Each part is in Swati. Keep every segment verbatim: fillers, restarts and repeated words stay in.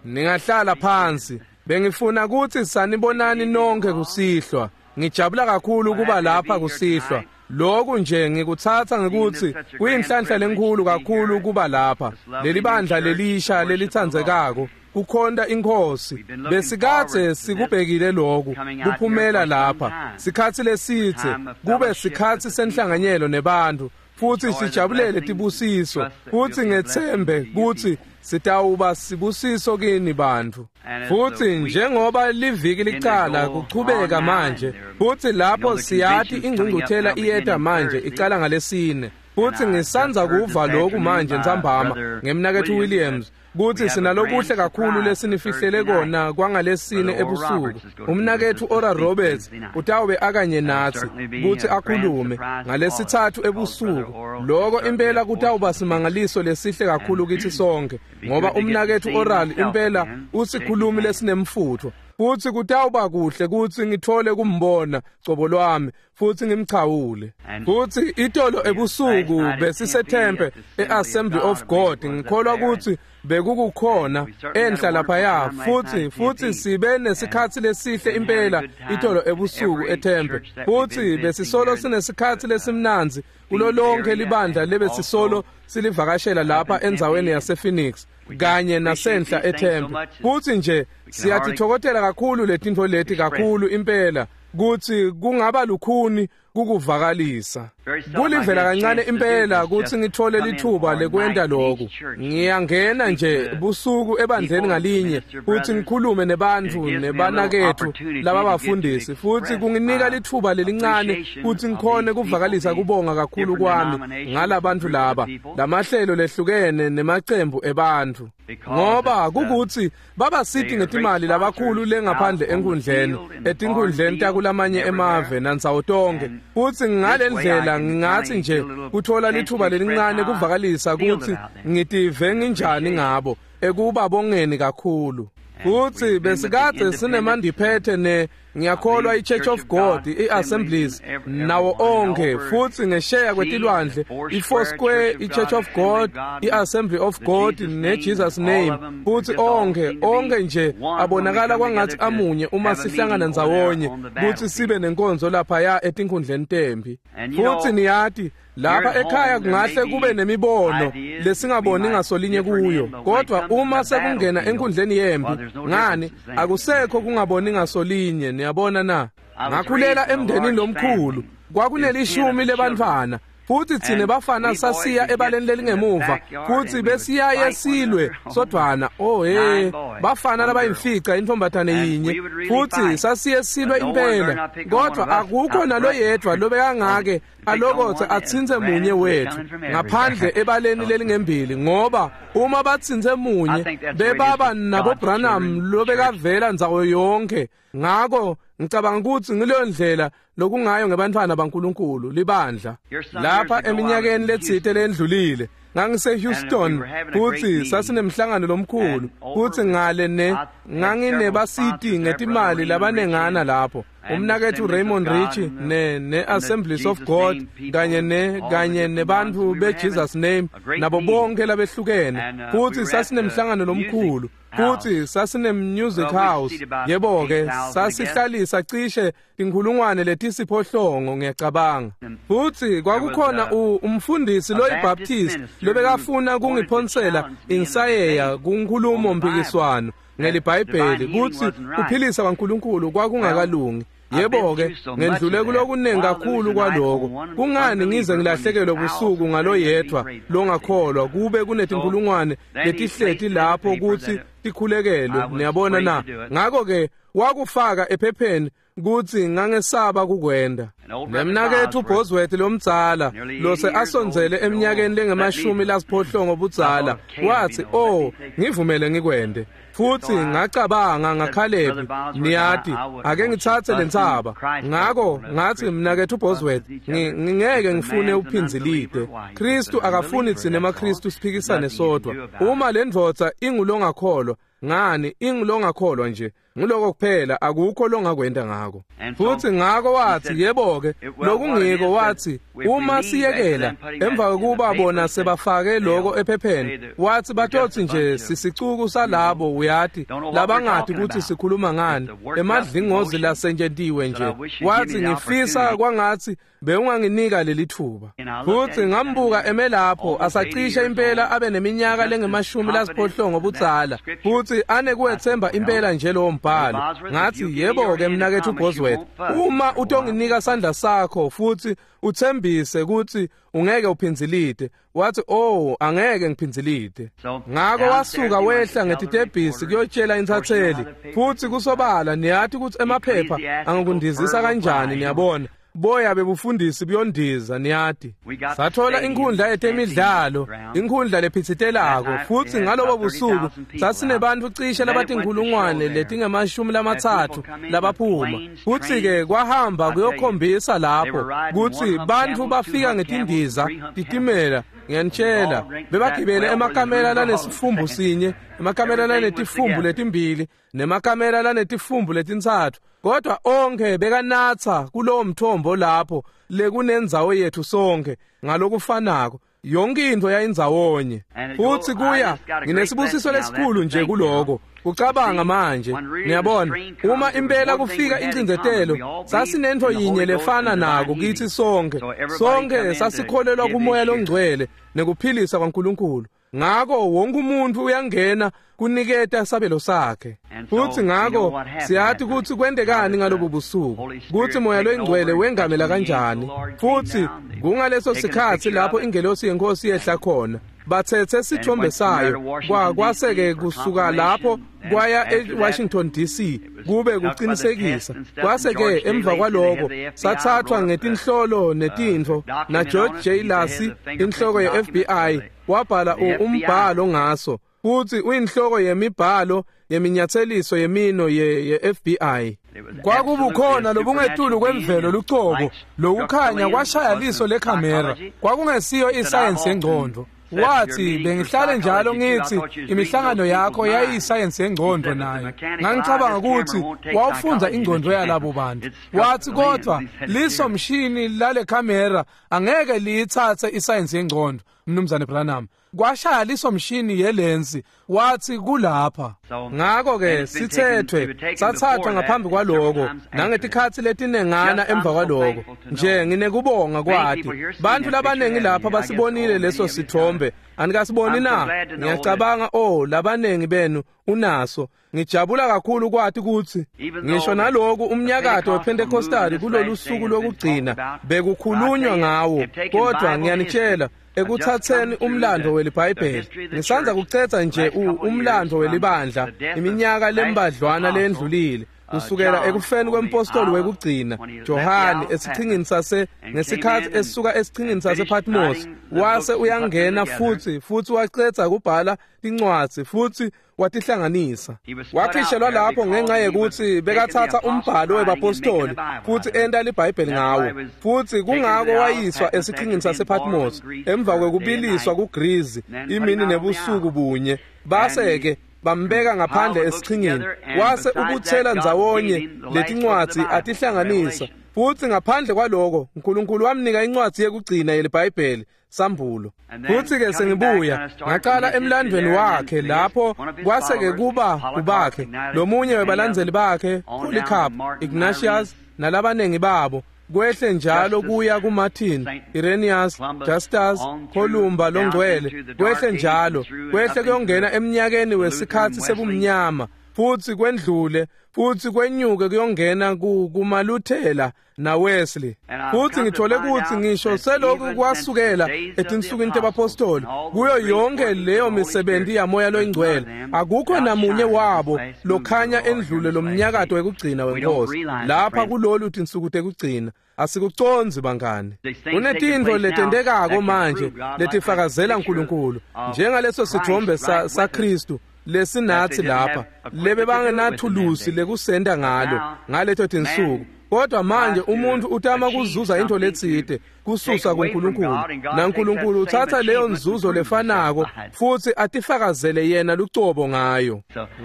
Ningahlala phansi. Bengifuna ukuthi sanibonani nonke kusihlwa. Ngijabula kakhulu kuba lapha kusihlwa. Lokhu nje ngikuthatha ngikuthi kuyinhlanhla lenkulu kakhulu kuba lapha. Leli bandla lelisha lelithandzekako kukhonta inkosi. Besikade sikubhekile lokhu kuphumela lapha. Sikhathi lesithe kube sikhathi senhlanganyelo nebantu futhi sijabulele tibusiso futhi ngethembe ukuthi sitawuba sibusiso kini bantu. Futhi njengoba liviki licala kuchubeka manje, futhi lapho siyati ingqungquthela iyeta manje icala ngalesine. Futhi ngisanza kuva lokhu manje ntsambama ngemnakethu Williams kuthi sinalokuhle kakhulu lesinifihlele kona kwangalesine ebusuku. Umnakethu Oral Roberts utawube akanye nathi kuthi akhulume ngalesithathu ebusuku. Lokho impela kutawuba simangaliso lesihle kakhulu kithi sonke, ngoba umnakethu Oral impela usikhulumi lesinemfutho. Futhi kutawuba kuhle kuthi ngithole kumbona cobo lwami futhi ngimchawule. Futhi itolo ebusuku besiseTempe eAssembly of God, ngikholwa ukuthi bekukukhona enhla laphaya, futhi futhi sibe nesikhathi lesihle impela itolo ebusuku eTempe. Futhi besisolo sinesikhathi lesimnanzi kulo lonke libandla lebesisolo silivakashela lapha endzaweni yasePhoenix kanye nasenhla eTempe. Futhi nje siyatithokotela kakhulu letintfo leti kakhulu impela kuthi kungaba lukhuni kukuvakalisa. Kulivela kancane impela kuthi ngithole lithuba lekwenta lokhu. Ngiyangena nje busuku ebandleni ngalinye futhi ngikhulume nebantfu nebanakethu lababafundisi, futhi kunginika lithuba lelincane kuthi ngikhone kuvakalisa kubonga kakhulu kwami ngalabantu laba, lamahlelo lehlukene nemacembu ebantfu, ngoba kukuthi babasiti ngetimali labakhulu lengaphandle enkundleni etinkundleni takulamanye emave nandzawo tonke. Futhi ngale ndlela ngingathi nje kuthola lithuba lelincane kuvakalisa ukuthi ngitive nginjani ngabo ekubabongeni kakhulu. Futhi besikade sinemandiphethe ne ngiyakholwa i-Church of God, i-Assemblies nawo onke, futhi ngesheya kwetilwandle i-Four Square, i-Church of God, i-Assembly of God ne-Jesus Name, futhi onke onke nje abonakala kwangathi amunye uma sihlangana ndzawonye kuthi sibe nenkonzo laphaya etinkundleni tempi. Futhi niyati lapha ekhaya kungahle kube nemibono lesingaboni ngasolinye kuyo, kodwa uma sekungena enkundleni yempi, ngani akusekho kungaboni ngasolinye. Niyabona na? Ngakhulela emndenini lomkhulu, kwakunelishumi lebantfwana, futhi thine bafana sasiya ebaleni lelingemuva futhi besiyaye silwe sodwana. Oh hey, bafana labayimfica intombatane yinye, futhi sasiye silwe impela, kodwa akukho naloyedwa lobekangake alokothe atsintse munye wethu ngaphandle ebaleni lelingembili, ngoba uma batsintse munye bebaba nabo Branham lobekavela ndzawo yonke. Ngako ngicabanga ukuthi ngileyo ndlela lokungayo ngebantfwana baNkulunkulu libandla. Lapha eminyakeni letsite lendlulile ngangise Houston futhi sasinemhlangano lomkhulu, futhi ngale ne nganginebasiti ngetimali labanengana lapho, umnakethu Raymond Richie ne ne-Assemblies of God kanye ne kanye nebantu be-Jesus Name nabo bonke labehlukene, futhi sasinemhlangano lomkhulu, futhi sasine-music house. Yebo-ke sasihlalisa cishe tinkhulungwane letisiphohlongo ngiyacabanga. Futhi kwakukhona umfundisi loyiBaptist lobekafuna kungiphonsela insayeya kunkhulumo mpikiswano ngeliBhayibheli kuthi kuphilisa kwaNkulunkulu kwakungakalungi. Yebo-ke ngendlule kulokunengi kakhulu kwaloko. Kungani ngize ngilahlekelwe busuku ngaloyedwa longakholwa kube kunetinkhulungwane letihleti lapho kuthi tikhulekelwe? Niyabona na? Ngakho-ke wakufaka ephepheni kuthi ngangesaba kukwenda. Nemnakethu Bosworth lomdzala lose asondzele eminyakeni lengemashumi lasiphohlongo budzala wathi, "Oh, ngivumele ngikwende." Futhi ngacabanga ngaKhalebi, niyati ake ngitsatse lentsaba. Ngako ngathi, mnakethu Bosworth, ngingeke ngifune uphinzilide. Kristu akafuni tsine emaKristu siphikisane sodwa. Uma le ndvodza ingulongakholwa, ngani ingulongakholwa nje, Nguloko kuphela, akukho longakwenta ngako. Futhi ngako wathi, yebo-ke, lokungiko wathi, uma siyekela emva kokuba bona sebafake loko ephepheni, wathi batotsi nje sisicuku salabo, uyati, labangati ukuthi sikhuluma ngani, emadlingozi lasentshentiwe nje. Wathi ngifisa kwangathi bewunganginika leli thuba. Futhi ngambuka eme lapho asacishe impela abe neminyaka lengemashumi lasiphohlongo budzala, futhi anekuwethemba impela nje lowo mbhalo. Ngathi, yebo-ke mnaketfu Bosworth, uma utonginika sandla sakho futhi uthembise ukuthi ungeke uphindzilite. Wathi, oh, angeke ngiphindzilite. Ngako wasuka wehla ngetitebhisi kuyotshela intatheli. Futhi kusobala niyati ukuthi emaphepha angakundizisa kanjani, niyabona. Boya bebufundisi buyondiza, niyati. Sathola inkhundla yetemidlalo, inkhundla lephitsitelako, futhi ngalobo busuku sasinebantfu cishe labatinkhulungwane letingemashumi lamatsatfu labaphuma. Futhi-ke kwahamba kuyokhombisa lapho kutsi bantfu bafika ngetindiza, titimela, ngiyanitshela, bebagibele emakamela lanesifumbu sinye, emakamela lanetifumbu letimbili, nemakamela lanetifumbu letintsatfu. Kodwa onke bekanatsa kulowo mthombo lapho lekunendzawo yethu sonke ngalokufanako. Yonke into yayindzawonye. Futhi kuya nginesibusiso lesikhulu nje kuloko kucabanga manje, niyabona, uma impela kufika incindzetelo, sasinento yinye lefana nako kithi sonke. Sonke sasikholelwa kuMoya loNgcwele nekuphilisa kwaNkulunkulu. Ngako wonke umuntu uyangena kuniketa sabelo sakhe. Futhi ngako siyati ukuthi kwentekani ngalobu busuku, kuthi Moya loNgcwele wengamela kanjani. Futhi kungaleso sikhathi lapho ingelosi yenkosi yehla khona, bathethe sithombe sayo, kwase-ke kusuka lapho kwaya eWashington D C kube kuqinisekisa. Kwase-ke emva kwaloko sathathwa ngetinhlolo netintfo, na George J. Lacy, inhloko ye-F B I, wabhala umbhalo ngaso, futhi uyinhloko yemibhalo yeminyatheliso yemino ye-F B I. Kwakubukhona lobungetulu kwemvelo lucobo, lokukhanya kwashaya liso lekhamera, kwakungesiyo isayensi yengcondvo. Wathi, bengihlale njalo ngithi imihlangano yakho yayiyisayensi yengcondvo nayo. Ngangicabanga ukuthi wawufundza ingcondvo yalabo bantu. Wathi, kodwa liso mshini lale kamera angeke liyitsatse isayensi yengcondvo, Mnumzane Branham. Kwashaya liso mshini yelensi, wathi kulapha. Ngako-ke sithethwe sathathwa ngaphambi kwaloko nangetikhatsi letinengana emva kwaloko. Nje nginekubonga kwati bantfu labanengi lapha basibonile leso sithombe. Anikasiboni na? Ngiyacabanga, oh, labanengi benu unaso. Ngijabula kakhulu kwati kutsi ngisho naloku umnyakato wePentecostal kulolu suku lokugcina bekukhulunywa ngawo, kodwa ngiyanitshela, ekuthatheni umlando weliBhayibheli, ngisanza kucetha nje umlando welibandla iminyaka lembadlwana lendlulile, kusukela ekufeni kwempostoli wekugcina Johane esichingini sase ngesikhathi esuka esichingini sasePatmos, wase uyangena futhi futhi wacetha kubhala tincwadzi futhi watihlanganisa. Wakhishelwa lapho ngenxa yekuthi bekathatha umbhalo webapostoli futhi enta liBhayibheli ngawo. Futhi kungako wayiswa esichingini sasePatmos emva kwekubiliswa kuGreece imini nebusuku bunye. Base-ke bambeka ngaphandle esichingini, wase ubuthela ndzawonye letincwadzi atihlanganisa. Futhi ngaphandle kwaloko uNkulunkulu wamnika incwadzi yekugcina yeliBhayibheli, Sambulo. Futhi-ke sengibuya ngaqala emlandweni wakhe lapho kwase-ke kuba kubakhe lomunye webalandzeli bakhe, Polycarp, Ignatius nalabanengi babo, kwehle njalo kuya kuMartin, Irenaeus, Justus, Columba loNgcwele, kwehle njalo kwehle kuyongena eminyakeni wesikhathi sebumnyama, futhi kwendlule futhi kwenyuke kuyongena kumaLuthela naWesley. Futhi ngithole ukuthi ngisho selokhu kwasukela etinsukwini tebapostoli kuyo yonke leyo misebenzi yaMoya loNgcwele, akukho namunye wabo lokhanya endlule lomnyakato wekugcina wenkosi lapha kulolu tinsuku tekugcina. Asikuconzi bangane. Kunetintfo letentekako manje letifakazela uNkulunkulu, njengaleso sithombe saKristu lesinathi lapha, lebe bangenathulusi lekusenda ngalo ngaleto tinsuku. Kodwa manje umuntu utama kuzuza into letsite kususa kuNkulunkulu, naNkulunkulu uthatha leyo nzuzo lefanako futhi atifakazele yena lucobo ngayo.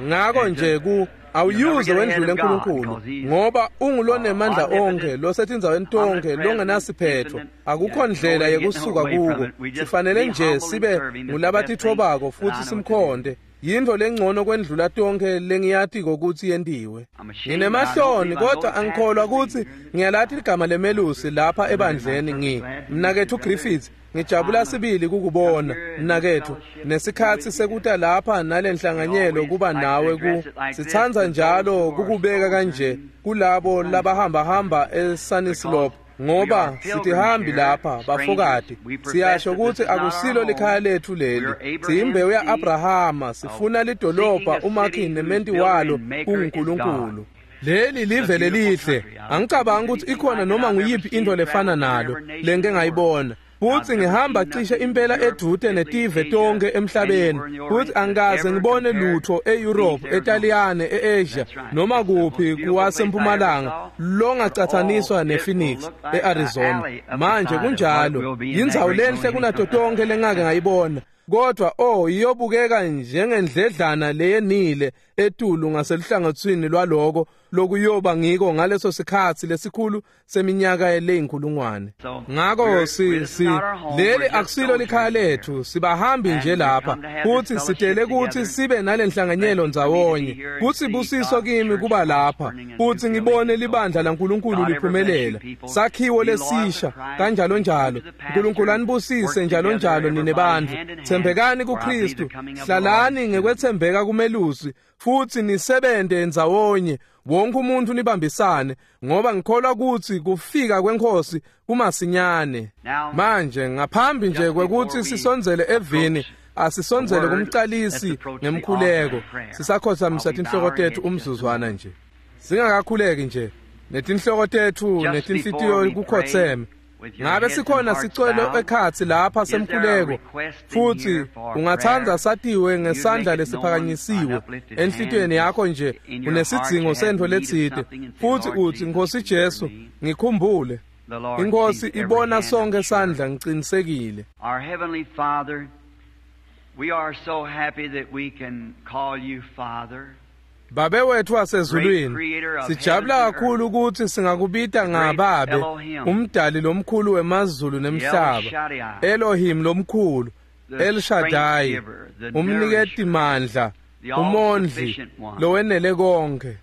Ngako nje ku awuyuze wendlule uNkulunkulu, ngoba ungulonemandla onke losetindzaweni tonke longenasiphetho. Akukho ndlela yekusuka kuko. Sifanele nje sibe ngulabatithobako futhi simkhonde. Yinto lengcono kwendlula tonke lengiyatiko ukuthi yentiwe. Nginemahloni kodwa angikholwa ukuthi ngiyalathi ligama lemelusi lapha ebandleni. Ngi mnakethu Griffith, ngijabula sibili kukubona mnakethu, nesikhatsi sekuta lapha nalenhlanganyelo kuba nawe. Ku sitsandza njalo kukubeka kanje kulabo labahamba hamba eSunnyslope, ngoba sitihambi lapha bafokati. Siyasho ukuthi akusilo likhaya lethu leli, siyimbewu ya-Abrahama, sifuna lidolobha umakhi nementi walo kunguNkulunkulu. Leli live lelihle, angicabangi ukuthi ikhona noma nguyiphi into lefana nalo lengike ngayibona. Futhi ngihamba cishe impela edute netive tonke emhlabeni, futhi angikaze ngibone lutho e-Europe, eTaliyane, e-Asia noma kuphi kuwasempumalanga longacathaniswa nePhoenix e-Arizona. Manje kunjalo, yindzawo lenhle kunato tonke lengake ngayibona. Kodwa oh, iyobukeka njengendledlana leyenile etulu ngaseluhlangothini lwaloko lokuyoba ngiko ngaleso sikhatsi lesikhulu seminyaka leyinkulungwane. Ngako si si leli akusilo likhaya lethu, sibahambi nje lapha, futhi sitele ukuthi sibe nalenhlanganyelo ndzawonye. Kuthi busiso kimi kuba lapha futhi ngibone libandla laNkulunkulu liphumelela, sakhiwo lesisha kanjalo njalo. uNkulunkulu anibusise njalo njalo nine bantfu. Thembekani kuKristu, hlalani ngekwethembeka kumelusi, futhi nisebente ndzawonye, wonke umuntu nibambisane, ngoba ngikholwa ukuthi kufika kwenkosi kumasinyane. Manje ngaphambi nje kwekuthi sisondzele evini, asisondzele kumcalisi ngemkhuleko. Sisakhothamisa tinhloko tethu umzuzwana nje, singakakhuleki nje, netinhloko tethu netinhlitiyo kukhotseme. Ngabe sikhona sicelo ekhatsi lapha semkhuleko, futhi ungatsandza satiwe ngesandla lesiphakanyisiwe enhlitiyweni yakho nje, unesidzingo sentfo letsite, futhi uthi, Nkosi Jesu, ngikhumbule. Inkosi ibona sonke sandla, ngicinisekile. Our heavenly Father, we are so happy that we can call you Father. Babe wethu wasezulwini, sijabula kakhulu ukuthi singakubita ngababe, umdali lomkhulu wemazulu nemhlaba, Elohim lomkhulu, El Shaddai, umniketi mandla, umondli lowenele konke.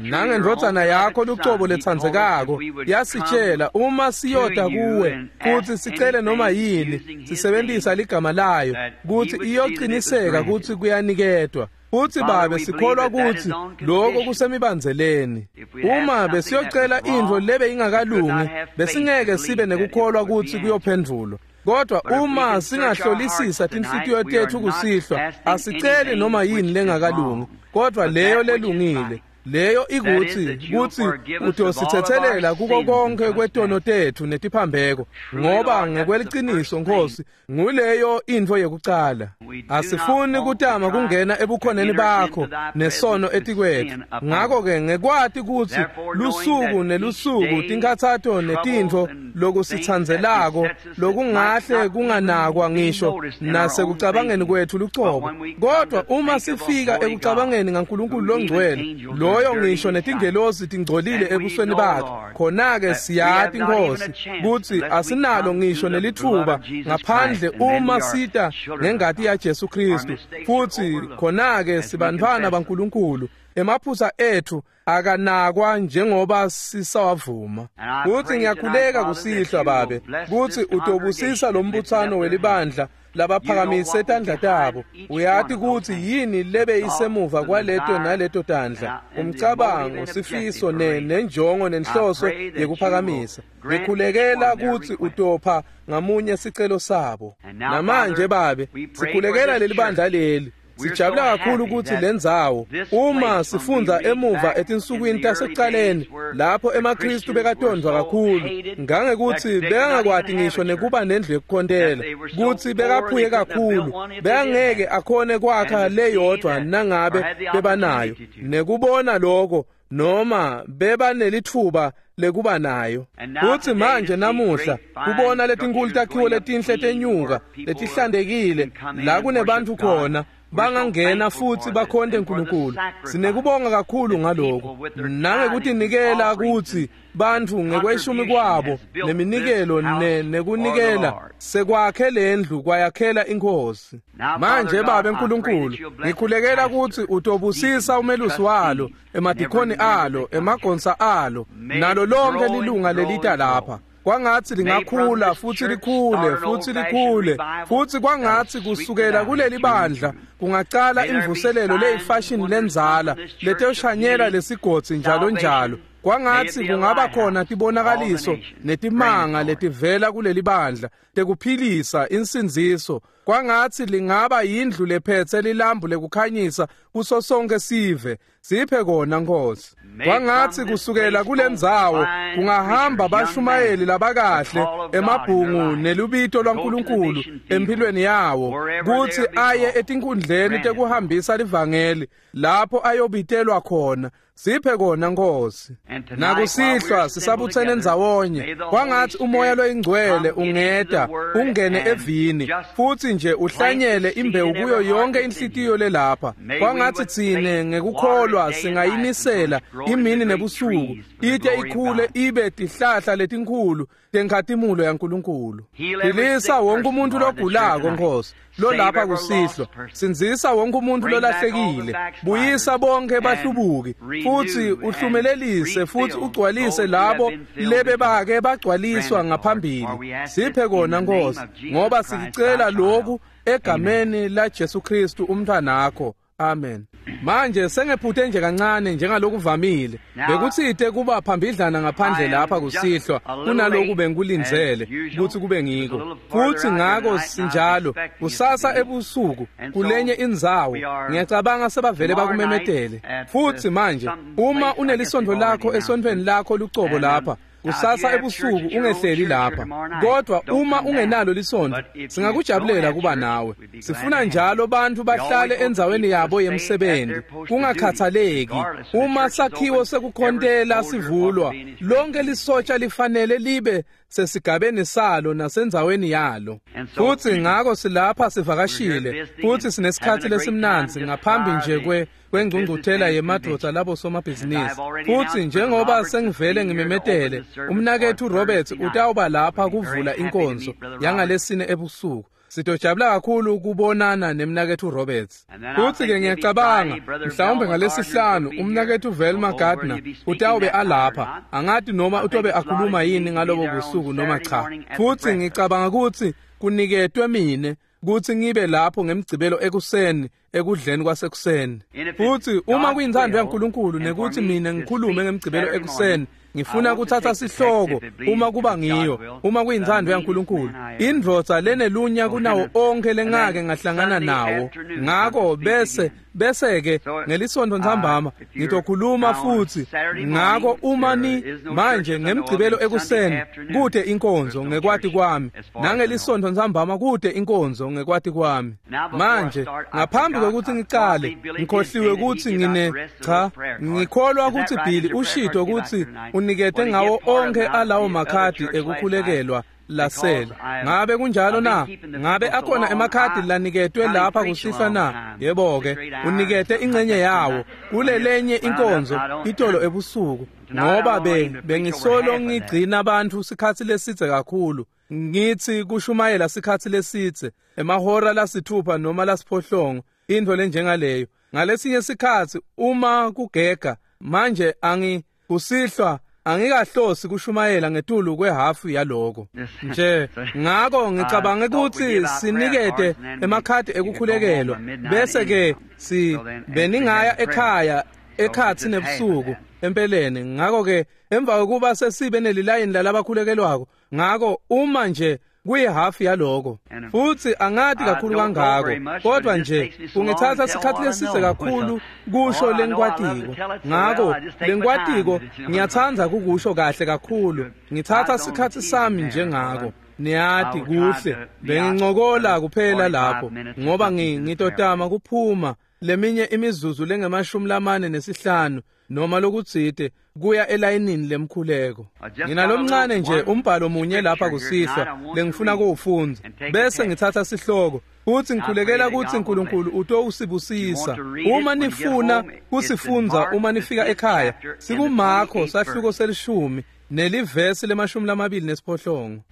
Nangendvodzana yakho lucobo letsandzekako yasitshela uma siyota kuwe futhi sicele noma yini sisebenzisa ligama layo kuthi iyociniseka ukuthi kuyaniketwa. Futhi babe sikholwa ukuthi lokho kusemibandzeleni. Uma besiyocela intfo lebe ingakalungi, besingeke sibe nekukholwa ukuthi kuyophendvulwa. Kodwa uma singahlolisisa tinhlitiyo tethu kusihlwa, asiceli noma yini lengakalungi, kodwa leyo lelungile. Leyo ikuthi kuthi utosithethelela kuko konke kwetono tethu netiphambeko, ngoba ngekweliciniso Nkosi nguleyo intfo yekucala. Asifuni kutama kungena ebukhoneni bakho nesono etikwethu. Ngako-ke ngekwati kutsi lusuku nelusuku tinkhatsato netintfo lokusithandzelako lokungahle kunganakwa ngisho nasekucabangeni kwethu lucobo, kodwa uma sifika ekucabangeni ngaNkulunkulu longcwele, loyo ngisho netingelosi tingcolile ebusweni bakhe, khona-ke siyati Nkosi kutsi asinalo ngisho nelitfuba ngaphandle uma sita ngengati yaJesu Kristu, futhi khona-ke sibantfwana baNkulunkulu. Emaphutsa ethu akanakwa njengoba sisawavuma. Kuthi ngiyakhuleka kusihlwa babe kuthi utobusisa lo mbutsano welibandla labaphakamise tandla tabo. Uyati kutsi yini lebe isemuva kwaleto naleto tandla, umcabango, sifiso ne nenjongo nenhloso yekuphakamisa. Ngikhulekela kutsi utopha ngamunye sicelo sabo. Namanje babe sikhulekela leli bandla leli. Sijabula kakhulu ukuthi lendzawo uma sifundza emuva etinsukwini tasekucaleni lapho emaKristu bekatondwa kakhulu ngangekuthi bekangakwati ngisho nekuba nendlu yekukhontela, kutsi bekaphuye kakhulu bekangeke akhone kwakha leyodwa nangabe bebanayo. Nekubona lokho noma bebanelitfuba lekuba nayo. Futsi manje namuhla kubona letinkulu takhiwo letinhle tenyuka letihlantekile la kunebantfu khona bangangena futsi bakhonte uNkulunkulu. Sinekubonga kakhulu ngaloko nangekutinikela kutsi bantfu ngekweshumi kwabo neminikelo nekunikela sekwakhe lendlu kwayakhela inkosi. Manje Babe uNkulunkulu, ngikhulekela kutsi utobusisa umelusi walo, emadikhoni alo, emagonsa alo, nalo lonke lilunga lelita lapha. Kwangatsi lingakhula futsi likhule futsi likhule futsi kwangatsi kusukela kuleli bandla kungacala imvuselelo leyifashion lenzala letoshanyela lesigodzi njalo njalo. Kwangatsi kungaba khona tibonakaliso netimanga letivela kuleli bandla tekuphilisa insindziso. Kwangatsi lingaba yindlu lephetse lilambu lekukhanyisa kuso sonke sive. Siphe kona Nkosi. Kwangatsi kusukela kulendzawo kungahamba bashumayeli labakahle emabhungu nelubito lwaNkulunkulu empilweni yawo kutsi aye etinkundleni tekuhambisa livangeli lapho ayobitelwa khona. Siphe kona Nkosi. Nakusihlwa sisabutsene ndzawonye, kwangatsi umoya loyingcwele ungeta ungene evini futsi nje uhlanyele imbewu kuyo yonke inhlitiyo lelapha. Kwangatsi tsine ngekukholwa singayinisela imini nebusuku ite ikhule ibe tihlahla letinkhulu tenkhatimulo yaNkulunkulu. Philisa wonke umuntu logulako Nkosi lolapha kusihlwa, sindzisa wonke umuntu lolahlekile, buyisa bonke bahlubuki futsi uhlumelelise futsi ugcwalise labo lebebake bagcwaliswa ngaphambili. Siphe kona Nkosi, ngoba sicela lokhu egameni la Jesu Kristu umntwanakho. Amen. Manje sengephuthe nje kancane njengalokuvamile bekutsite kuba phambidlana ngaphandle lapha kusihlwa kunaloku bengikulindzele kutsi kube ngiko. Futsi ngako sinjalo kusasa ebusuku kulenye indzawo ngiyacabanga sebavele bakumemetele. Futsi manje uma unelisondvo lakho esontfweni lakho lucobo lapha kusasa ebusuku ungehleli lapha, kodwa uma ungenalo lisondvo singakujabulela kuba nawe. Sifuna njalo bantfu bahlale endzaweni yabo yemsebenzi kungakhathaleki. Uma sakhiwo sekukhontela sivulwa, lonke lisotsha lifanele libe sesigabeni salo nasendzaweni yalo. Futsi ngako silapha sivakashile futsi sinesikhatsi lesimnandzi ngaphambi nje kwe kwengcungcuthela yemadvodza labo somabhizinisi. Futsi njengoba sengivele ngimemetele, umnaketfu Roberts utawuba lapha kuvula inkonzo yangalesine ebusuku. Sitojabula kakhulu kubonana nemnaketfu Roberts. Futsi ke ngiyacabanga mhlawumbe ngalesihlanu umnaketfu Velma Gardner utawube alapha. Angati noma utobe akhuluma yini ngalobo busuku noma cha. Futsi ngicabanga kutsi kuniketwe mine kutsi ngibe lapho ngemgcibelo ekuseni ekudleni kwasekuseni. Futsi uma kuyintsandvo yaNkulunkulu nekuthi mina ngikhulume ngemgcibelo ekuseni, ngifuna kuthatha sihloko uma kuba ngiyo, uma kuyintsandvo yaNkulunkulu, indvodza lenelunya kunawo onke lengake ngahlangana nawo. Ngako bese bese ke ngelisonto ntsambama ngitokhuluma futsi. Ngako uma ni manje ngemgcibelo ekuseni kute inkonzo ngekwati kwami, nangelisonto ntsambama kute inkonzo ngekwati kwami. Manje ngaphambi kwekutsi ngicale ngikhohliwe kutsi ngine cha ngikholwa kutsi Billy ushito kutsi unikete ngawo onke alawo makhadi ekukhulekelwa lasele. Ngabe kunjalo na? Ngabe akhona emakhadi laniketwe lapha kusihlwa na? Yebo ke, unikete ingcenye yawo kulelenye inkonzo itolo ebusuku, ngoba be bengisolo ngigcina abantu sikhatsi lesidze kakhulu. Ngithi kushumayela sikhatsi lesidze, emahora lasithupha noma lasiphohlongo, intfo lenjengaleyo. Ngalesinye sikhatsi uma kugega manje angi kusihlwa angikahlosi kushumayela ngetulu kwehafu yaloko nje. Ngako ngicabange kutsi sinikete emakhadi ekukhulekelwa bese ke si beningaya ekhaya ekhatsi nebusuku empeleni. Ngako ke emva kokuba sesibe nelilayini lalabakhulekelwako, ngako uma nje kuyihafu yaloko futsi angati kakhulu kangako, kodwa nje kungithatha sikhatsi lesidze kakhulu kusho lengikwatiko. Ngako lengikwatiko ngiyatsandza kukusho kahle kakhulu, ngithatha sikhatsi sami njengako. Niyati kuhle bengincokola kuphela lapho ngoba ngitotama kuphuma leminye imizuzu lengemashumi lamane nesihlanu noma lokutsite kuya elayinini lemkhuleko. Nginalomncane nje umbhalo munye lapha kusihlwa lengifuna kuwufundza bese ngitsatsa sihloko futhi ngikhulekela kutsi uNkulunkulu utowusibusisa. Uma nifuna kusifundza uma nifika ekhaya, sikuMakho sahluko selishumi nelivesi lemashumi lamabili nesiphohlongo.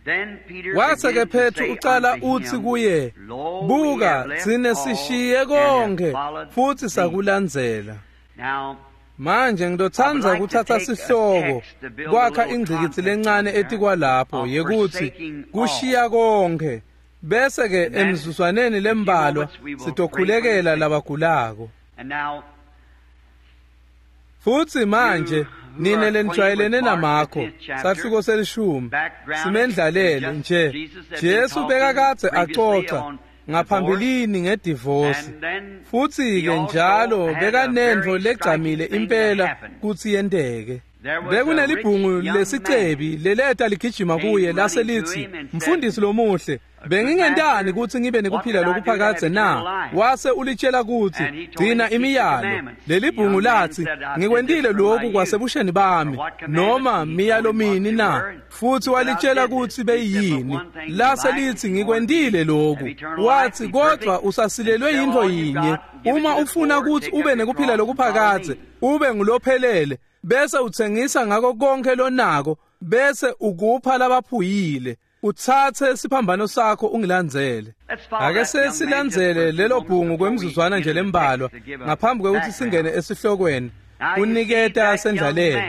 Wase-ke Petru ucala utsi kuye, buka tsine sishiye konke futhi sakulandzela. Manje ngidotsandza kuthatha sihloko kwakha ingcikitsi lencane etikwalapho yekutsi kushiya konke, bese-ke emzuzwaneni lembalwa sitokhulekela labagulako. Futhi manje nine lenijwayelene naMakho sahluko selishumi simendlalele nje Jesu bekakadze acoca ngaphambilini ngedivosi, futhi-ke njalo bekanentfo legcamile impela kutsi yenteke. Bekunelibhungu lesicebi leleta ligijima kuye lase litsi, mfundisi lomuhle, bengingentani kutsi ngibe nekuphila lokuphakadze na? Wase ulitshela kutsi gcina imiyalo. Lelibhungu latsi, ngikwentile lokhu kwasebusheni bami, noma miyalo mini na? Futhi walitshela kutsi beyiyini. Lase litsi, ngikwentile lokhu. Watsi, kodwa usasilelwe yintfo yinye, uma ufuna kutsi ube nekuphila lokuphakadze, ube ngulophelele, bese utsengisa ngako konke lonako, bese ukupha labaphuyile, utsatse siphambano sakho ungilandzele. Ake sesilandzele lelo bhungu kwemzuzwana nje lembalwa ngaphambi kwekutsi singene esihlokweni kuniketa sendlalelo.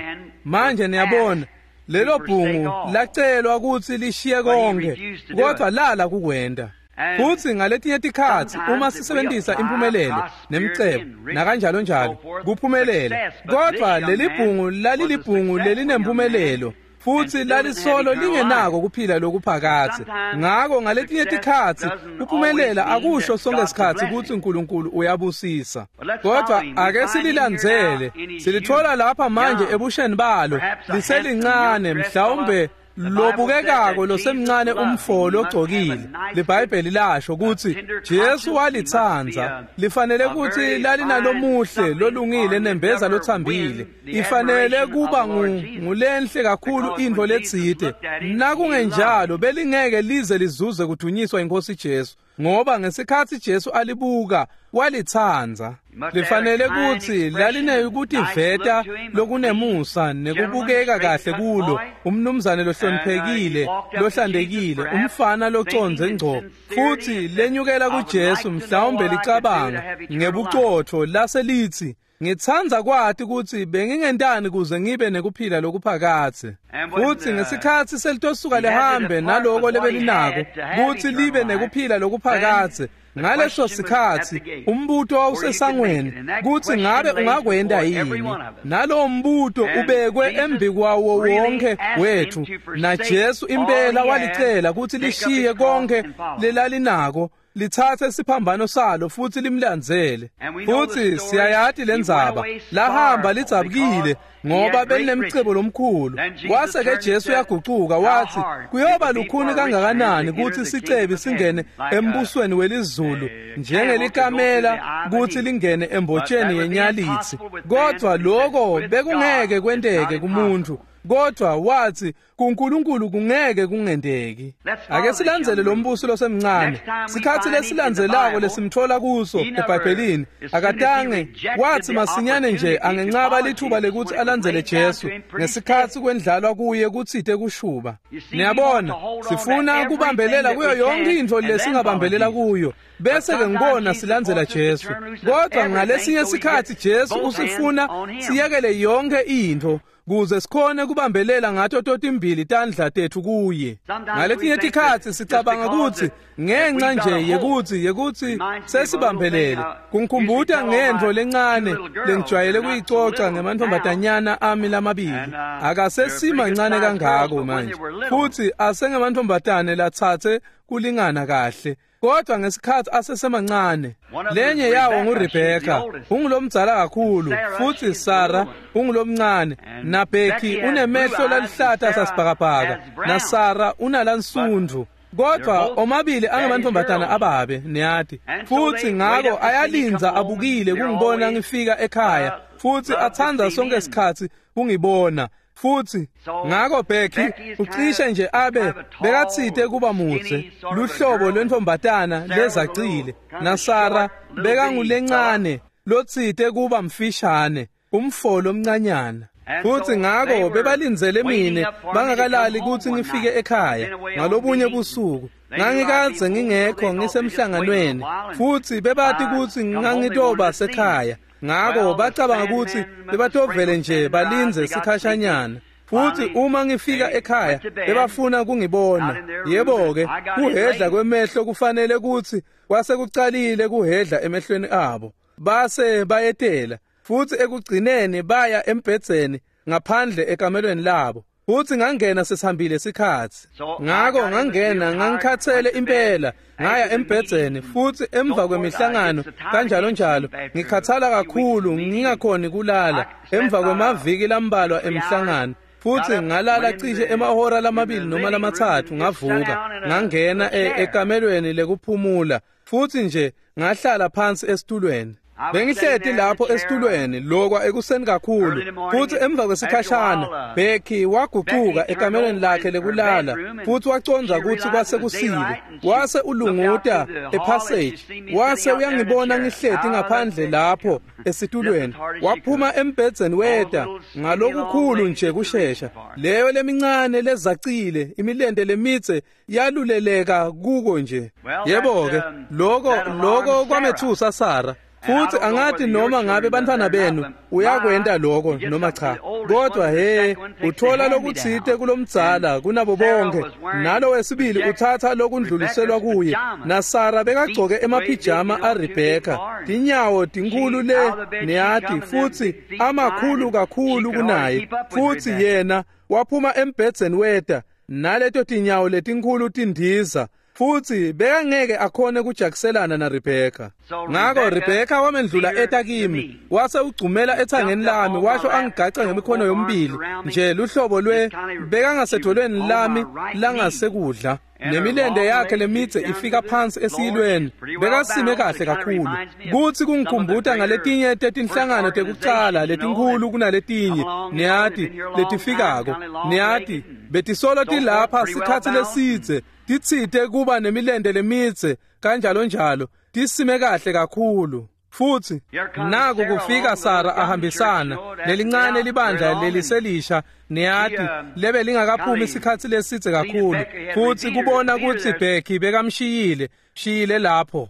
Manje niyabona lelo bhungu lacelwa kutsi lishiye konke, kodwa lala kukwenta. Futhi ngaletinye tikhatsi uma sisebenzisa impumelelo nemcebo nakanjalo njalo kuphumelela, kodwa lelibhungu lalilibhungu lelinempumelelo futhi lalisolo lingenako kuphila lokuphakadze. Ngako ngaletinye tikhatsi kuphumelela akusho sonke sikhatsi kutsi uNkulunkulu uyabusisa, kodwa ake sililandzele. Silithola lapha manje ebusheni balo liselincane, mhlawumbe lobukekako losemncane umfo logcokile. LiBhayibheli lasho kutsi Jesu walitsandza, lifanele kutsi lalinalomuhle lolungile nembeza lothambile, ifanele kuba ngulenhle kakhulu intfo letsite. Nakungenjalo belingeke lize lizuze kudunyiswa iNkosi Jesu, ngoba ngesikhatsi Jesu alibuka walitsandza. Lifanele kutsi lalinekutiveta lokunemusa nekubukeka kahle kulo, umnumzane lohloniphekile lohlantekile, umfana locondze ngco. Futhi lenyukela kuJesu mhlawumbe licabanga ngebucotfo lase litsi, ngitsandza kwati kutsi bengingentani kuze ngibe nekuphila lokuphakadze. Futhi ngesikhatsi selitosuka lihambe naloko lebelinako kutsi libe nekuphila lokuphakadze, ngaleso sikhatsi umbuto wawusesangweni kutsi ngabe ungakwenta yini. Nalowo mbuto ubekwe embikwawo wonke wethu, naJesu impela walicela kutsi lishiye konke lelalinako, litsatse siphambano salo futhi limlandzele. Futhi siyayati lendzaba, lahamba lidzabukile ngoba belinemcebo lomkhulu. Kwase-ke Jesu uyagucuka wathi, kuyoba lukhuni kangakanani kutsi sicebi singene embusweni welizulu njengelikamela kutsi lingene embotsheni yenyalitsi. Kodwa loko bekungeke kwenteke kumuntu, kodwa wathi kuNkulunkulu kungeke kungenteki. Ake silandzele lo mbuso losemncane. Sikhatsi lesilandzelako lesimthola kuso eBhayibhelini, akatange wathi masinyane nje angencaba lithuba lekutsi alandzele Jesu ngesikhatsi kwendlalwa kuye kutsite kushuba. Niyabona, sifuna kubambelela kuyo yonke intfo lesingabambelela kuyo, bese-ke ngibona silandzela Jesu. Kodwa ngalesinye sikhatsi Jesu usifuna siyekele yonke intfo kuze sikhone kubambelela ngato totimbili tandla tetfu kuye. Ngaletinye tikhatsi sicabanga kutsi ngenxa nje yekutsi yekutsi sesibambelele. Kungikhumbuta ngentfo lencane lengijwayele kuyicoca ngemantfombatanyana ami lamabili. Akasesimancane kangako manje, futhi asengemantfombatane latsatse kulingana kahle. Kodwa ngesikhatsi asesemancane, lenye yawo nguRebecca, ungulomdzala kakhulu, futhi Sara ungulomncane, naBecky unemehlo lalihlata sasibhakabhaka, naSara unalansundvu. Kodwa omabili angamantombazana ababe, niyati. Futhi ngako ayalinza abukile kungibona ngifika ekhaya, futhi athanda sonke isikhathi kungibona. Futhi ngako Becky ucishe nje abe bekathite kuba mutse luhlobo lwentombatana lezacile, naSara bekangulencane lotsite kuba mfishane, umfolo omncanyana. Futhi ngako bebalindzele mine bangakalali kutsi ngifike ekhaya ngalobunye busuku. Ngangikadze ngingekho ngisemhlanganweni, futhi bebati kutsi ngangitoba sekhaya. Ngako bacabanga kutsi bebatovele nje balindze sikhashanyana. Futhi uma ngifika ekhaya bebafuna kungibona. Yebo-ke, kuhedla kwemehlo kufanele kutsi kwasekucalile kuhedla emehlweni abo. Base bayetela, futhi ekugcineni baya embhedzeni ngaphandle ekamelweni labo. Futhi ngangena sesihambile sikhatsi. Ngako ngangena ngangikhathele impela, ngaya embhedzeni, futhi emva kwemihlangano kanjalo njalo ngikhathala kakhulu ngingakhoni kulala emva kwemaviki lambalwa emhlangano. Futhi ngalala cishe emahora lamabili noma lamatsatfu, ngavuka ngangena ekamelweni lekuphumula, futhi nje ngahlala phansi esitulweni. Bengihleti lapho esitulweni lokwa ekuseni kakhulu, futhi emva kwesikhashana Becky wagucuka ekamelweni lakhe lekulala, futhi wacondza kutsi kwase kusile. Wase ulunguta epassage, wase uyangibona ngihleti ngaphandle lapho esitulweni. Waphuma embhedzeni weta ngalokukhulu nje kushesha. Leyo lemincane lezacile, imilente lemitse yaluleleka kuko nje. Yebo-ke, loko loko kwamethusa Sara. Futhi angathi noma ngabe bantwana benu uyakwenta lokho noma cha, kodwa he uthola lokutsite kulomdzala kunabo bonke, nalo wesibili uthatha lokundluliselwa kuye. NaSara bekagcoke emapijama aRebecca, tinyawo tinkulu le niyati, futhi amakhulu kakhulu kunaye. Futhi yena waphuma embhedzeni weta naleto tinyawo letinkhulu tindiza, futhi bekangeke akhone kujakiselana naRebecca. Ngako Rebecca wamendlula eta kimi, wase ugcumela ethangeni lami, washo angigaca ngemikhono yomibili nje luhlobo lwe bekangasedolweni lami langasekudla, nemilente yakhe lemitse ifika phansi esiyilweni. Bekasime kahle kakhulu kutsi kungikhumbuta ngaletinye tetinhlangano tekucala letinkhulu kunaletinye, niyati, letifikako, niyati, betisolo tilapha sikhatsi lesidze, titsite kuba nemilente lemitse kanjalo njalo, tisime kahle kakhulu. Futhi naku kufika Sara ahambisana lelincane libandla leliselisha, niyati, lebe lingakaphumi isikhatsi lesidze kakhulu. Futhi kubona kutsi Becky bekamshiyile shiyile lapho.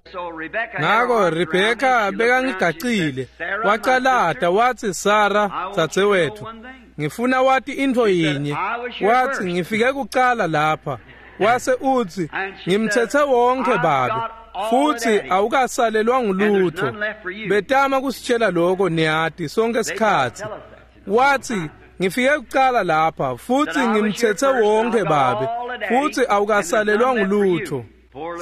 Ngako Rebecca bekangigacile, wacalata wathi, Sara dzadzewethu, ngifuna wati intfo yinye. Wathi, ngifike kucala lapha. Wase utsi, ngimthethe wonke babe, futhi awukasalelwa ngulutho. Betama kusitshela lokho, niyati, sonke isikhatsi. Wathi, ngifike kucala lapha, futhi ngimthethe wonke babe, futhi awukasalelwa ngulutho.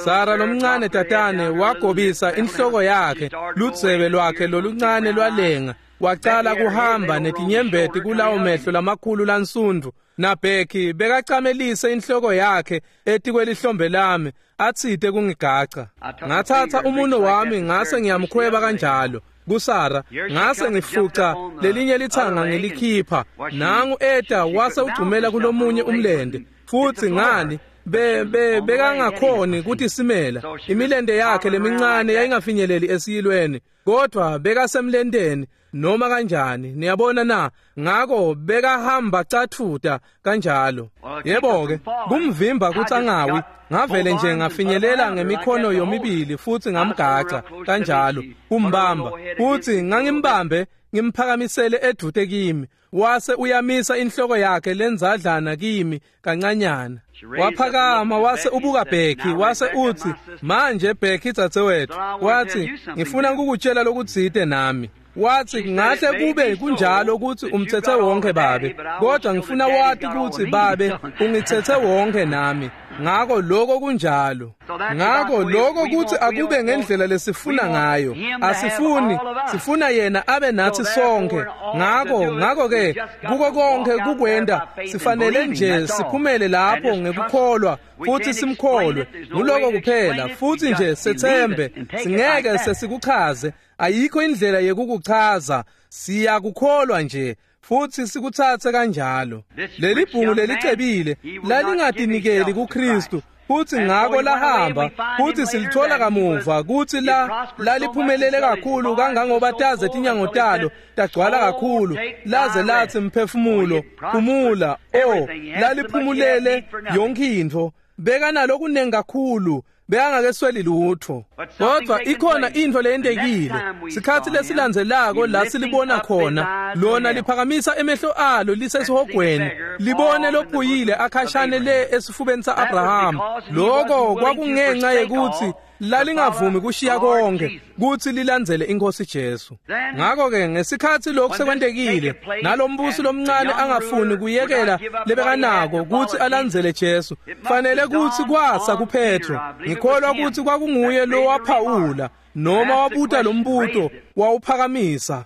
Sara lomncane tatane wagobisa inhloko yakhe, ludzebe lwakhe loluncane lwalenga, wacala kuhamba netinyembeti kulawo mehlo lamakhulu lansundvu. NaBecky bekacamelise inhloko yakhe etikwelihlombe lami, atsite kungigaca. Ngathatha umuno wami ngase ngiyamkhweba kanjalo kuSara, ngase ngifuca lelinye lithanga ngilikhipha. Nangu eta wase ugcumela kulomunye umlente, futhi ngani be be bekangakhoni kutisimela, imilente yakhe lemincane yayingafinyeleli esiyilweni, kodwa bekasemlenteni noma kanjani, niyabona na. Ngako bekahamba cathuta kanjalo. Yebo-ke, kumvimba kutsi angawi, ngavele nje ngafinyelela ngemikhono yomibili futhi ngamgaca kanjalo kumbamba, futhi ngangimbambe ngimphakamisele edvute kimi. Wase uyamisa inhloko yakhe lenzadlana kimi kancanyana. Waphakama wase ubuka Becky, wase utsi, manje Becky dzadzewethu, wathi, ngifuna ukukutshela lokutsite nami. Wathi ngahle kube kunjalo ukuthi umthethe wonke babe, kodwa ngifuna wati ukuthi babe ungithethe wonke nami. Ngako lokho kunjalo. Ngako lokho kuthi akube ngendlela lesifuna ngayo. Asifuni, sifuna yena abe nathi sonke. Ngako ngako ke kuko konke kukwenda sifanele nje siphumele lapho ngekukholwa futhi simkholwe. Nguloko kuphela futhi nje sethembe, singeke sesikuchaze. Ayikho indlela yekukuchaza, siyakukholwa nje futhi sikuthathe kanjalo. Leli bhungu lelicebile lalingatinikeli kuKristu, futhi ngako lahamba, futhi silithola kamuva kuthi la laliphumelele kakhulu kangangoba taze tinyango talo tagcwala kakhulu, laze lathi mphefumulo phumula. Oh, laliphumulele yonke intfo, bekanalo kunengi kakhulu, bekangakesweli lutho. Kodwa ikhona into leyentekile. Sikhathi lesilandzelako la silibona khona lona liphakamisa emehlo alo lisesihogweni, libone lophuyile akhashane le esifubeni sa-Abraham. Lokho kwakungenxa yekuthi lalingavumi kushiya konke kuthi lilandzele inkosi Jesu. Ngakho ke ngesikhathi lokhu sekwentekile, nalombusi lomncane angafuni kuyekela lebekanako kuthi alandzele Jesu, fanele kuthi kwasa kuPetro. Ngikholwa ukuthi kwakunguye lo waphawula noma wabuta lombuto wawuphakamisa,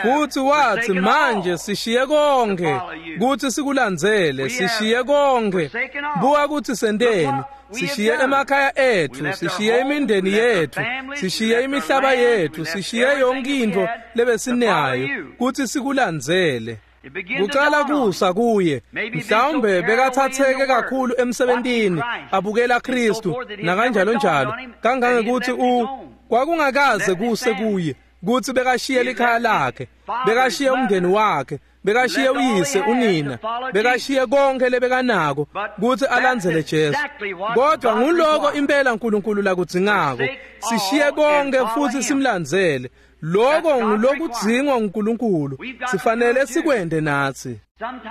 futhi wathi manje sishiye konke kuthi sikulandzele, sishiye konke. Buka ukuthi senteni, sishiye emakhaya ethu, sishiye imindeni yethu, sishiye imihlaba yethu, sishiye yonke into lebesinayo kuthi sikulandzele. Kucala kusa kuye, mhlawumbe bekathatheke kakhulu emsebentini abukela Kristu nakanjalo njalo, kangangekuthi u kwakungakaze kuse kuye kuthi bekashiye likhaya lakhe, bekashiye umndeni wakhe, bekashiye uyise unina, bekashiye konke lebekanako kuthi alandzele Jesu. Kodwa nguloko impela uNkulunkulu lakudzingako, sishiye konke futhi simlandzele. Lokho ngulokudzingwa uNkulunkulu, sifanele sikwende nathi.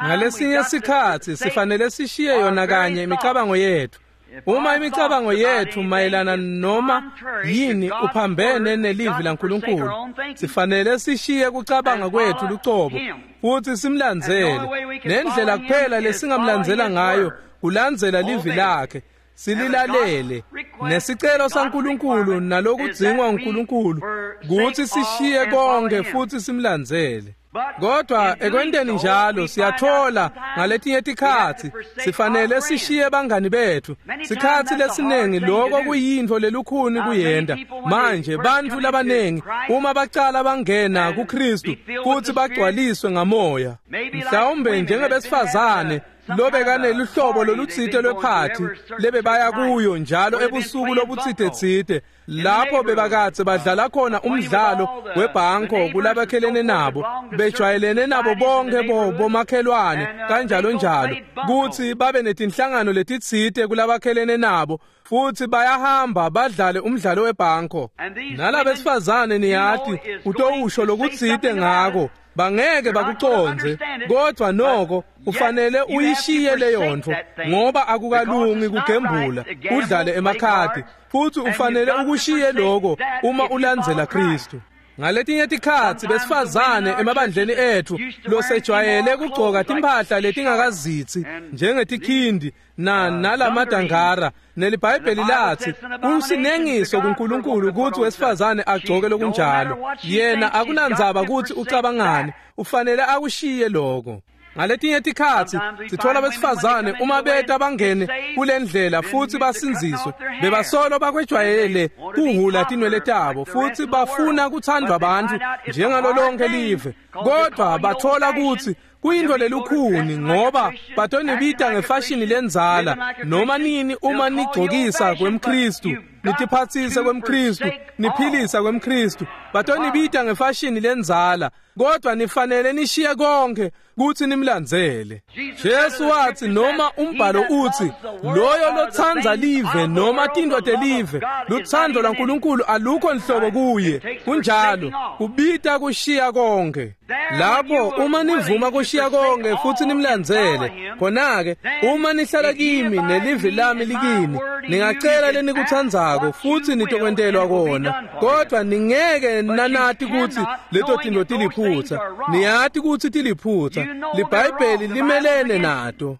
Ngalesinye sikhathi sifanele sishiye yona kanye imicabango yethu. Uma imicabango yethu mayelana noma yini uphambene nelivi laNkulunkulu, sifanele sishiye kucabanga kwethu lucobo futhi simlandzele. Nendlela kuphela lesingamlandzela ngayo kulandzela livi lakhe, sililalele. Nesicelo saNkulunkulu nalokudzingwa uNkulunkulu kuthi sishiye konke futhi simlandzele. Kodwa ekwenteni njalo siyathola ngaletinye tikhatsi sifanele sishiye bangani bethu. Sikhatsi lesiningi lokho kuyintfo lelukhuni kuyenta. Manje bantfu labanengi uma bacala bangena kuKristu futhi bagcwaliswe ngamoya, mhlawumbe njengebesifazane lobekaneluhlobo lolutsite lwephathi lebebaya kuyo njalo ebusuku lobutsite-tsite, lapho bebakatse badlala khona umdlalo webhanko kulabakhelene nabo, bejwayelene nabo bonke bomakhelwane kanjalo njalo, kuthi babe netinhlangano letitsite kulabakhelene nabo, futhi bayahamba badlale umdlalo webhanko. Nalabesifazane niyati utowusho lokutsite ngako, bangeke bakucondze, kodwa noko ufanele uyishiye leyo ntfo, ngoba akukalungi kugembula udlale emakhadi, futhi ufanele ukushiye lokho uma ulandzela Kristu. Ngaletinye tikhatsi besifazane emabandleni ethu losejwayele kugcoka timphahla letingakazitsi njengetikhindi na nalamadangara, neliBhayibheli lathi kusinengiso kuNkulunkulu ukuthi wesifazane agcoke lokunjalo. Yena akunandzaba ukuthi ucabangani, ufanele akushiye lokho. Ngaletinye tikhatsi sithola besifazane uma beta bangene kulendlela futhi basindziswe, bebasolo bakwejwayele kuhula tinwele tabo futhi bafuna kuthandwa bantfu njengalo lonke live, kodwa bathola ukuthi kuyintfo lelukhuni ngoba batonibita ngefashini lendzala noma nini uma nigcokisa kwemKristu, nitiphatsise kwemKristu, niphilisa kwemKristu, batonibita ngefashini lendzala, kodwa nifanele nishiye konke kuthi nimlandzele. Jesu wathi noma umbhalo uthi loyo lotsandza live noma tintfo telive, lutsandvo lwaNkulunkulu alukho nhlobo kuye. Kunjalo, kubita kushiya konke. Lapho uma nivuma kushiya konke futhi nimlandzele, khona-ke uma nihlala kimi nelivi lami likini, ningacela lenikutsandzako futhi nitokwentelwa kona. Kodwa ningeke nanati kutsi leto tintfo tiliphutsa. Niyati kutsi tiliphutsa. LiBhayibheli limelene nato.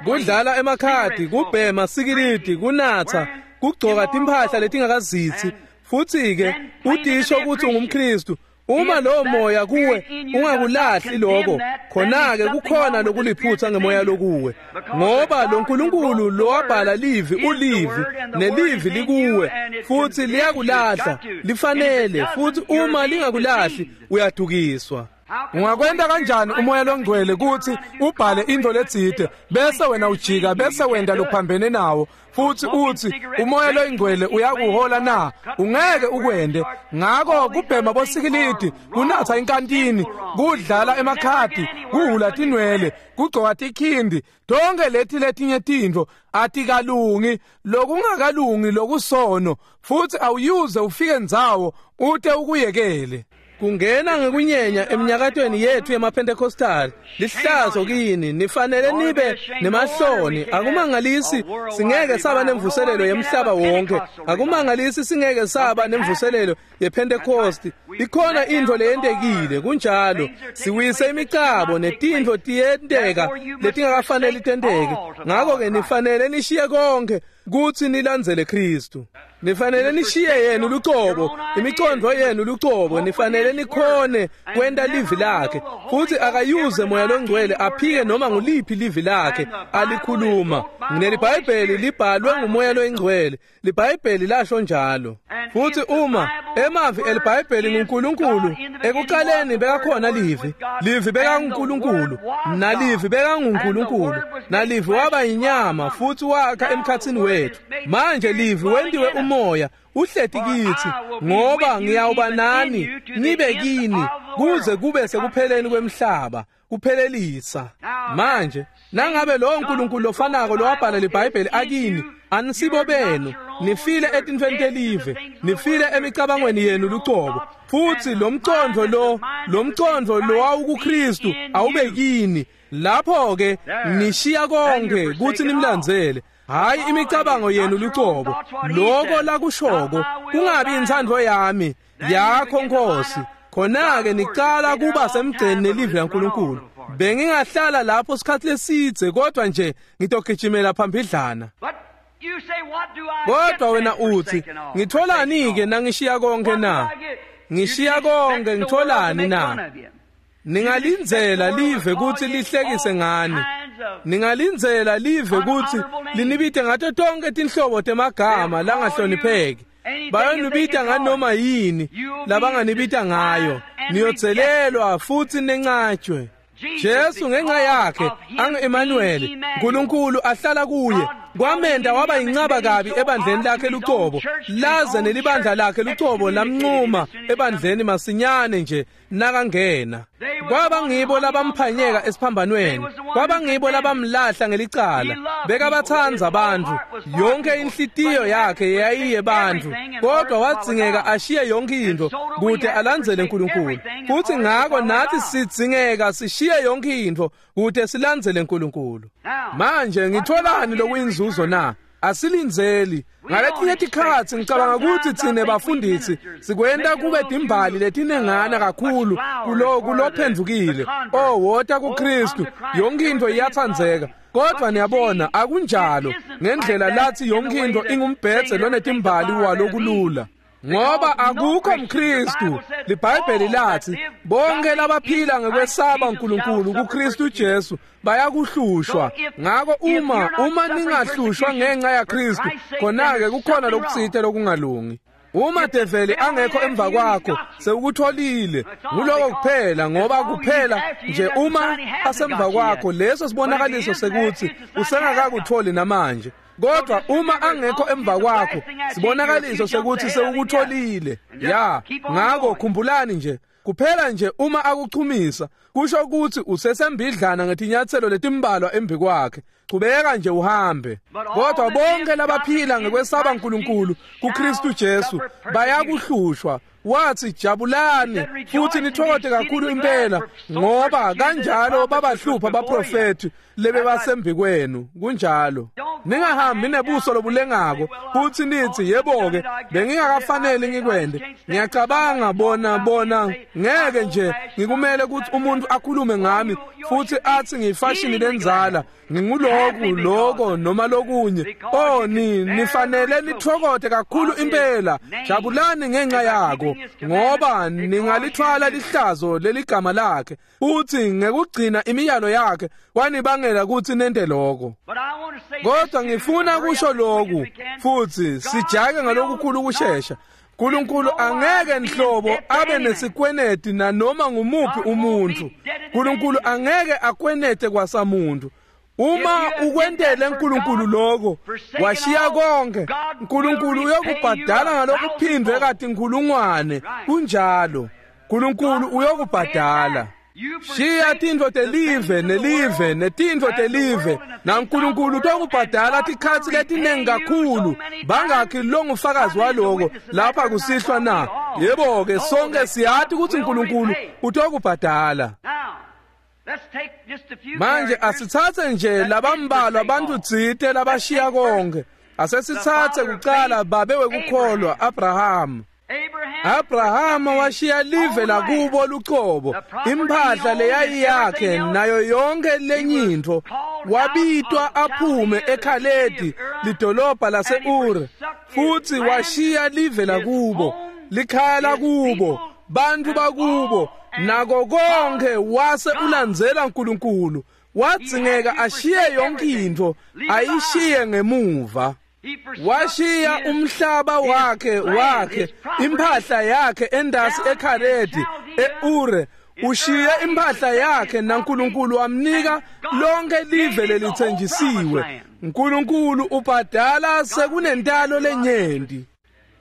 Kudlala emakhadi, kubhema sikilidi, kunatsa, kugcoka timphahla letingakazitsi, futhi-ke utisho kutsi ungumKhristu. Uma lowo moya kuwe ungakulahli lokho, khona-ke kukhona lokuliphutsa ngemoya lokuwe, ngoba lo Nkulunkulu lowabhala livi ulivi, nelivi likuwe futhi liyakulahla, lifanele. Futhi uma lingakulahli uyadukiswa. Ungakwenta kanjani umoya longcwele kutsi ubhale intfo letsite bese wena ujika bese wenta lokuphambene nawo futhi utsi umoya loyingcwele uyakuhola na? Ungeke ukwente. Ngako kubhema bosikilidi, kunatsa inkantini, kudlala emakhadi, kuhhula tinwele, kugcoka tikhindi, tonke leti letinye tintfo atikalungi, lokungakalungi lokusono, futhi awuyuze ufike ndzawo ute ukuyekele. Kungena ngekunyenya eminyakatweni yethu yemaPentecostal, lihlazo kini, nifanele nibe nemahloni. Akumangalisi singeke saba nemvuselelo yemhlaba wonke, akumangalisi singeke saba nemvuselelo yePentecost. Ikhona intfo leyentekile, kunjalo. Siwise imicabo netintfo tiyenteka letingakafaneli tenteke. Ngako-ke nifanele nishiye konke kutsi nilandzele Khristu. Nifanele nishiye yenu lucobo, imicondvo yenu lucobo, nifanele nikhone kwenta livi lakhe. Futhi akayuze moya longcwele aphike noma nguliphi livi lakhe alikhuluma. NeliBhayibheli libhalwe ngumoya loyingcwele, liBhayibheli lasho njalo. Futhi uma emavi eliBhayibheli nguNkulunkulu, ekuqaleni bekakhona livi, livi bekanguNkulunkulu, nalivi bekanguNkulunkulu, nalivi waba yinyama futhi wakha emkhatsini wethu. Manje livi wentiwe umoya uhleti kitsi, ngoba ngiyawuba nani nibe kini kuze kube sekupheleni kwemhlaba, kuphelelisa. Manje nangabe lowo Nkulunkulu lofanako lowabhala liBhayibheli akini, anisibo benu, nifile etintfweni telive, nifile emicabangweni yenu lucobo. Futhi lo mcondvo lo lo mcondvo lowawukuKhristu awube kini. Lapho-ke nishiya konke kutsi nimlandzele, hayi imicabango yenu lucobo, loko lakushoko kungabi intsandvo yami, yakho Nkosi. Khona-ke nicala kuba semgceni nelivi laNkulunkulu. Bengingahlala lapho sikhathi lesidze, kodwa nje ngitogijimela phambidlana. Kodwa wena uthi, ngitholani-ke nangishiya konke na? Ngishiya konke ngitholani na? Ningalindzela live kutsi lihlekise ngani. Ningalindzela live kutsi linibite ngato tonke tinhlobo temagama langahlonipheki. Bayonibita nganoma yini labanganibita ngayo. Niyodzelelwa futhi nencatshwe. Jesu ngenxa yakhe angu-Emmanuel, Nkulunkulu ahlala kuye, kwamenta waba yincaba kabi ebandleni lakhe lucobo, laze nelibandla lakhe lucobo lamncuma ebandleni masinyane nje nakangena. Kwaba ngibo labamphanyeka esiphambanweni, kwaba ngibo labamlahla ngelicala. Bekabatsandza bantfu, yonke inhlitiyo yakhe yayiye bantfu, kodwa wadzingeka ashiye yonke intfo kute alandzele Nkulunkulu. Futhi ngako nathi sidzingeka sishiye yonke intfo kute silandzele Nkulunkulu. Manje ngitholani lokuyinzuzo na? Asilindzeli. Ngaletinye tikhatsi ngicabanga kutsi tsine bafundisi sikwenta kube timbali letinengana kakhulu kulo kulophendvukile. Oh, wota kuKhristu, yonke intfo iyatsandzeka. Kodwa niyabona akunjalo ngendlela lathi yonke intfo ingumbhedze lonetimbali walokulula. Ngoba akukho mKhristu, liBhayibheli lathi bonke labaphila ngekwesaba uNkulunkulu kuKhristu Jesu bayakuhlushwa. Ngako uma uma ningahlushwa ngenxa yaKhristu, khona-ke kukhona lokutsite lokungalungi. Uma develi angekho emva kwakho, sewukutholile. Nguloko kuphela, ngoba kuphela nje uma asemva kwakho, leso sibonakaliso sekutsi usengakakutholi namanje. Kodwa uma angekho emva kwakho, sibonakaliso sekuthi sewukutholile. Ya, ngako khumbulani nje, kuphela nje uma akuchumisa, kusho ukuthi usesembidlana ngetinyatselo letimbalwa embi kwakhe. Chubeka nje uhambe. Kodwa bonke labaphila ngekwesaba uNkulunkulu kuKhristu Jesu bayakuhlushwa. Wathi jabulani futhi nithokote kakhulu impela, ngoba kanjalo babahlupha abaprofeti lebebasembi kwenu. Kunjalo. Ningahambi nebuso lobulengako futhi nithi yebo-ke bengingakafanele ngikwende. Ngiyacabanga bona bona ngeke nje ngikumele ukuthi umuntu akhulume ngami futhi athi ngiyifashini lenzala, nginguloku lokho noma lokunye. Oh, ni nifanele nithokote kakhulu impela. Jabulani ngenxa yako, ngoba ningalithwala lihlazo leligama lakhe, uthi ngekugcina imiyalo yakhe wanibangela ukuthi nente lokho. Kodwa ngifuna kusho lokhu futhi sijake ngalokukhulu ukushesha. uNkulunkulu angeke nhlobo abe nesikweneti nanoma ngumuphi umuntu. uNkulunkulu angeke akwenete kwasamuntu. Uma ukwentele uNkulunkulu lokho, washiya konke, uNkulunkulu uyokubhadala ngalokuphindwe kati inkulungwane. Kunjalo. uNkulunkulu uyokubhadala. Shiya tintfo telive nelive netintfo telive, naNkulunkulu utokubhadala tikhatsi letinengi kakhulu. Bangakhi longufakazi waloko lapha kusihlwa na? Yebo-ke, sonke siyati ukuthi uNkulunkulu utokubhadala. Manje asitsatse nje labambalwa abantu tsite labashiya konke. Asesitsatse kucala babe wekukholwa Abraham. Abraham washiya live lakubo lucobo, imphahla leyayiyakhe nayo yonke lenyintfo. Wabitwa aphume eKhaledi, lidolobha lase-Ur, futhi washiya live lakubo, likhaya lakubo, bantu bakubo, nako konke, wase ulandzela uNkulunkulu. Wadzingeka ashiye yonke intfo, ayishiye ngemuva. Washiya umhlaba wakhe wakhe imphahla yakhe endasi eKhaledi eUre. Ushiye imphahla yakhe naNkulunkulu wamnika lonke live lelithenjisiwe. uNkulunkulu ubhadala sekunentalo lenyenti.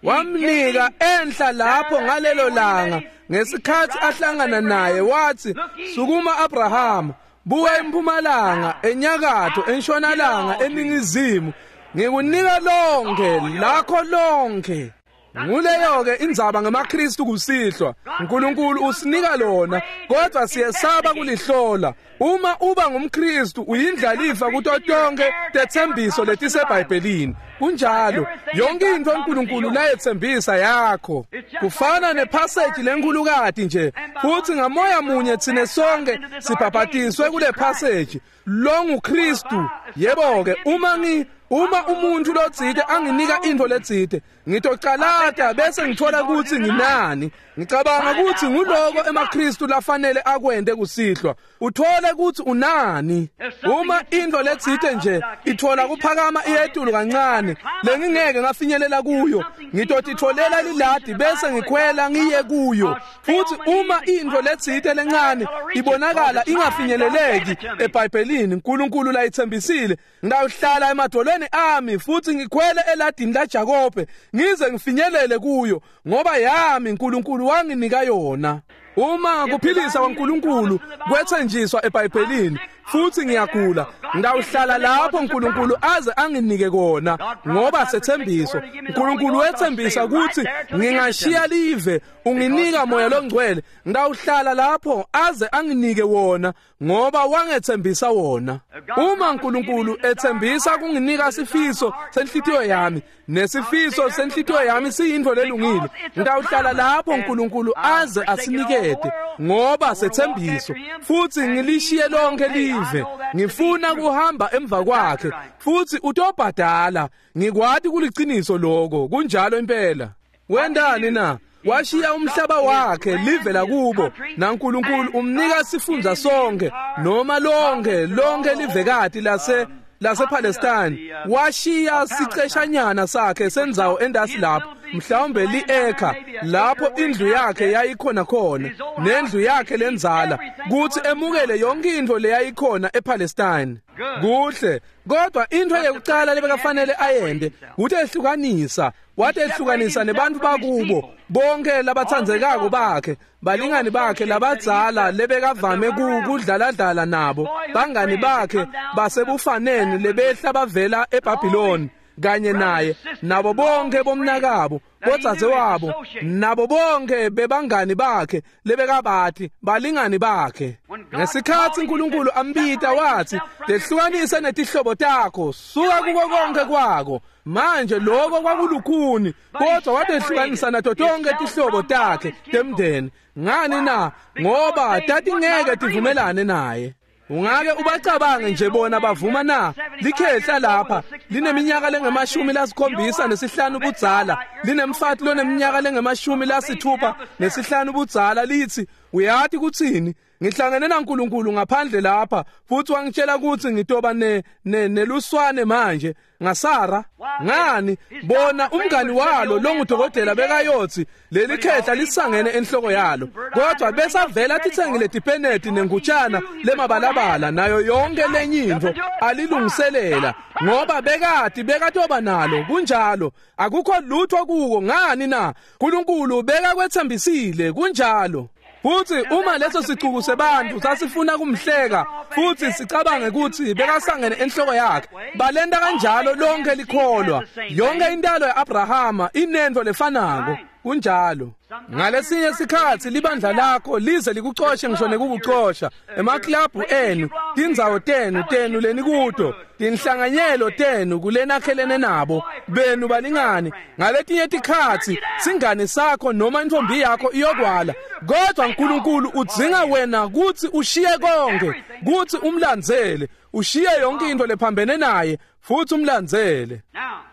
Wamnika enhla lapho ngalelo langa ngesikhathi ahlangana naye, wathi sukuma Abraham, buka empumalanga, enyakatho, entshonalanga, eningizimu, ngikunika lonke lakho lonke. Nguleyo-ke indzaba ngemaKristu kusihlwa. uNkulunkulu usinika lona, kodwa siyesaba kulihlola. Uma uba ngumKristu uyindlalifa kuto tonke tetsembiso letiseBhayibhelini. Kunjalo, yonke intfo uNkulunkulu layetsembisa yakho. Kufana nephaseji lenkhulukati nje, futhi ngamoya munye tsine sonke sibhabhatiswe kule phaseji. Lo nguKristu. Yebo-ke, uma ngi uma umuntu lotsite anginika intfo letsite, ngitocalata bese ngithola ukuthi nginani. Ngicabanga ukuthi nguloko emaKristu lafanele akwente kusihlwa. Uthole ukuthi unani. Uma intfo letsite nje ithola kuphakama iyetulu kancane lengingeke ngafinyelela kuyo, ngitotitfolela liladi bese ngikhwela ngiye kuyo. Futhi uma intfo letsite lencane ibonakala ingafinyeleleki eBhayibhelini uNkulunkulu layitsembisile, ngitawuhlala emadolweni ami futhi ngikhwele eladini laJakobe ngize ngifinyelele kuyo, ngoba yami uNkulunkulu wanginika yona. Uma kuphilisa kwaNkulunkulu kwethenjiswa eBhayibhelini futhi ngiyagula, ngitawuhlala lapho uNkulunkulu aze anginike kona, ngoba sethembiso. uNkulunkulu wethembisa ukuthi ngingashiya live unginika moya longcwele, ngitawuhlala lapho aze anginike wona, ngoba wangethembisa wona. Uma uNkulunkulu ethembisa kunginika sifiso senhlitiyo yami, nesifiso senhlitiyo yami siyintfo lelungile, ngitawuhlala lapho uNkulunkulu aze asinikete, ngoba sethembiso. Futhi ngilishiye lonke live, ngifuna kuhamba emva kwakhe, futhi utobhadala. Ngikwati kuliciniso lokho. Kunjalo impela. Wendani na? Washiya umhlaba wakhe, live lakubo, naNkulunkulu umnika sifundza sonke, noma lonke lonke livekati lase lasePalestine. Washiya siceshanyana sakhe sendzawo endasi lapho, mhlawumbe li-eka lapho indlu yakhe yayikhona khona, nendlu yakhe lenzala, kuthi emukele yonke intfo leyayikhona ePalestine. Kuhle, kodwa intfo yekucala lebekafanele ayende kuthi ehlukanisa. Wathi ehlukanisa nebantu bakubo bonke labatsandzekako bakhe, balingani bakhe labadzala lebekavame kudlaladlala nabo, bangani bakhe basebufaneni lebehla bavela eBhabhiloni kanye naye, nabo bonke bomnakabo. bodzadzewabo nabo bonke bebangani bakhe lebekabathi balingani bakhe. Ngesikhatsi uNkulunkulu ambita wathi tehlukanise netihlobo takho, suka kuko konke kwako. Manje lokho kwakulukhuni, kodwa watehlukanisa nato tonke tihlobo takhe temndeni. Ngani na? Ngoba tatingeke tivumelane naye. Ungake ubacabange nje bona bavuma na? Likhehla lapha lineminyaka lengemashumi lasikhombisa nesihlanu budzala, linemfati loneminyaka lengemashumi lasithupha nesihlanu budzala, lithi uyathi kuthini? Ngihlangene naNkulunkulu ngaphandle lapha futhi wangitshela ukuthi ngitoba ne neluswane manje ngaSara. Ngani bona umngani walo longudokotela bekayothi leli khehla lisangene enhloko yalo, kodwa besavela titsengile tipeneti nengutshana lemabalabala nayo yonke lenye intfo alilungiselela, ngoba bekati bekatoba nalo. Kunjalo, akukho lutho kuko. Ngani na? uNkulunkulu bekakwethembisile. Kunjalo. Futhi uma leso sicuku sebantu sasifuna kumhleka futhi sicabange ukuthi bekasangene enhloko yakhe, balenda kanjalo lonke likholwa. Yonke intalo yaAbrahama inento lefanako. Kunjalo. Ngalesinye sikhatsi libandla lakho lize likucoshe ngisho nekukucosha emaklabhu enu, tindzawo tenu tenu lenikuto, tinhlanganyelo tenu kulenakhelene nabo benu balingani. Ngaletinye tikhatsi singani sakho noma intombi yakho iyokwala, kodwa uNkulunkulu udzinga wena kutsi ushiye konke, kutsi umlandzele, ushiye yonke into lephambene naye futhi umlandzele.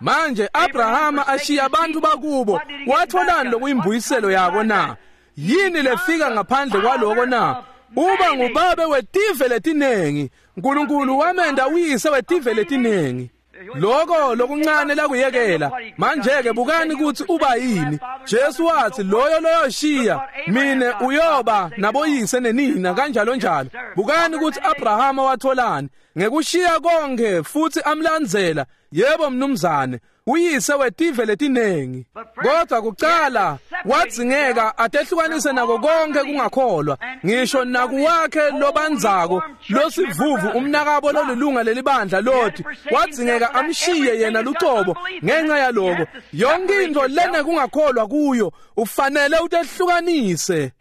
Manje Abrahama ashiya abantu bakubo, watholani lokuyimbuyiselo yako na? Yini lefika ngaphandle kwaloko na? Uba ngubabe wetive letinengi. uNkulunkulu wamenda uyise wetive letinengi. Lokho lokuncane lakuyekela. Manje ke bukani ukuthi uba yini. Jesu wathi loyo loyoshiya mine uyoba naboyise nenina kanjalo njalo. Bukani ukuthi Abrahama watholani ngekushiya konke futhi amlandzela. Yebo mnumzane, uyise wetive letinengi. Kodwa kucala wadzingeka atehlukanise nako konke kungakholwa, ngisho nakuwakhe lobandzako losivuvu umnakabo lolilunga lelibandla Loti, wadzingeka amshiye yena lucobo ngenxa yaloko. Yonke into lena kungakholwa kuyo ufanele utehlukanise.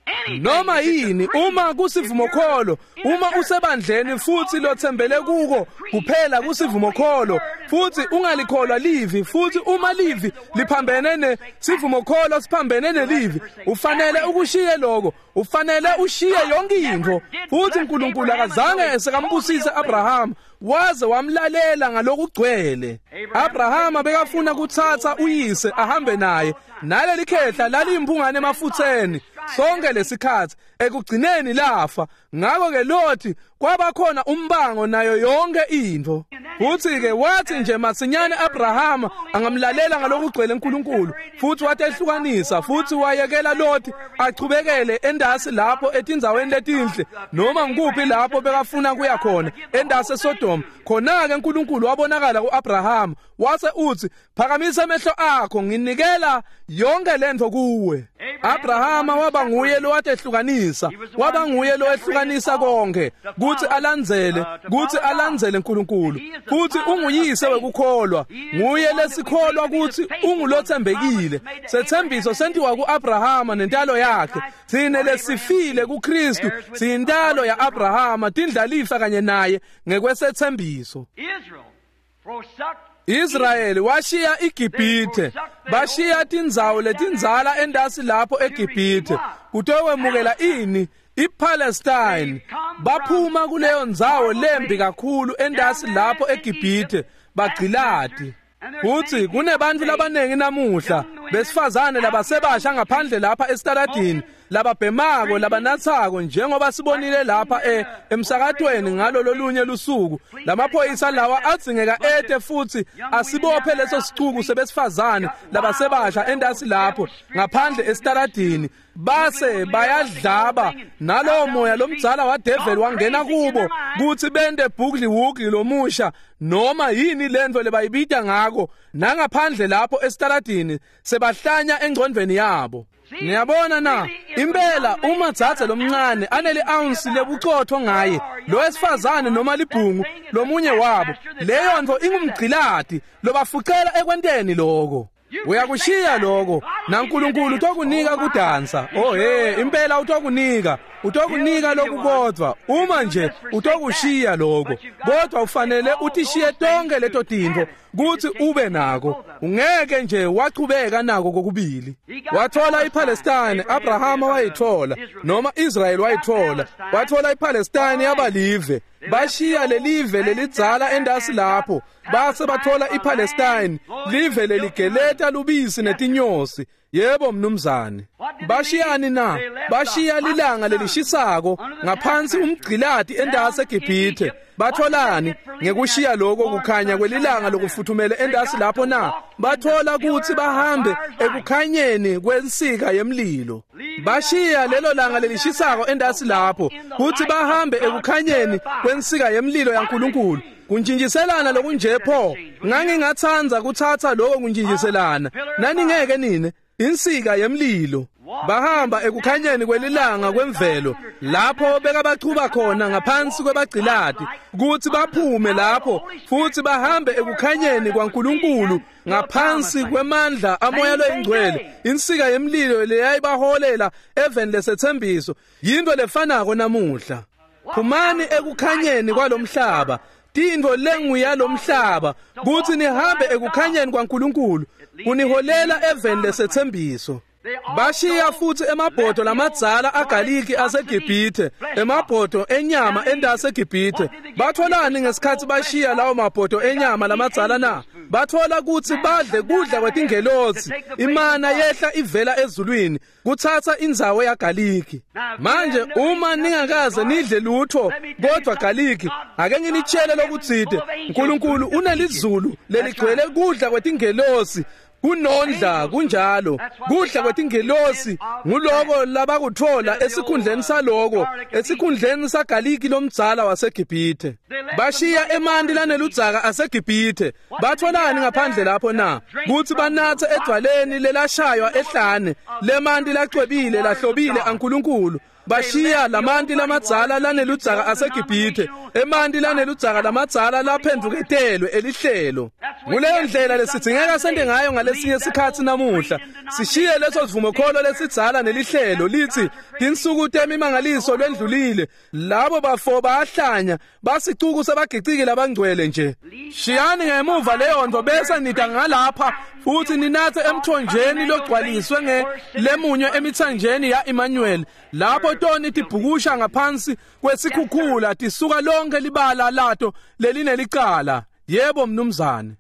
Noma yini, uma kusivumokholo, uma usebandleni futhi lothembele kuko kuphela kusivumokholo, futhi ungalikholwa livi, futhi uma livi liphambene ne sivumokholo siphambene nelivi, ufanele ukushiye lokho, ufanele ushiye yonke into. Futhi uNkulunkulu akazange sekambusise Abraham waze wamlalela ngalokugcwele. Abrahama bekafuna kuthatha uyise ahambe naye, naleli khehla laliyimpungane emafutheni sonke lesikhatsi, ekugcineni lafa. Ngakho ke Loti kwaba khona umbango nayo yonke into. Futhi ke wathi nje masinyane Abrahama angamlalela ngalokugcwele uNkulunkulu, futhi watehlukanisa futhi wayekela Loti achubekele endasi lapho etindzaweni letinhle noma ngikuphi lapho bekafuna kuya khona endasi eSodom. Khona ke uNkulunkulu wabonakala kuAbraham wase uthi phakamisa amehlo akho, nginikela yonke lento kuwe. Abrahama waba nguye lowatehlukanisa, waba nguye lowehlukanisa konke kuthi alandzele, kuthi alandzele uNkulunkulu. Futhi unguyise wekukholwa, nguye lesikholwa kuthi ungulothembekile. Sethembiso sentiwa kuAbrahama nentalo yakhe. Thine lesifile kuKristu siyintalo yaAbrahama, tindlalifa kanye naye ngekwesethembiso. Israyeli washiya iGibhithe, bashiya tindzawo letindzala endasi lapho eGibhithe kutowemukela ini? iPalestine. Baphuma kuleyo ndzawo lembi kakhulu endasi lapho eGibhithe, bagcilati. Futhi kunebantu labanengi namuhla besifazane labasebasha ngaphandle lapha esitaladini, lababhemako, labanathako, njengoba sibonile lapha e emsakatweni ngalo lolunye lusuku. Lamaphoyisa lawa adzingeka ete futhi asibophe leso sicuku sebesifazane labasebasha endasi lapho ngaphandle esitaladini, base bayadlaba nalowo moya lomdzala wadeveli wangena kubo kuthi bente bugli wugli lomusha noma yini lento lebayibita ngako, nangaphandle lapho esitaladini sebahlanya engcondvweni yabo. Niyabona na? Impela uma dzadze lomncane aneli ounce lebucotho ngaye, lo wesifazane noma libhungu lomunye wabo, leyo nto ingumgcilati lobafucela ekwenteni lokho. Uyakushiya lokho naNkulunkulu utokunika kudansa. Oh hey, impela utokunika, utokunika lokhu kodwa uma nje utokushiya lokho. Kodwa ufanele utishiye tonke leto tintfo kuthi ube nako. Ungeke nje wachubeka nako kokubili. Wathola iPalestine, Abraham wayithola, noma Israel wayithola. Wathola iPalestine yabalive. Bashiya lelive lelidzala endasi lapho, base bathola iPalestine, live leligeleta lubisi netinyosi. Yebo mnumzane. Bashiyani na? Bashiya lilanga lelishisako ngaphansi umgcilati endasi eGibhithe. Batholani ngekushiya lokho kukhanya kwelilanga lokufuthumele endasi lapho na? Bathola ukuthi bahambe ekukhanyeni kwensika yemlilo. Bashiya lelo langa lelishisako endasi lapho kuthi bahambe ekukhanyeni kwensika yemlilo yaNkulunkulu. Kuntshintshiselana lokunje pho, ngangingathanza kuthatha lokho kuntshintshiselana. Naningeke nine insika yemlilo. Bahamba ekukhanyeni kwelilanga kwemvelo lapho bekabachuba khona ngaphansi kwebagcilati kuthi baphume lapho futhi bahambe ekukhanyeni kwaNkulunkulu ngaphansi kwemandla amoya loyingcwele. Insika yemlilo leyayibaholela eveni lesethembiso yinto lefanako namuhla. Phumani ekukhanyeni kwalomhlaba, tintfo lenguyalomhlaba, kuthi nihambe ekukhanyeni kwaNkulunkulu kuniholela eveni lesethembiso. Bashiya futhi emabhodo lamadzala agaliki aseGibhithe, emabhodo enyama endase eGibhithe. Batholani ngesikhathi bashiya lawo mabhodo enyama lamadzala na? Bathola ukuthi badle kudla kwetingelosi, imana yehla ivela ezulwini kuthatha indzawo yagaliki. Manje uma ningakaze nidle lutho kodwa galiki, ake nginitshele lokutsite, uNkulunkulu unelizulu leligcwele kudla kwetingelosi kunondla. Kunjalo, kudla kwetingelosi nguloko labakuthola esikhundleni saloko, esikhundleni sagaliki lomdzala waseGibhithe. Bashiya emanti laneludzaka aseGibhithe. Batholani ngaphandle lapho na? Kuthi banathe edwaleni lelashaywa ehlane lemanti lacwebile lahlobile aNkulunkulu. Bashiya lamanti lamadzala laneludzaka aseGibhithe, emanti laneludzaka lamadzala laphenduketelwe elihlelo. Nguleyo ndlela lesidzingeka sente ngayo ngalesinye sikhatsi namuhla. Sishiye leso sivumokholo lesidzala nelihlelo lithi tinsuku temimangaliso lwendlulile, labo bafo bayahlanya, basicuku sebagiciki labangcwele nje. Shiyani ngemuva leyo nto bese nida ngalapha futhi ninathe emthonjeni logcwaliswe ngelemunye emithanjeni ya Emmanuel, lapho toni tibhukusha ngaphansi kwesikhukhula tisuka lonke libala lato lelinelicala. Yebo mnumzane.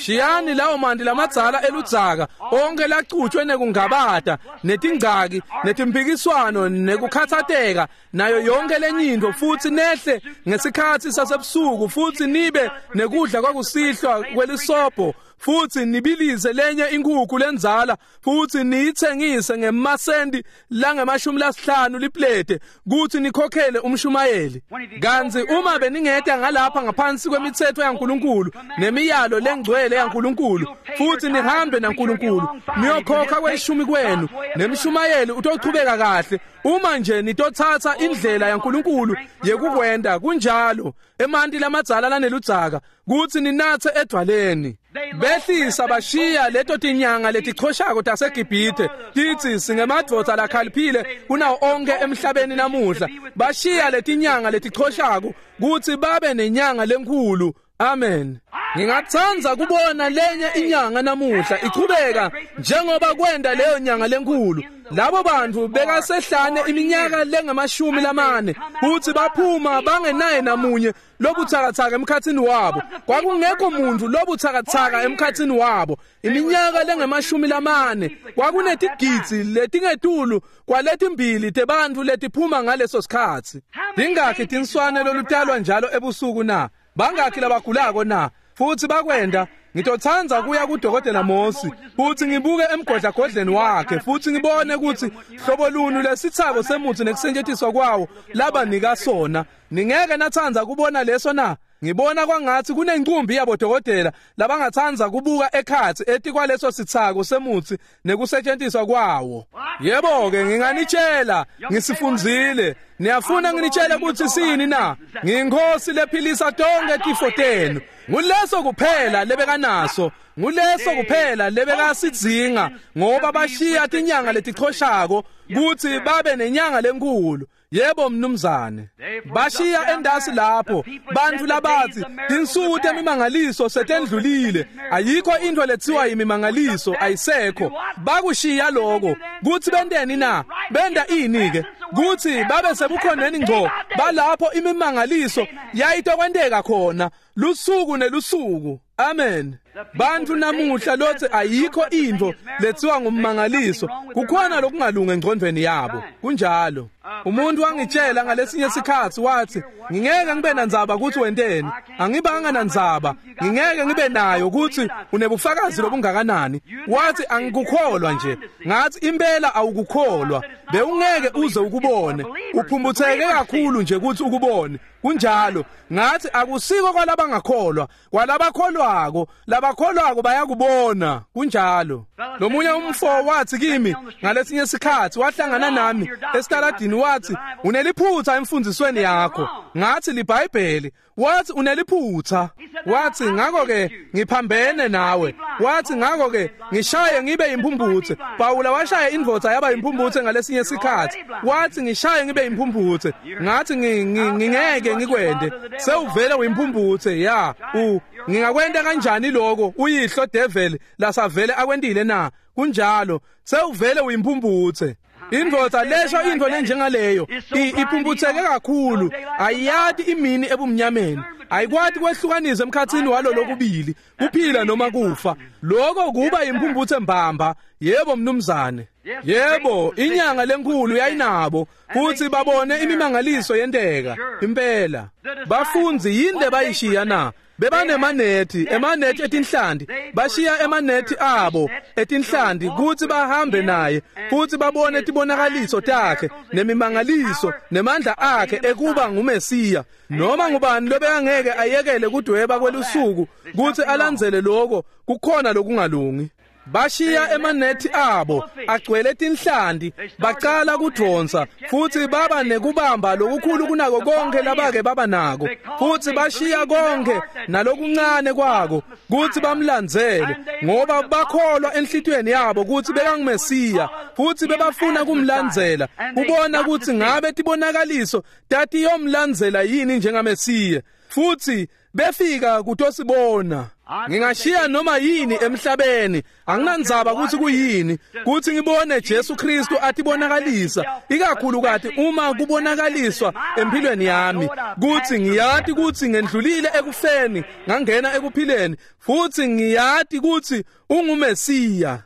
Shiyani lawo manti lamadzala eludzaka onke lacutshwe nekungabata netingcaki netimpikiswano nekukhathateka nayo yonke lenyinto, futhi nehle ngesikhatsi sasebusuku futhi nibe nekudla kwakusihlwa kwelisobho, futhi nibilize lenye inkukhu lenzala futhi niyithengise ngemasendi langemashumi lasihlanu liplete kuthi nikhokhele umshumayeli. Kanti uma beningeta ngalapha ngaphansi kwemithetho yaNkulunkulu nemiyalo lengcwele yaNkulunkulu futhi nihambe naNkulunkulu, niyokhokha kweshumi kwenu nemshumayeli utochubeka kahle uma nje nitothatha indlela yaNkulunkulu yekukwenda. Kunjalo, emanti lamadzala laneludzaka kuthi ninathe edwaleni. Behlisa bashiya leto tinyanga letichoshako taseGibhithe tithi singemadvodza lakhaliphile kunawo onke emhlabeni namuhla. Bashiya letinyanga letichoshako kuthi babe nenyanga lenkhulu. Amen. Ngingatsandza kubona lenye inyanga namuhla ichubeka njengoba kwenda leyo nyanga lenkulu. Labo bantu bekasehlane iminyaka lengamashumi lamane futhi baphuma bangenaye namunye lobuthakathaka emkhathini wabo. Kwakungekho muntu lobuthakathaka emkhathini wabo iminyaka lengamashumi lamane. Kwakunetigidzi letingetulu kwaletimbili tebantfu letiphuma ngaleso sikhatsi. Tingakhi tinswane lolutalwa njalo ebusuku na? Bangakhi labagulako na? Futhi bakwenda. Ngitothanza kuya kudokotela Mosi futhi ngibuke emgodlagodleni wakhe futhi ngibone ukuthi hlobo lunu lesithako semutsi nekusetjentiswa kwawo labanika sona. Ningeke nathanza kubona leso na? Ngibona kwangathi kunencumbi yabodokotela labangathanza kubuka ekhatsi etikwaleso sithako semutsi nekusetshenziswa kwawo. Yebo-ke nginganitshela, ngisifundzile. Niyafuna nginitshele ukuthi sini na? Ngiyinkosi lephilisa tonke tifo tenu. Nguleso kuphela lebekanaso, nguleso kuphela lebekasidzinga, ngoba bashiya tinyanga letichoshako kutsi babe nenyanga lenkulu. Yebo mnumzane, bashiya endasi lapho bantfu labatsi tinsuku temimangaliso setendlulile, ayikho into letsiwa yimimangaliso, ayisekho. Bakushiya lokho kutsi benteni na? Benta ini ke? Kutsi babe sebukhoneni ngco balapho imimangaliso yayitokwenteka khona lusuku nelusuku. Amen. Bantfu namuhla lotsi ayikho intfo letsiwa ngummangaliso, kukhona lokungalungi engcondvweni yabo. Kunjalo. Umuntu wangitshela ngalesinye sikhatsi wathi, ngingeke ngibe nandzaba kutsi wenteni, angibanga nandzaba, ngingeke ngibe nayo kutsi unebufakazi lobungakanani. Wathi angikukholwa nje. Ngathi impela awukukholwa, bewungeke uze ukubone, uphumbutheke kakhulu nje kutsi ukubone. Kunjalo. Ngathi akusiko kwalabangakholwa, kwalabakholwako, labakholwako bayakubona. Kunjalo. Lomunye umfo wathi kimi ngalesinye sikhatsi, wahlangana nami esitaladini, wathi uneliphutha emfundisweni yakho. Ngathi liBhayibheli. Wathi uneliphutha. Wathi ngakho-ke ngiphambene nawe. Wathi ngakho-ke ngishaye ngibe imphumphutse. Pawula washaya indvodza yaba imphumphutse ngalesinye sikhatsi. Wathi ngishaye ngibe imphumphutse. Ngathi ngingeke ngikwende, sewuvele uyimphumphutse. Ya, u ngingakwenta kanjani lokho uyihlo devil lasavele akwentile na? Kunjalo, sewuvele uyimphumphutse. Indvodza lesho intfo lenjengaleyo iphumbutseke kakhulu, ayiyati imini ebumnyameni, ayikwati kwehlukanisa emkhatsini walo lokubili, kuphila noma kufa. Lokho kuba imphumphutse mbamba. Yebo mnumzane. Yebo, inyanga lenkulu yayinabo futhi babone imimangaliso yenteka impela. Bafundzi yini lebayishiya na? Bebanemanethi, emanethi etinhlanti. Bashiya emanethi abo etinhlanti kutsi bahambe naye futhi babone tibonakaliso takhe nemimangaliso nemandla akhe ekuba nguMesiya. Noma ngubani lobekangeke ayekele kudweba kwelusuku kutsi alandzele lokho, kukhona lokungalungi. Bashiya emanethi abo agcwele tinhlanti, bacala kudvonsa futhi baba nekubamba lokukhulu kunako konke labake baba nako, futhi bashiya konke nalokuncane kwako kutsi bamlandzele, ngoba bakholwa enhlitiyweni yabo kutsi bekanguMesiya futhi bebafuna kumlandzela, kubona kutsi ngabe tibonakaliso tatiyomlandzela yini njengaMesiya. Futhi befika kutosibona. Ngingashiya noma yini emhlabeni, anginandzaba kutsi kuyini, kutsi ngibone Jesu Kristu atibonakalisa, ikakhulukati uma kubonakaliswa empilweni yami, kutsi ngiyati kutsi ngendlulile ekufeni ngangena ekuphileni, futhi ngiyati kutsi unguMesiya.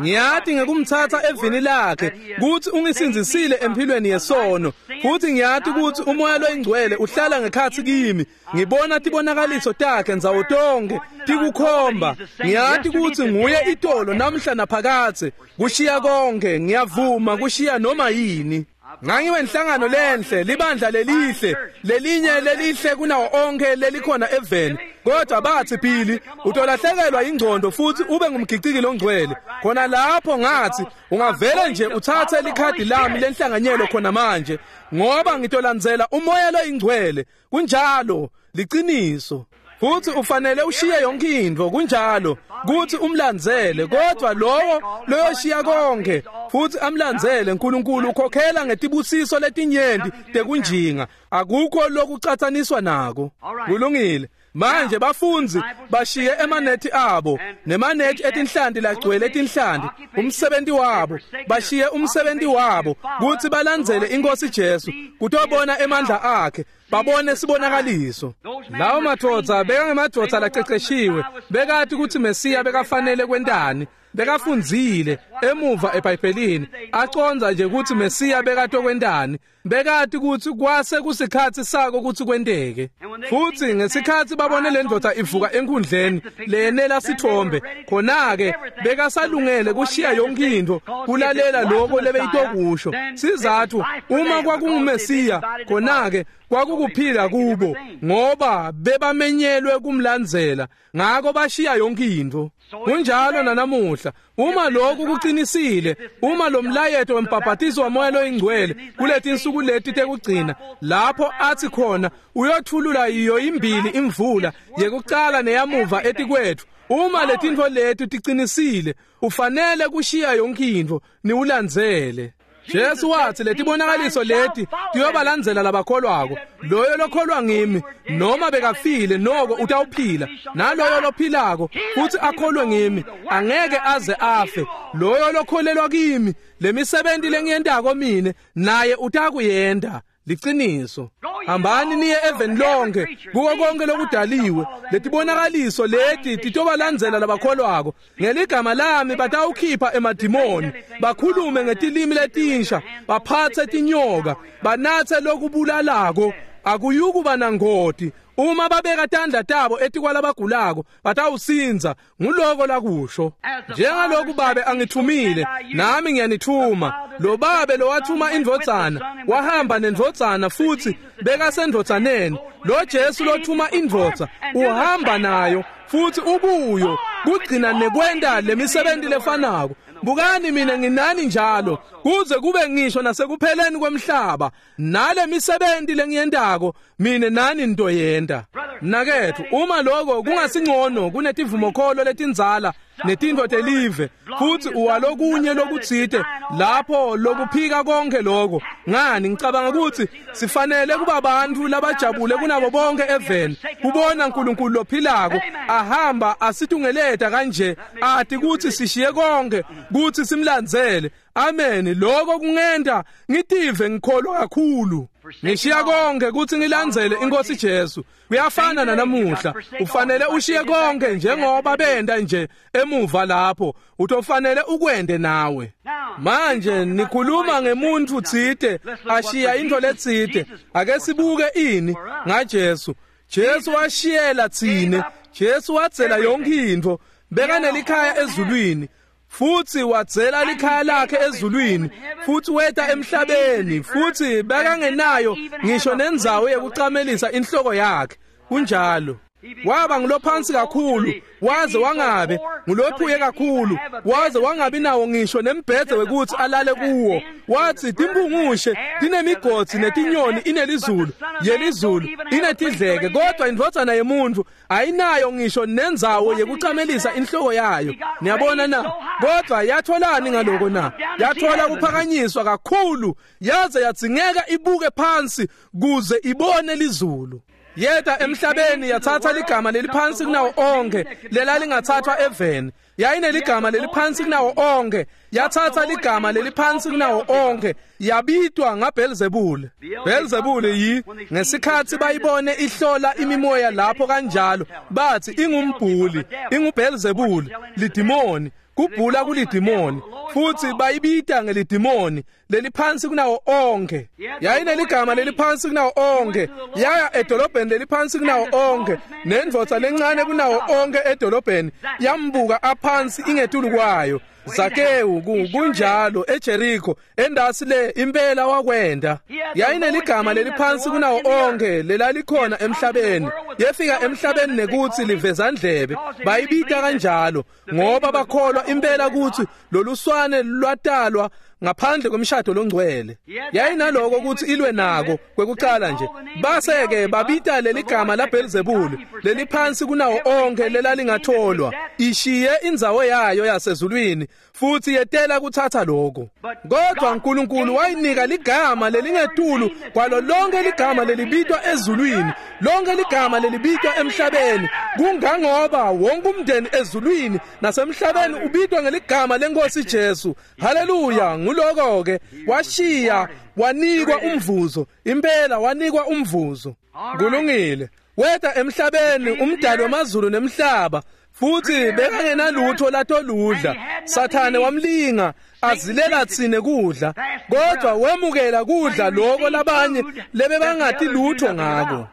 Ngiyati ngekumthatha evini lakhe kutsi ungisindzisile empilweni yesono, futhi ngiyati kutsi umoya loyingcwele uhlala ngekhatsi kimi. Ngibona tibonakaliso takhe ndzawo tonke tikukhomba. Ngiyati kutsi nguye itolo namhla naphakadze. Kushiya konke ngiyavuma kushiya noma yini. Ngangiwenhlangano lenhle, libandla lelihle, lelinye lelihle kunawo onke lelikhona eveni. Kodwa bathi Billy, utolahlekelwa ingqondo futhi ube ngumgiciki longcwele. Khona lapho ngathi ungavele nje uthathe likhadi lami lenhlanganyelo khona manje, ngoba ngitolandzela umoya loyingcwele. Kunjalo, liciniso. Futhi ufanele ushiye yonke intfo, kunjalo, kuthi umlandzele. Kodwa lowo loyoshiya konke futhi amlandzele uNkulunkulu ukhokhela ngetibusiso letinyenti tekunjinga, akukho lokucatsaniswa nako. Kulungile. Manje bafundzi bashiye emanethi abo nemanethi etinhlanti lagcwele etinhlanti, umsebenzi wabo, bashiye umsebenzi wabo kutsi balandzele iNkosi Jesu kutobona emandla akhe, babone sibonakaliso. Lawo madvodza bekangemadvodza laceceshiwe, bekati kutsi Mesiya bekafanele kwentani, Bekafundzile emuva eBhayibhelini, acondza nje kutsi Mesiya bekatokwentani. Bekati kutsi kwase kusikhatsi sako kutsi kwenteke. Futsi ngesikhatsi babone lendvodza ivuka enkundleni leyenela sithombe, khona-ke bekasalungele kushiya yonke intfo kulalela lokho lebeyitokusho. Sizatfu uma kwakunguMesiya, khona-ke kwakukuphila kubo, ngoba bebamenyelwe kumlandzela, ngako bashiya yonke intfo. Kunjalo nanamuhla, uma lokhu kuqinisile, uma lo mlayeto wembhaphatiso waMoya loyiNgcwele kuletinsuku leti tekugcina, lapho athi khona uyothulula iyo imbili imvula yekucala neyamuva etikwetfu, uma letintfo leti tiqinisile, ufanele kushiya yonke intfo niwulandzele. Jesu wathi letibonakaliso leti tiyobalandzela labakholwako. Loyo lokholwa ngimi, noma bekafile noko utawuphila, naloyo lophilako futhi akholwe ngimi angeke aze afe. Loyo lokholelwa kimi, lemisebenti lengiyentako mine naye utakuyenta. Liciniso. Hambani niye eveni lonke, kuko konke lokudaliwe. Letibonakaliso leti titobalandzela labakholwako. Ngeligama lami batawukhipha emadimoni, bakhulume ngetilimi letinsha, baphatse tinyoka, banatse lokubulalako, akuyukuba nangoti. Uma babeka tandla tabo etikwalabagulako batawusindza. Nguloko lakusho. Njengaloku Babe angithumile, nami ngiyanithuma. Lo Babe lowathuma indvodzana wahamba nendvodzana futhi bekasendvodzaneni. Lo Jesu lothuma indvodza uhamba nayo futhi ubuyo kugcina nekwenta lemisebenti lefanako. Bukani mina nginani njalo kuze kube ngisho nasekupheleni kwemhlaba. Nale misebenti lengiyentako mina nani nitoyenta. Mnaketfu, uma lokho kungasingcono kunetivumokholo letindzala netintfo telive, futhi uwalokunye lokutsite lapho lokuphika konke lokho, ngani ngicabanga ukuthi sifanele kuba bantfu labajabule kunabo bonke eveni kubona uNkulunkulu lophilako ahamba asitungeleta kanje, ati kutsi sishiye konke kutsi simlandzele. Amen. Lokho kungenta ngitive ngikholwa kakhulu. Ngishiya konke kutsi ngilandzele iNkosi Jesu. Kuyafana nanamuhla, ufanele ushiye konke njengoba benda nje emuva lapho, utofanele ukwende nawe. Manje nikhuluma ngemuntu tsite ashiya into letsite. Ake sibuke ini ngaJesu. Jesu washiyela tsine. Jesu wadzela yonke intfo. Bekanelikhaya ezulwini, futhi wadzela likhaya lakhe ezulwini, futhi weta emhlabeni, futhi bekangenayo ngisho nendzawo yekucamelisa inhloko yakhe. Kunjalo. Waba ngulophansi kakhulu, waze wangabe ngulophuye kakhulu, waze wangabi nawo ngisho nembhedze wekuthi alale kuwo. Wathi timpungushe tinemigotsi netinyoni inelizulu, yelizulu inetidleke, kodwa indvodzana yemuntu ayinayo ngisho nendzawo yekucamelisa inhloko yayo. Niyabona na? Kodwa yatholani ngaloko na? Yathola kuphakanyiswa kakhulu, yaze yadzingeka ibuke phansi kuze ibone lizulu. Yeta emhlabeni yathatha ligama leliphansi kunawo onke lelalingathathwa eveni. Yayineligama leliphansi kunawo onke, yathatha ligama leliphansi kunawo onke, yabitwa ngaBelzebule. Belzebule yi ngesikhatsi bayibone ihlola imimoya lapho kanjalo, bathi ingumbhuli, inguBelzebule, lidimoni. Kubhula kulidimoni, futhi bayibita ngelidimoni leliphansi kunawo onke. Yayineligama leliphansi kunawo onke, yaya edolobheni leliphansi kunawo onke, nendvodza lencane kunawo onke edolobheni yambuka aphansi ingetulu kwayo. Zakewu kunjalo eJericho endasi le impela wakwenda. Yayineligama leliphansi kunawo onke lelalikhona emhlabeni. Yefika emhlabeni nekuthi livezandlebe, bayibita kanjalo ngoba bakholwa impela ukuthi loluswane lwatalwa ngaphandle kwemshado longcwele. Yayinaloko ukuthi ilwe nako kwekucala nje. Base ke babita leligama la Belzebule leliphansi kunawo onke lelalingatholwa. Ishiye indzawo yayo yasezulwini futhi yetela kuthatha lokho. Kodwa uNkulunkulu wayinika ligama lelingetulu kwalo lonke ligama lelibitwa ezulwini, lonke ligama lelibitwa emhlabeni, kungangoba wonke umndeni ezulwini nasemhlabeni ubitwa ngeligama lenkosi Jesu. Haleluya. Nguloko ke washiya wanikwa umvuzo, impela wanikwa umvuzo. Kulungile. Weta emhlabeni umdali wamazulu nemhlaba, Futhi bekangenalutho latoludla. Sathane wamlinga azilela tsine kudla, kodwa wemukela kudla lokho labanye lebebangati lutho ngako.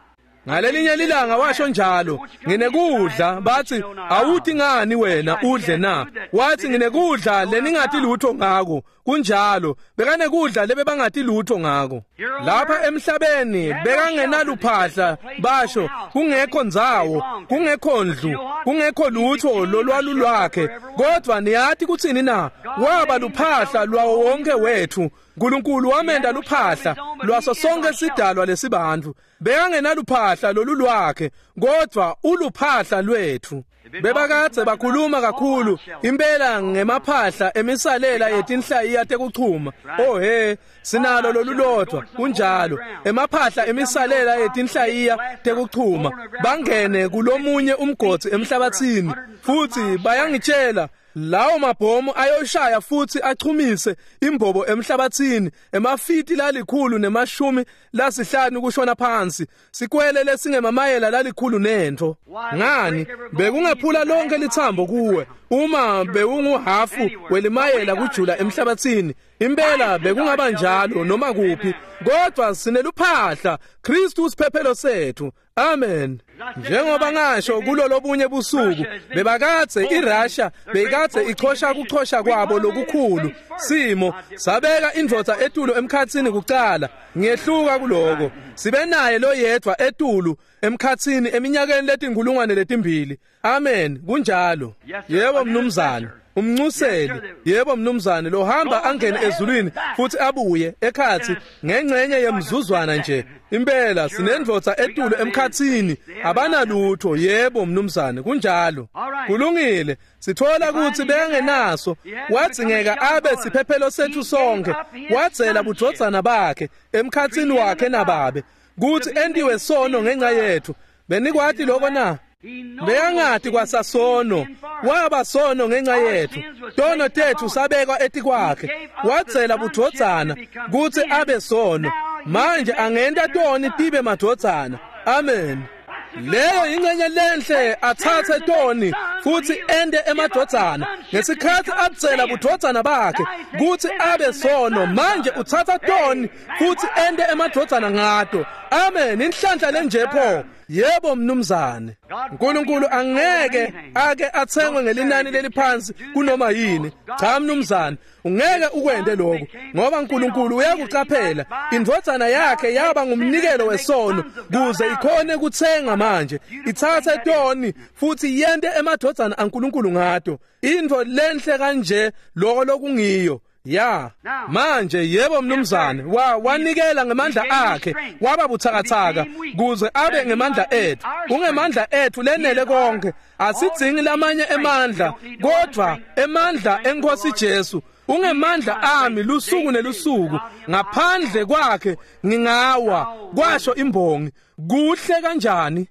Ngalelinye lilanga washo njalo, nginekudla. Bathi, awuthi ngani wena udle na? Wathi, nginekudla leningati lutho ngako. Kunjalo, bekanekudla lebebangati lutho ngako. Lapha emhlabeni bekangenaluphahla, basho, kungekho ndzawo, kungekho ndlu, kungekho lutho lolwalu lwakhe. Kodwa niyathi kutsini na? Waba luphahla lwawo wonke wethu. uNkulunkulu wamenda luphahla lwaso sonke sidalwa lesibantu. Bekangenaluphahla lolu lwakhe, kodwa uluphahla lwethu. Bebakadze bakhuluma kakhulu impela ngemaphahla emisalela yetinhlayiya tekuchuma. Oh he, sinalo lolulodwa. Kunjalo, emaphahla emisalela yetinhlayiya tekuchuma. Bangene kulomunye umgodzi emhlabathini, futhi bayangitshela lawo mabhomu ayoshaya futhi achumise imbobo emhlabathini emafiti lalikhulu nemashumi lasihlanu kushona phansi, sikwele lesingemamayela lalikhulu nentfo. Ngani, bekungephula lonke lithambo kuwe uma bewunguhafu welimayela kujula emhlabathini. Impela bekungaba njalo noma kuphi, kodwa sineluphahla, Kristu usiphephelo sethu. Amen. Njengoba ngasho kulolobunye busuku, bebakadze iRussia beyikadze ichosha kuchosha kwabo lokukhulu simo, sabeka indvodza etulu emkhatsini kucala. Ngiyehluka kuloko. Sibe naye loyedwa etulu emkhatsini eminyakeni letinkulungwane letimbili. Amen. Kunjalo. Yebo mnumzane. Umncuseli, yebo mnumzane, lohamba angene ezulwini futhi abuye ekhathi ngengcenye yemzuzwana nje. Impela sinendvodza etulu emkhatsini, abanalutho. Yebo mnumzane, kunjalo. Kulungile. Sithola ukuthi bekangenaso, wadzingeka abe siphephelo sethu sonke. Wadzela budvodzana bakhe emkhatsini wakhe nababe, kuthi entiwe sono ngenxa yethu. Benikwati lokho na? Bekangati kwasasono, waba sono ngenxa yethu. Tono tethu sabekwa etikwakhe. Wadzela budvodzana kutsi abe sono. Manje angenta toni tibe madvodzana. Amen. Leyo ingcenye lenhle, athathe toni futhi ende emadvodzana. Ngesikhathi atsela budvodzana bakhe kutsi abe sono, manje uthatha toni futhi ende emadvodzana ngato. Amen. Inhlanhla lenje pho. Yebo mnumzane. uNkulunkulu angeke ake athengwe ngelinani leliphansi kunoma yini. Cha mnumzane, ungeke ukwende lokho, ngoba uNkulunkulu uyakucaphela. Indvodzana yakhe yaba ngumnikelo wesono kuze ikhone kuthenga manje. Ithathe toni futhi yente emadvodzana aNkulunkulu ngato. Intfo lenhle kanje lokho lokungiyo. Ya, manje yebo mnumzane, wa wanikela ngemandla akhe, waba buthakathaka kuze abe ngemandla ethu. Ungemandla ethu lenele konke, asidzingi lamanye emandla, kodwa emandla enkosi Jesu. Ungemandla ami lusuku nelusuku, ngaphandle kwakhe ngingawa, kwasho imbongi. Kuhle kanjani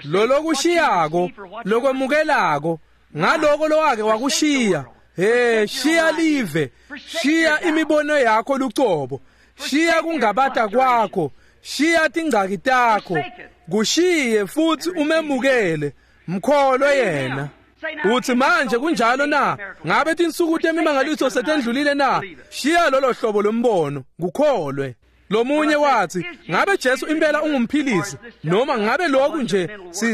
lolokushiyako, lokwemukelako, ngaloko lowake wakushiya. Hey, shiya live, shiya imibono yakho lucobo, shiya kungabata kwakho, shiya tingcaki takho, kushiye futhi umemukele, mkholwe yena. Uthi manje kunjalo na? Ngabe tinsuku temimangaliso setendlulile na? Shiya lolo hlobo lombono, kukholwe. Lomunye wathi, ngabe Jesu impela ungumphilisi, noma ngabe lokhu nje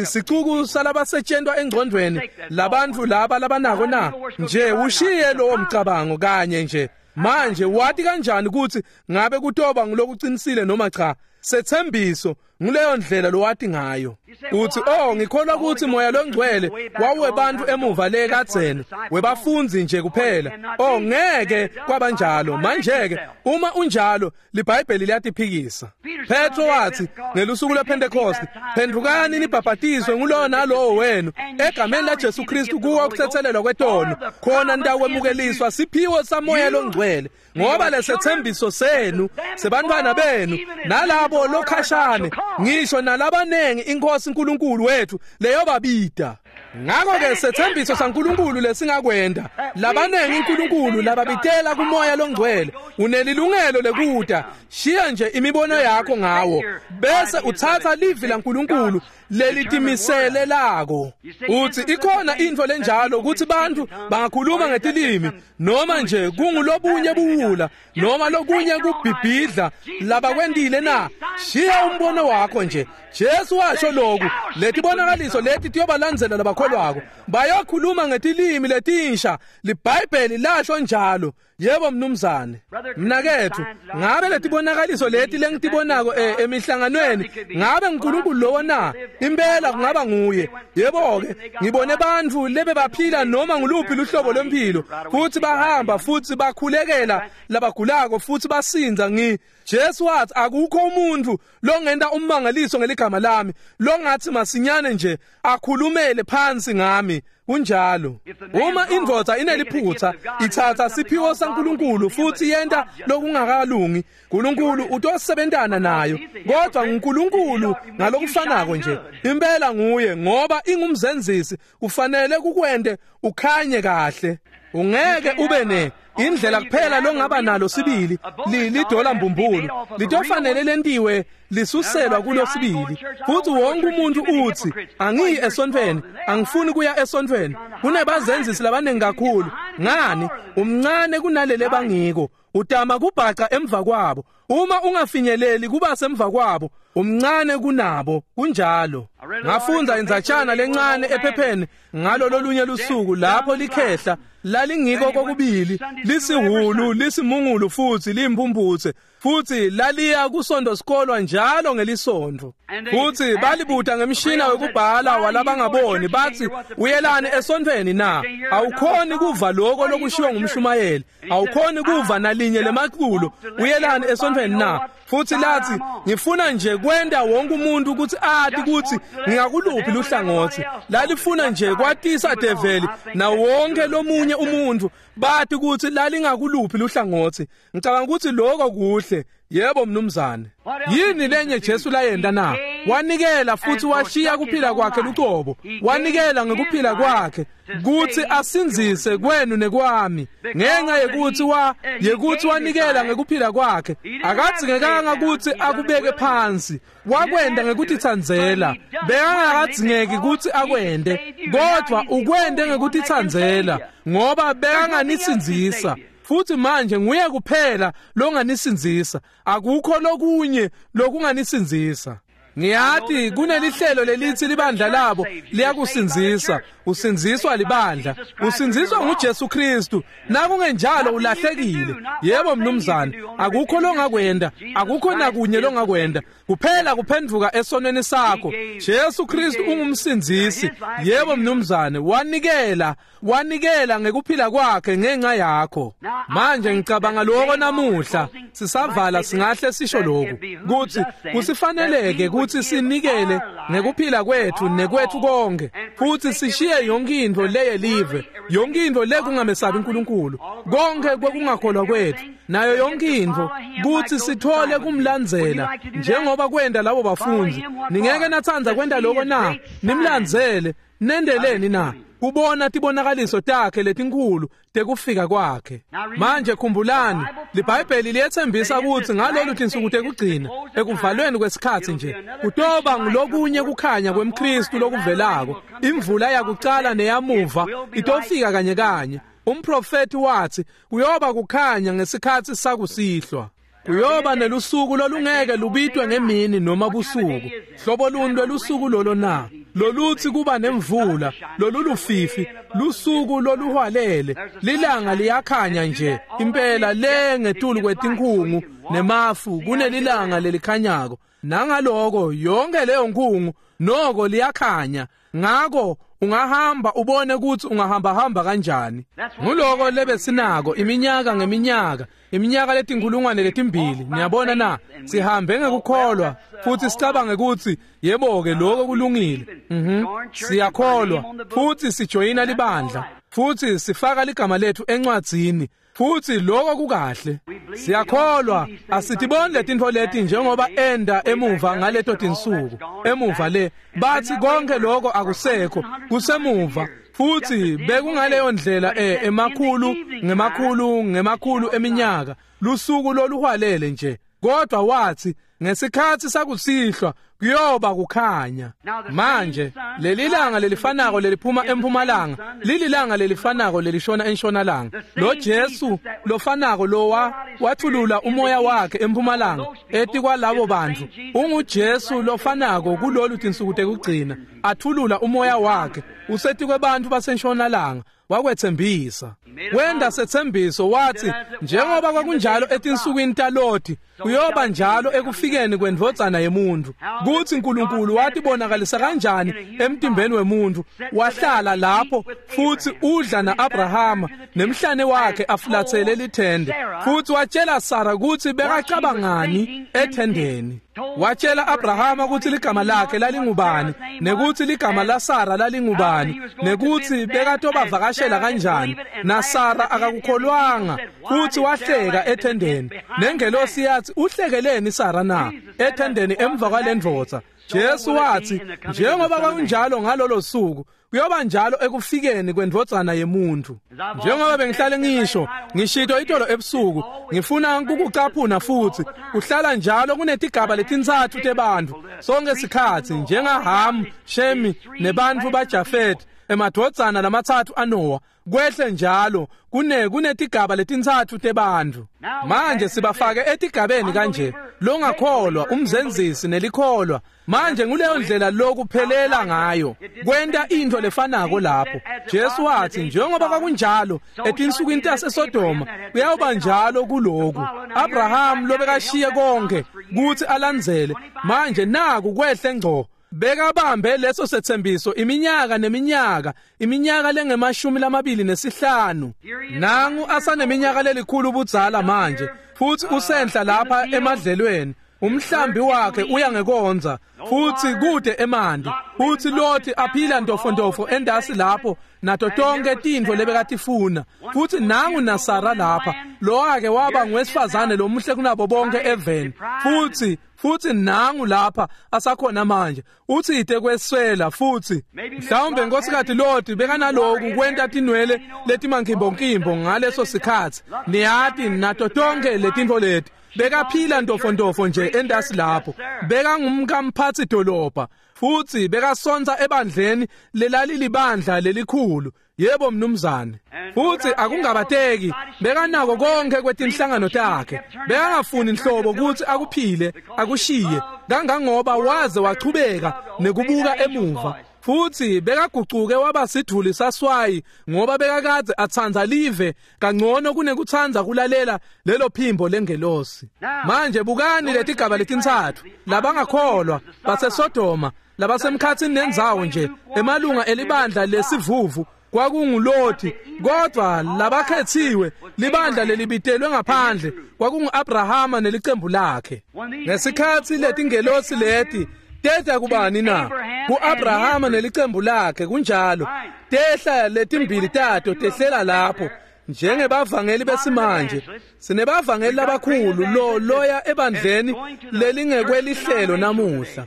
sicuku salabasetshentwa engcondweni labantu laba labanako na? Nje ushiye lowo mcabango kanye nje. Manje wathi kanjani ukuthi ngabe kutoba ngulokuqinisile noma cha? Sethembiso nguleyo ndlela lowati ngayo. Uthi, oh, ngikholwa ukuthi moya longcwele wawuwebantu emuva le kadzeni, webafunzi nje kuphela. Oh, ngeke kwabanjalo. Manje ke uma unjalo, liBhayibheli liyatiphikisa. Petro wathi ngelusuku lwePentecost, phendukani nibhabhatiswe ngulowo nalowo wenu egameni la Jesu Kristu kuwo ukuthethelelwa kwetono, khona nitawuwemukeliswa siphiwo samoya longcwele, ngoba lesethembiso senu sebantwana benu nalabo lokhashane, ngisho nalabanengi inkosi uNkulunkulu wethu leyobabida. Ngakho ke sethembiso saNkulunkulu lesingakwenda, labanengi uNkulunkulu lababitela kumoya longcwele, unelilungelo lekuta. Shiya nje imibono yakho ngawo, bese uthatha livi laNkulunkulu lelitimisele lako. Uthi ikhona intfo lenjalo ukuthi bantfu bangakhuluma ngetilimi noma nje kungulobunye buwula noma lokunye kubhibhidla labakwentile na? Shiya umbono wakho nje. Jesu washo lokhu, letibonakaliso leti tiyobalandzela labakholwako, bayokhuluma ngetilimi letinsha. LiBhayibheli lasho njalo. Yebo mnumzane. Mnaketfu, ngabe letibonakaliso leti lengitibonako emihlanganweni, ngabe uNkulunkulu lowo na? Impela kungaba nguye. Yebo ke, ngibone bantfu lebebaphila noma nguluphi luhlobo lwempilo, futhi bahamba futhi bakhulekela labagulako futhi basinza. Ngi Jesu wathi akukho umuntu longenta ummangaliso ngeligama lami longathi masinyane nje akhulumele phansi ngami. Kunjalo. Uma indvodza ineliphutha ithatha siphiwo saNkulunkulu futhi yenta lokungakalungi, uNkulunkulu utosebentana nayo. Kodwa uNkulunkulu ngalokufanako nje impela nguye, ngoba ingumzenzisi, ufanele kukwente ukhanye kahle. Ungeke ube ne indlela kuphela longaba nalo sibili lidola mbumbulu, litofanele lentiwe lisuselwa kulo sibili. Futhi wonke umuntu uthi angiyi esontfweni, angifuni kuya esontfweni, kunebazenzisi labaningi kakhulu. Ngani? Umncane kunalele bangiko, utama kubhaca emva kwabo. Uma ungafinyeleli kuba semva kwabo, umncane kunabo. Kunjalo. Ngafundza indzatshana lencane ephepheni ngalo lolunye lusuku lapho likhehla lalingiko kokubili, lisihulu, lisimungulu futhi limpumputse, futhi laliya kusonto sikolwa njalo ngelisonto. Futhi balibuta ngemshina wekubhala walabangaboni, bathi uyelani esontweni na? Awukhoni kuva lokho lokushiwo ngumshumayeli, awukhoni kuva nalinye lemaculo, uyelani esontweni na? Futhi lathi ngifuna nje kwenta wonke umuntu ukuthi ati ukuthi ngingakuluphi luhlangothi. Lalifuna nje kwatisa develi na wonke lomunye umuntu bathi ukuthi lalingakuluphi luhlangothi. Ngicabanga ukuthi lokho kuhle. Yebo mnumzane. Yini lenye Jesu layenta na? Wanikela futhi washiya kuphila kwakhe lucobo. Wanikela ngekuphila kwakhe kuthi asindzise kwenu nekwami. Ngenxa yekuthi wa yekuthi wanikela ngekuphila kwakhe, akadzingekanga ukuthi akubeke phansi. Wakwenda ngekutitsandzela. Bekangakadzingeki ukuthi akwende, kodwa ukwende ngekutitsandzela ngoba bekanganisindzisa. Futhi manje nguye kuphela longanisindzisa, akukho lokunye lokunganisindzisa. Ngiyati kunelihlelo lelithi libandla labo liyakusindzisa. Usindziswa libandla, usindziswa nguJesu Kristu. Nakungenjalo ulahlekile. Yebo mnumzane, akukho longakwenda, akukho nakunye longakwenda, kuphela kuphenduka esonweni sakho. Jesu Kristu ungumsindzisi. Yebo mnumzane, wanikela, wanikela ngekuphila kwakhe ngenxa yakho. Manje ngicabanga lokho namuhla sisavala singahle sisho lokhu kuthi kusifaneleke ukuthi sinikele ngekuphila kwethu nekwethu konke, futhi sishiye yonke intfo leyelive, yonke intfo lekungamesabi uNkulunkulu, konke kwekungakholwa kwethu nayo yonke intfo, kuthi sithole kumlandzela njengoba kwenda labo bafundi. Ningeke natsandza kwenta lokho na? Nimlandzele nendeleni na? Kubona tibonakaliso takhe letinkhulu tekufika kwakhe. Manje khumbulani, liBhayibheli liyethembisa ukuthi ngalolu tinsuku tekugcina, ekuvalweni kwesikhatsi nje, kutoba ngulokunye kukhanya kwemKristu lokuvelako. Imvula yakucala neyamuva itofika kanye kanye. Umprofeti wathi kuyoba kukhanya ngesikhatsi sakusihlwa. Kuyoba nelusuku lolungeke lubitwe ngemini noma busuku. Hlobo luni lwelusuku lolo na? Loluthi kuba nemvula, lolulufifi, lusuku loluhwalele, lilanga liyakhanya nje impela le ngetulu kwetinkhungu nemafu kunelilanga lelikhanyako. Nangaloko yonke leyo nkhungu noko liyakhanya. Ngako ungahamba ubone ukuthi ungahamba hamba kanjani. Nguloko lebesinako iminyaka ngeminyaka, iminyaka letinkulungwane letimbili. Niyabona na? Sihambe ngekukholwa futhi sicabange ukuthi yebo ke lokho kulungile. Mhm. Siyakholwa futhi sijoyina libandla futhi sifaka ligama lethu encwadzini, futhi lokho kukahle. Siyakholwa, asitiboni letintfo leti njengoba enda emuva ngaleto tinsuku. Emuva le bathi konke lokho akusekho, kusemuva. Futhi bekungaleyo ndlela eh emakhulu ngemakhulu ngemakhulu eminyaka, lusuku loluhwalele nje. Kodwa wathi Ngesikhatsi sakusihlwa kuyoba kukhanya. Manje leli langa lelifanako leliphuma empumalanga lililanga lelifanako lelishona enshonalanga. Lo Jesu lofanako lowa wathulula umoya wakhe empumalanga etikwalabo bantfu unguJesu lofanako kulolu tinsuku tekugcina athulula umoya wakhe usetikwe bantfu basenshonalanga. Wakwethembisa wenda sethembiso wathi njengoba kwakunjalo etinsukwini taLoti kuyoba njalo ekufikeni kwendvodzana yemuntu. Kuthi uNkulunkulu watibonakalisa kanjani emtimbeni wemuntu, wahlala lapho futhi udla naAbrahama nemhlane wakhe afulathele lithende, futhi watshela Sara ukuthi bekacabangani ethendeni. Watshela Abrahama ukuthi ligama lakhe lalingubani nekuthi ligama laSara lalingubani nekuthi bekatobavakashela kanjani, naSara akakukholwanga futhi wahleka ethendeni. Nengelosi yathi uhlekeleni Sara na ethendeni emva kwalendvodza? Jesu wathi njengoba kwakunjalo ngalolo suku kuyoba njalo ekufikeni kwendvodzana yemuntu. Njengoba bengihlale ngisho ngishito itolo ebusuku, ngifuna ukukucaphuna futhi kuhlala njalo kunetigaba letintsatfu tebantfu sonke sikhatsi, njengaHam, Shemi nebantfu baJafet, emadvodzana lamatsatfu aNoah, kwehle njalo kune kunetigaba letintsatfu tebantfu. Manje sibafake etigabeni kanje, longakholwa, umzenzisi nelikholwa. Manje nguleyo ndlela lokuphelela ngayo kwenta into lefanako lapho. Jesu wathi njengoba kwakunjalo etinsukwini taseSodoma kuyawuba njalo kuloku. Abraham lobekashiye konke kuthi alandzele, manje naku kwehle ngco bekabambe leso sethembiso iminyaka neminyaka, iminyaka lengemashumi lamabili nesihlanu. Nangu asaneminyaka lelikhulu budzala manje futhi usenhla lapha emadlelweni, umhlambi wakhe uya ngekonza futhi kude emanti, futhi Loti aphila ntofontofo endasi lapho nato tonke tintfo lebekatifuna. Futhi nangu naSara lapha lo ake waba ngwesifazane lomuhle kunabo bonke eveni, futhi futhi nangu lapha asakhona manje uthi ite kweswela. Futhi mhlawumbe Nkosikati Loti bekanaloku kwenta tinwele letimankimbonkimbo ngaleso sikhatsi, niyati, nato tonke letintfo leti. Bekaphila ntofontofo nje endasi lapho, bekangumkamphatsi dolobha futhi bekasonta ebandleni lelalilibandla lelikhulu. Yebo mnumzane. Futhi akungabateki bekanako konke kwetinhlangano takhe, bekangafuni inhlobo ukuthi akuphile akushiye, kangangoba waze wachubeka nekubuka emuva. Futhi bekagucuke waba sidvuli saswayi ngoba bekakadze atsandza live kangcono kunekutsandza kulalela lelo phimbo lengelosi. Manje bukani letigaba letintsatfu, labangakholwa baseSodoma, labasemkhatsini nendzawo nje, emalunga elibandla lesivuvu kwakunguLoti, kodwa labakhethiwe libandla lelibitelwe ngaphandle kwakungu-Abrahama nelicembu lakhe. Ngesikhatsi letingelosi leti tehla kubani na? Ku-Abrahama nelicembu lakhe. Kunjalo, tehla letimbili tato tehlela lapho njengebavangeli besimanje. Sinebavangeli labakhulu lo loya ebandleni lelingekwelihlelo namuhla.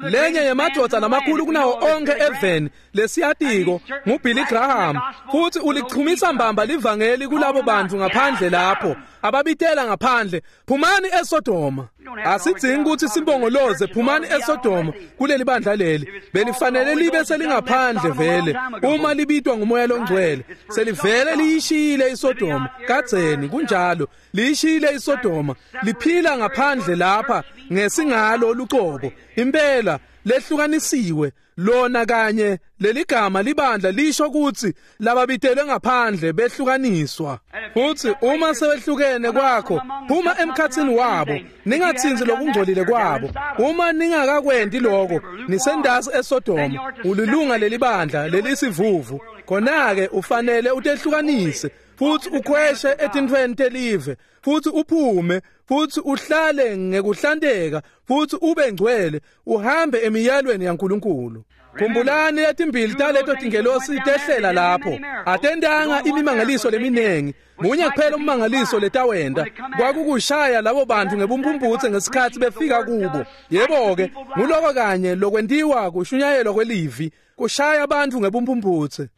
Lenye yemadvodza lamakhulu kunawo onke eveni lesiyatiko nguBilly Graham, futhi ulichumisa mbamba livangeli kulabo bantu ngaphandle lapho ababitela ngaphandle, phumani eSodoma. Asidzingi ukuthi simbongoloze, phumani eSodoma kuleli bandla leli belifanele libe selingaphandle vele uma libitwa ngumoya longcwele. Selivele liyishiyile iSodoma kadzeni, kunjalo, liyishiyile iSodoma, liphila ngaphandle lapha ngesingalo lucobo impela lehlukanisiwe lona kanye leligama libandla lisho ukuthi lababitelwe ngaphandle behlukaniswa. Futhi uma sebehlukene kwakho, phuma emkhatsini wabo, ningatsinzi lokungcolile kwabo. Uma ningakakwenti lokho, nisendasi eSodoma, ulilunga lelibandla lelisivuvu. Khona-ke ufanele utehlukanise futhi ukhweshe etintfweni telive, futhi uphume futhi uhlale ngekuhlanteka futhi ube ngcwele, uhambe emiyalweni yaNkulunkulu. Khumbulani letimbili taleto tingelosi tehlela lapho, atentanga imimangaliso leminengi. Munye kuphela ummangaliso letawenta kwakukushaya labo bantu ngebumphumputse ngesikhatsi befika kubo. Yebo-ke, nguloko kanye lokwentiwa kushunyayelwa kwelivi, kushaya abantu ngebumphumputse.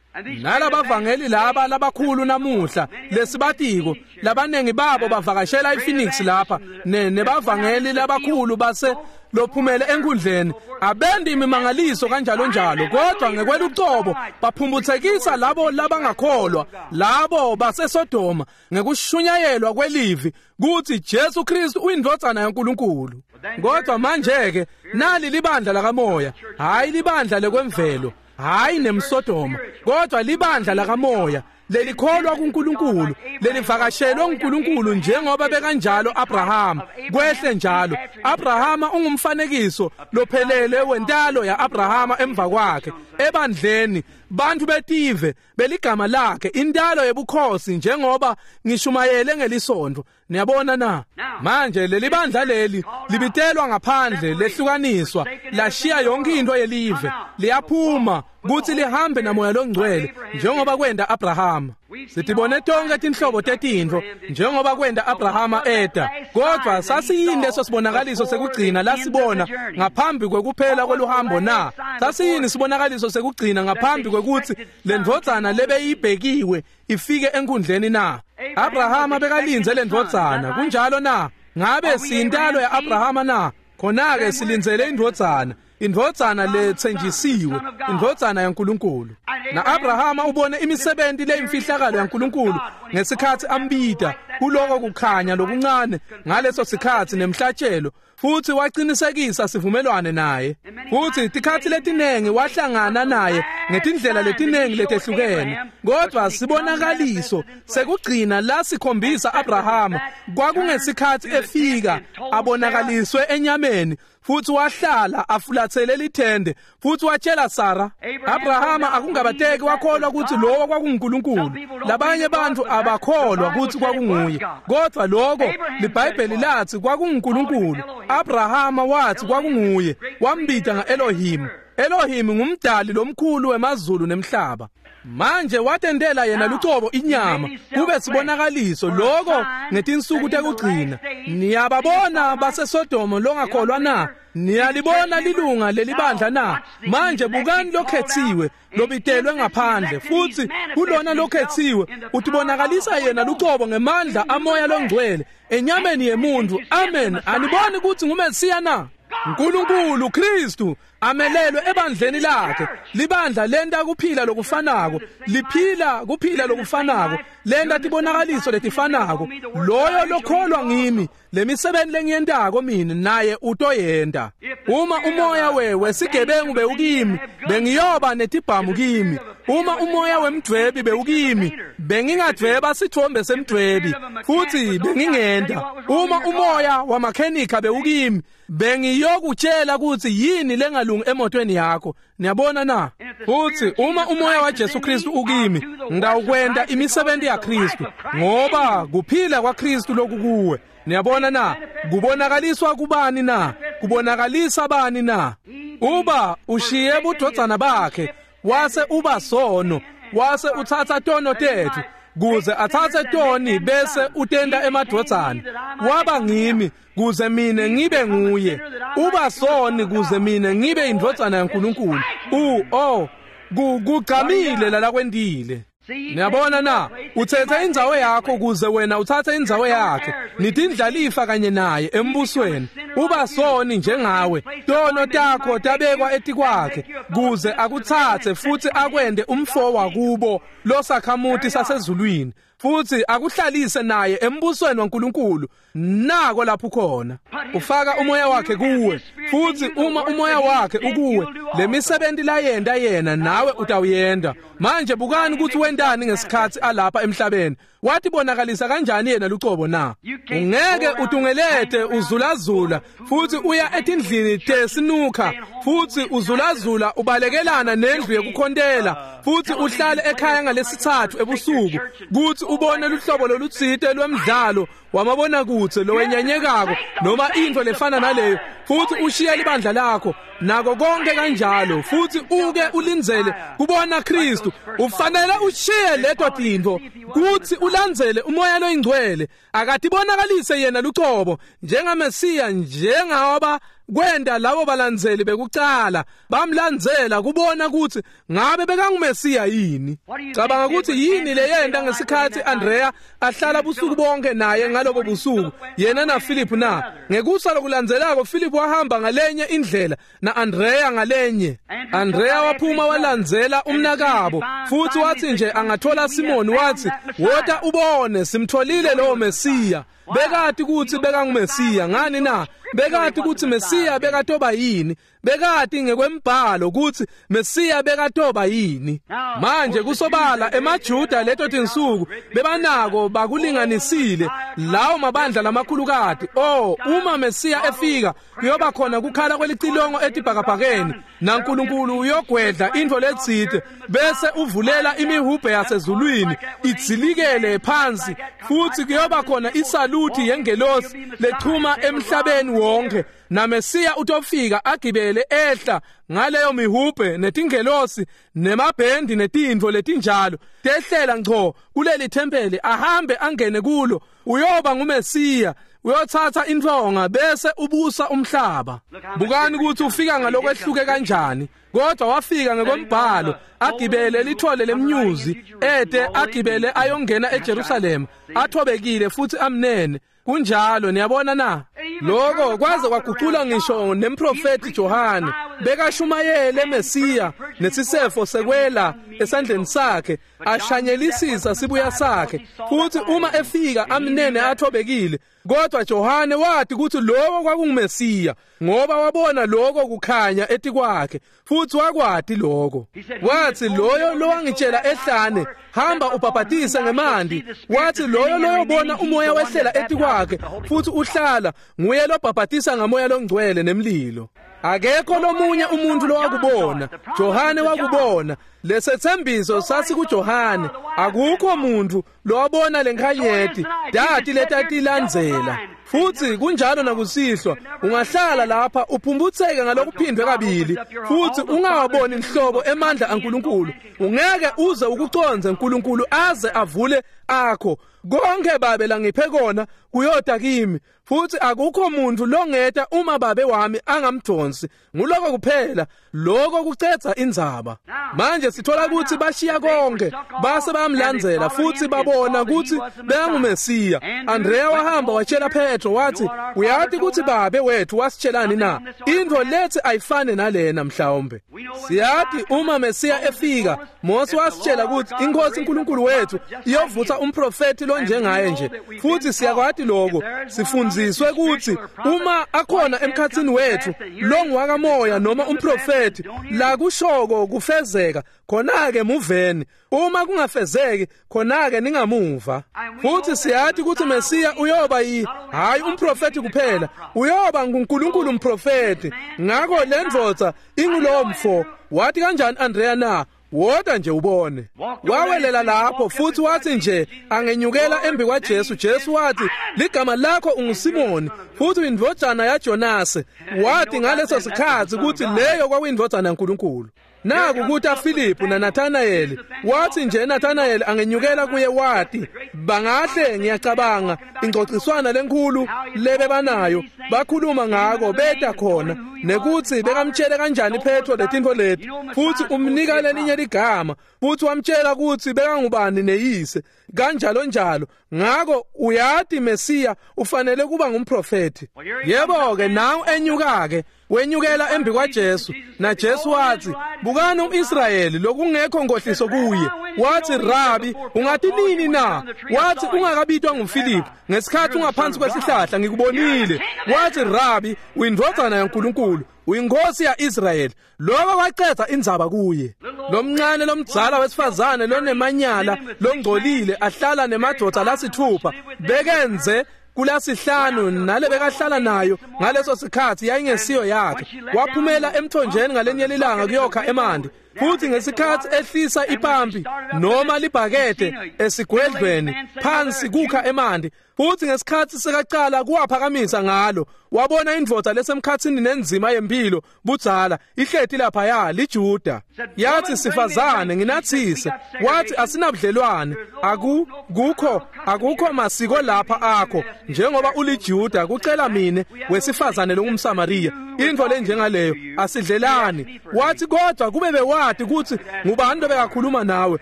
Nalabavangeli laba labakhulu namuhla lesibatiko labanengi babo bavakashela iPhoenix lapha nebavangeli labakhulu base lophumele enkundleni abendi imimangaliso kanjalo njalo, kodwa ngekwelucobo baphumbuthekisa labo labangakholwa labo baseSodoma ngekushunyayelwa kwelivi kuthi Jesu Kristu uyindvodzana yaNkulunkulu. Kodwa manje ke nali libandla lakamoya, hayi libandla lekwemvelo, hayi nemsodoma, kodwa libandla lakamoya lelikholwa kuNkulunkulu, lelivakashelwe uNkulunkulu njengoba bekanjalo Abraham. Kwehle njalo Abrahama ungumfanekiso lophelele wentalo yaAbrahama emva kwakhe ebandleni, bantu betive beligama lakhe, intalo yebukhosi njengoba ngishumayele ngelisonto. Niyabona na? Manje leli bandla leli libitelwa ngaphandle, lehlukaniswa, lashiya yonke into yelive, liyaphuma kuthi lihambe namoya longcwele njengoba kwenda Abrahama. Sitibone tonke tinhlobo tetintfo njengoba kwenda Abrahama eda, kodwa sasiyini leso sibonakaliso sekugcina lasibona ngaphambi kwekuphela kweluhambo na? Sasiyini sibonakaliso sekugcina ngaphambi kwekuthi lendvodzana lebeyibhekiwe ifike enkundleni na? Abrahama bekalinze lendvodzana, kunjalo na? Ngabe siyintalo yaAbrahama na? Khona-ke silindzele indvodzana, indvodzana letsenjisiwe, indvodzana yaNkulunkulu. Na-Abrahama ubone imisebenti leyimfihlakalo yaNkulunkulu ngesikhatsi ambita kuloko kukhanya lokuncane ngaleso sikhatsi nemhlatshelo, futhi waqinisekisa sivumelwane naye. Futhi tikhatsi letinengi wahlangana naye ngetindlela letinengi letehlukene, kodwa sibonakaliso sekugcina la sikhombisa Abrahama kwakungesikhatsi efika abonakaliswe enyameni, futhi wahlala afulathele lithende, futhi watshela Sara. Abrahama akungabateki wakholwa ukuthi lowo kwakunguNkulunkulu. Labanye bantu abakholwa ukuthi kwakunguye, kodwa lokho liBhayibheli lathi kwakunguNkulunkulu. Abrahama wathi kwakunguye, wambita ngaElohim. Elohim ngumdali lomkhulu wemazulu nemhlaba. Manje watendela yena lucobo inyama kube sibonakaliso lokho ngetinsuku tekugcina. Niyababona baseSodoma longakholwa na? Niyalibona lilunga lelibandla na? Manje bukani lokhethiwe lobitelwe ngaphandle, futhi kulona lokhethiwe utibonakalisa yena lucobo ngemandla amoya longcwele enyameni yemuntu. Amen. Aniboni ukuthi nguMesiya na? uNkulunkulu Kristu amelelwe ebandleni lakhe. Libandla lenta kuphila lokufanako, liphila kuphila lokufanako, lenta tibonakaliso letifanako. Loyo lokholwa ngimi, lemisebenzi lengiyentako mina naye utoyenta. Uma umoya wewe sigebengu bewukimi, bengiyoba netibhamu kimi. Uma umoya wemdvwebi bewukimi, bengingadvweba sithombe semdvwebi futhi bengingenta. Uma umoya wamakhenika bewukimi, bengiyokutshela ukuthi yini lengalungi emotweni yakho. Niyabona na? Futhi uma umoya waJesu Kristu ukimi, ngawukwenta imisebenzi yaKristu, ngoba kuphila kwaKristu lokukuwe. Niyabona na? Kubonakaliswa kubani na? Kubonakalisa bani na? Uba ushiye budvodzana bakhe, wase uba sono, wase uthatha tono tethu kuze athathe toni bese utenda emadvodzana. Waba ngimi kuze mine ngibe nguye. Uba soni kuze mine ngibe indvodzana yaNkulunkulu. U oh kugcamile la kwendile. Niyabona na? Uthethe indzawo yakho kuze wena uthathe indzawo yakhe. Nitindlalifa kanye naye embusweni. Uba soni njengawe, tono takho tabekwa etikwakhe kuze akuthathe futhi akwende umfo wakubo losakhamuti sasezulwini, futhi akuhlalise naye embusweni waNkulunkulu. Nako lapho khona ufaka umoya wakhe kuwe, futhi uma umoya wakhe ukuwe, lemisebenzi layenda yena nawe utawuyenda. Manje bukani ukuthi wendani ngesikhatsi alapha emhlabeni. Watibonakalisa kanjani yena lucobo na? Ungeke utungelete uzulazula futhi uya etindlini tesinukha, futhi uzulazula ubalekelana nendlu yekukhontela, futhi uhlale ekhaya ngalesithathu ebusuku kuthi ubone luhlobo lolutsite lwemidlalo wamabonakudze lowenyanyekako noma into lefana naleyo, futhi ushiye libandla lakho nako konke kanjalo, futhi uke ulindzele kubona Kristu. Ufanele ushiye leto tintfo kuthi ulandzele umoya loyingcwele. Akatibonakalise yena lucobo njengaMesiya njengoba Kwenta labo balandzeli bekucala bamlandzela kubona kutsi ngabe bekanguMesiya yini. Cabanga kutsi yini leyenta ngesikhatsi Andrea ahlala busuku bonke naye ngalobo busuku yena na Philip na. Ngekusa lokulandzelako Philip wahamba ngalenye indlela na Andrea ngalenye. Andrea waphuma walandzela umnakabo futhi wathi nje angathola Simon wathi wota ubone simtholile lowo Mesiya. Bekati kutsi bekanguMesiya ngani na? Bekati kutsi Mesiya bekatoba yini? Bekati ngekwembhalo kutsi Mesiya bekatoba yini. Manje kusobala emaJuda leto tinsuku bebanako bakulinganisile lawo mabandla lamakhulukati. Oh, uma Mesiya efika kuyoba khona kukhala kwelicilongo etibhakabhakeni naNkulunkulu uyogwedla intfo letsite bese uvulela imihubhe yasezulwini idzilikele phansi futhi kuyoba khona isaluthi yengelosi lechuma emhlabeni wonke na Mesiya utofika agibele ehla ngaleyo mihubhe netingelosi nemabhendi netintfo letinjalo tehlela ngco kuleli thempeli ahambe angene kulo. Uyoba nguMesiya, uyothatha intonga bese ubusa umhlaba. Bukani ukuthi ufika ngalokwehluke kanjani. Kodwa wafika ngekombhalo agibele lithole lemnyuzi ede agibele ayongena eJerusalema athobekile futhi amnene. Kunjalo, niyabona na? Lokho kwaze kwaguqula ngisho nemprofeti Johane bekashumayele Mesiya nesisefo sekwela esandleni sakhe ashanyelisisa sibuya sakhe futhi uma efika amnene athobekile. Kodwa Johane wathi ukuthi lokho kwakunguMesiya ngoba wabona lokho kukhanya etikwakhe futhi wakwati lokho. Wathi loyo lowangitshela ehlane hamba ubhabhatise ngemanti, wathi loyo loyobona umoya wehlela etikwakhe futhi uhlala nguye lobhabhatisa ngamoya longcwele nemlilo. Akekho lomunye umuntu lowakubona. Johane wakubona. Lesethembiso sasikuJohane. Akukho muntu lowabona lenkhanyeti dati letatilandzela. Futhi kunjalo nakusihlwa, ungahlala lapha uphumbutseke ngalokuphindwe kabili futhi ungawaboni inhlobo emandla aNkulunkulu. Ungeke uze ukuconze uNkulunkulu aze avule akho. Konke babe langiphe kona kuyota kimi futhi akukho muntu longeta uma babe wami angamdonsi. Nguloko kuphela, lokho kucetha indzaba. Manje sithola ukuthi bashiya konke base bayamlandzela futhi babona ukuthi beyanguMesiya. Andrea wahamba watshela Petro wathi uyati ukuthi babe wethu wasitshelani na? Intfo lethi ayifane nalena mhlawumbe. Siyati uma Mesiya efika, Mose wasitshela ukuthi inkosi uNkulunkulu wethu iyovutsa umprofeti lonjengaye nje. Futhi siyakwati lokho, sifundziswe ukuthi uma akhona emkhatsini wethu longuwakamoya noma umprofeti la kushoko kufezeka khona-ke muveni, uma kungafezeki khona-ke ningamuva. Futhi siyati ukuthi Mesiya uyoba yi hayi umprofeti kuphela, uyoba nguNkulunkulu umprofeti. Ngakho le ndvodza ingulowo mfo. Wathi kanjani Andrea na? Woda nje ubone. Wawelela lapho futhi wathi nje angenyukela embi kwaJesu. Jesu wathi ligama lakho unguSimoni futhi uyindvodzana yaJonase. Wathi ngaleso sikhathi ukuthi leyo kwakuyindvodzana yaNkulunkulu. Naku kuta Philip na Nathanael. Wathi nje Nathanael angenyukela kuye wathi bangahle ngiyacabanga ingxoxiswana lenkulu lebe banayo bakhuluma ngako beta khona nekuthi bekamtshele kanjani Petro letinto leti futhi umnika lelinye ligama futhi wamtshela ukuthi bekangubani neyise kanjalo njalo. Ngako uyati Mesiya ufanele kuba ngumprofeti. Yebo ke nawu enyuka ke wenyukela embi kwaJesu na Jesu wathi bukani umIsrayeli lokungekho ngohliso kuye. Wathi Rabi ungathi nini na? Wathi ungakabitwa nguFilip ngesikhathi ungaphansi kwesihlahla ngikubonile. Wathi Rabi uyindvodzana yaNkulunkulu uyinkosi yaIsrayeli. Lokho kwacetha indzaba kuye. Lomncane lomdzala wesifazane lonemanyala longcolile ahlala nemadvodza lasithupha bekenze kulasihlanu nale bekahlala nayo ngaleso sikhathi yayingesiyo yakhe. Waphumela emthonjeni ngalenye lilanga kuyokha emanti futhi ngesikhathi ehlisa ipampi noma libhakede esigwedlweni phansi kukha emanti futhi ngesikhathi sekaqala kuwaphakamisa ngalo wabona indvodza lesemkhatsini nenzima yempilo budzala ihleti laphaya liJuda. Yathi sifazane nginathise. Wathi asinabudlelwane aku kukho akukho masiko lapha akho njengoba uliJuda kucela mine wesifazane longumSamariya. Intfo lenjengaleyo asidlelani. Wathi kodwa kube bewati kutsi ngubani lobekakhuluma nawe,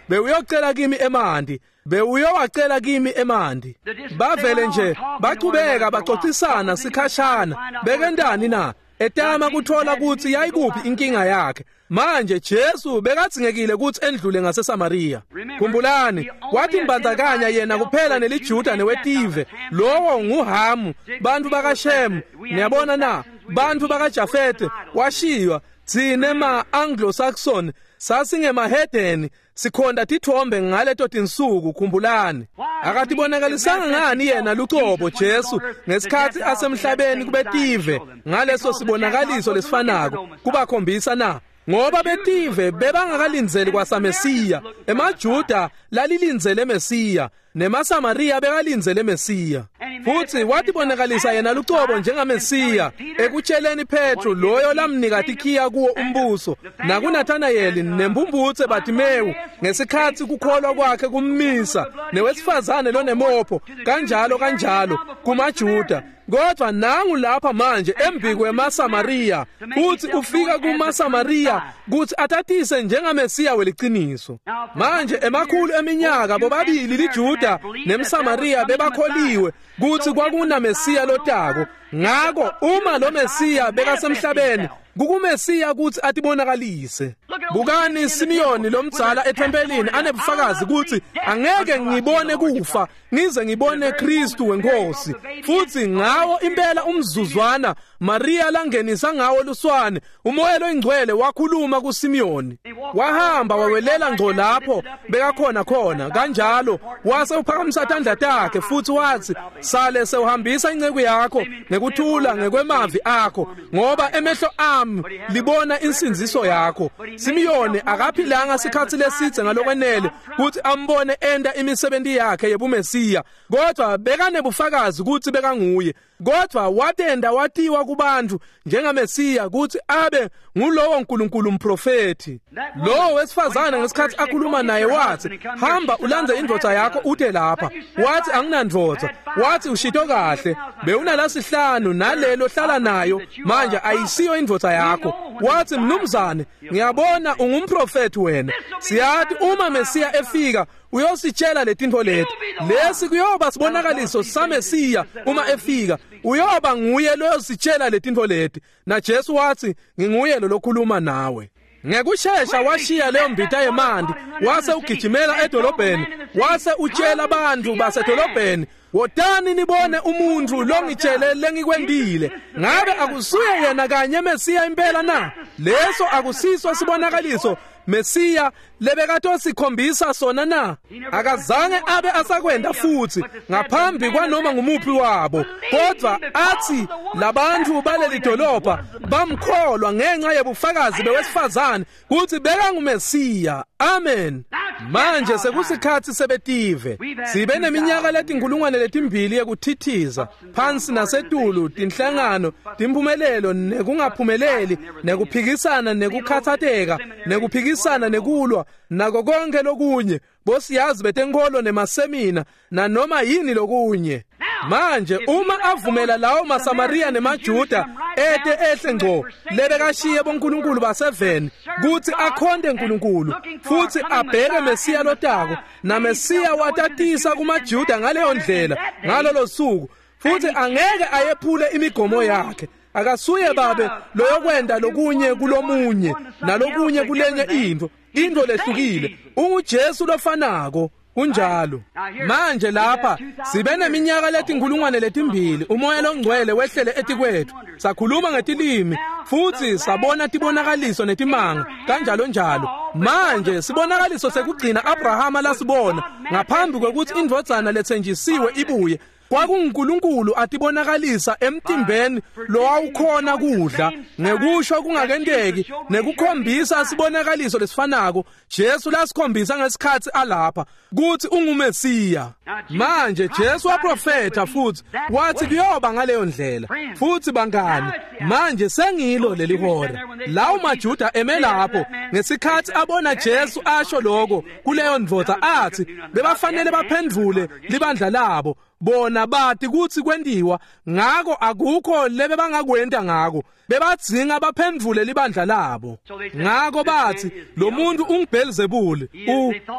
bewuyocela kimi emanti, bewuyowacela kimi emanti. Bavele nje bachubeka baxoxisana sikhashana. Bekentani na? Etama kuthola kutsi yayikuphi inkinga yakhe. Manje Jesu bekadzingekile kutsi endlule ngaseSamariya. Khumbulani, wathi mbandzakanya yena kuphela neliJuda newetive. Lowo nguHamu, bantfu bakaShemu. Niyabona na? Bantfu bakaJafete washiywa. Tsine ma-Anglo-Saxon sasingemahedeni, sikhonda tithombe ngaleto tinsuku. Khumbulani, akatibonakalisanga ngani yena lucobo Jesu ngesikhatsi asemhlabeni kubetive ngaleso sibonakaliso lesifanako kubakhombisa na? Ngoba betive bebangakalindzeli kwasaMesiya. EmaJuda lalilindzele Mesiya, nemaSamariya bekalindzele Mesiya. Futsi watibonakalisa yena lucobo njengaMesiya ekutsheleni Petru loyo lamnika tikhiya kuwo umbuso, nakuNathanayeli nembumbutse Bartimewu ngesikhatsi kukholwa kwakhe kummisa, newesifazane lonemopho, kanjalo kanjalo kumaJuda. Kodwa nangu lapha manje embi kwemaSamariya, futsi ufika kumaSamariya kutsi atatise njengaMesiya weliciniso. Manje emakhulu eminyaka bobabili liJuda nemSamariya bebakholiwe kutsi kwakunaMesiya lotako. Ngako uma lo Mesiya bekasemhlabeni, kukuMesiya kutsi atibonakalise. Bukani Simiyoni lomdzala ethempelini anebufakazi kutsi angeke ngibone kufa ngize ngibone Kristu wenkosi. Futsi ngawo impela umzuzwana Maria langenisa ngawo luswane, umoya loyingcwele wakhuluma kuSimiyoni. Wahamba wawelela ngco lapho bekakhona khona kanjalo, wase uphakamisa tandla takhe futsi watsi, sale sewuhambisa inceku yakho ngekuthula ngekwemavi akho, ngoba emehlo ami libona insindziso yakho. Simiyoni akaphilanga sikhatsi lesidze ngalokwenele kutsi ambone enda imisebenti yakhe yebuMesiya, kodwa bekanebufakazi kutsi bekanguye. Kodwa watenda watiwa kubantu njengaMesiya kutsi abe ngulowo Nkulunkulu umprofethi. Lowo wesifazane ngesikhatsi akhuluma naye watsi, hamba ulandze indvodza yakho ute lapha. Wathi anginandvodza. Wathi ushito kahle, bewunalasihlanu nalelo hlala nayo manje ayisiyo indvodza yakho. Wathi mnumzane, ngiyabona ungumprofethi wena. Siyati uma Mesiya efika uyositshela letintfo leti. Lesi kuyoba sibonakaliso saMesiya uma efika, uyoba nguye loyositshela letintfo leti. Na Jesu wathi, nginguye lo lokhuluma nawe. Ngekushesha washiya leyo mbita yemanti, wase ugijimela edolobheni, wase utshela abantu basedolobheni, wotani nibone umuntu longitshele lengikwendile. Ngabe akusuye yena kanye Mesiya impela na? Leso akusiso sibonakaliso Mesiya lebekatosikhombisa sona na? Akazange abe asakwenda futsi ngaphambi kwanoma ngumuphi wabo, kodwa athi labantu baleli dolobha bamkholwa ngenxa yebufakazi bewesifazane kutsi bekanguMesiya. Amen. Manje sekusikhatsi sebetive. Sibe neminyaka letinkulungwane letimbili yekuthithiza phansi nasetulu, tinhlangano, timphumelelo nekungaphumeleli, nekuphikisana nekukhathateka, nekuphikisana nekulwa, nako konke lokunye, bosiyazi betenkholo nemasemina nanoma yini lokunye. Manje uma avumela lawo maSamariya nemaJuda ete ehle ngco lebekashiye boNkulunkulu baseveni kutsi akhonte Nkulunkulu futsi abheke Mesiya lotako, na Mesiya watatisa kumaJuda ngaleyo ndlela ngalolo suku, futsi angeke ayephule imigomo yakhe. Akasuye babe loyokwenda lokunye kulomunye nalokunye kulenye intfo, intfo lehlukile. UnguJesu lofanako. Kunjalo. Manje lapha sibe neminyaka letinkulungwane letimbili umoya longcwele wehlele etikwethu, sakhuluma ngetilimi futsi sabona tibonakaliso netimanga kanjalo njalo. Manje sibonakaliso sekugcina Abrahama lasibona ngaphambi kwekutsi indvodzana letsenjisiwe ibuye, kwakunguNkulunkulu atibonakalisa emtimbeni lowawukhona kudla ngekusho kungakenteki nekukhombisa sibonakaliso lesifanako Jesu lasikhombisa ngesikhatsi alapha kutsi unguMesiya. Manje Jesu waprofetha futsi wathi kuyoba ngaleyo ndlela. Futsi bangani, manje sengilo leli hora. Lawo maJuda eme lapho ngesikhatsi abona Jesu asho lokho kuleyo ndvodza, athi bebafanele baphendvule libandla labo. Bona bathi kutsi kwentiwa ngako akukho lebe bangakwenta ngako bebadzinga baphendvule libandla labo. Ngako bathi lo muntu unguBelzebuli.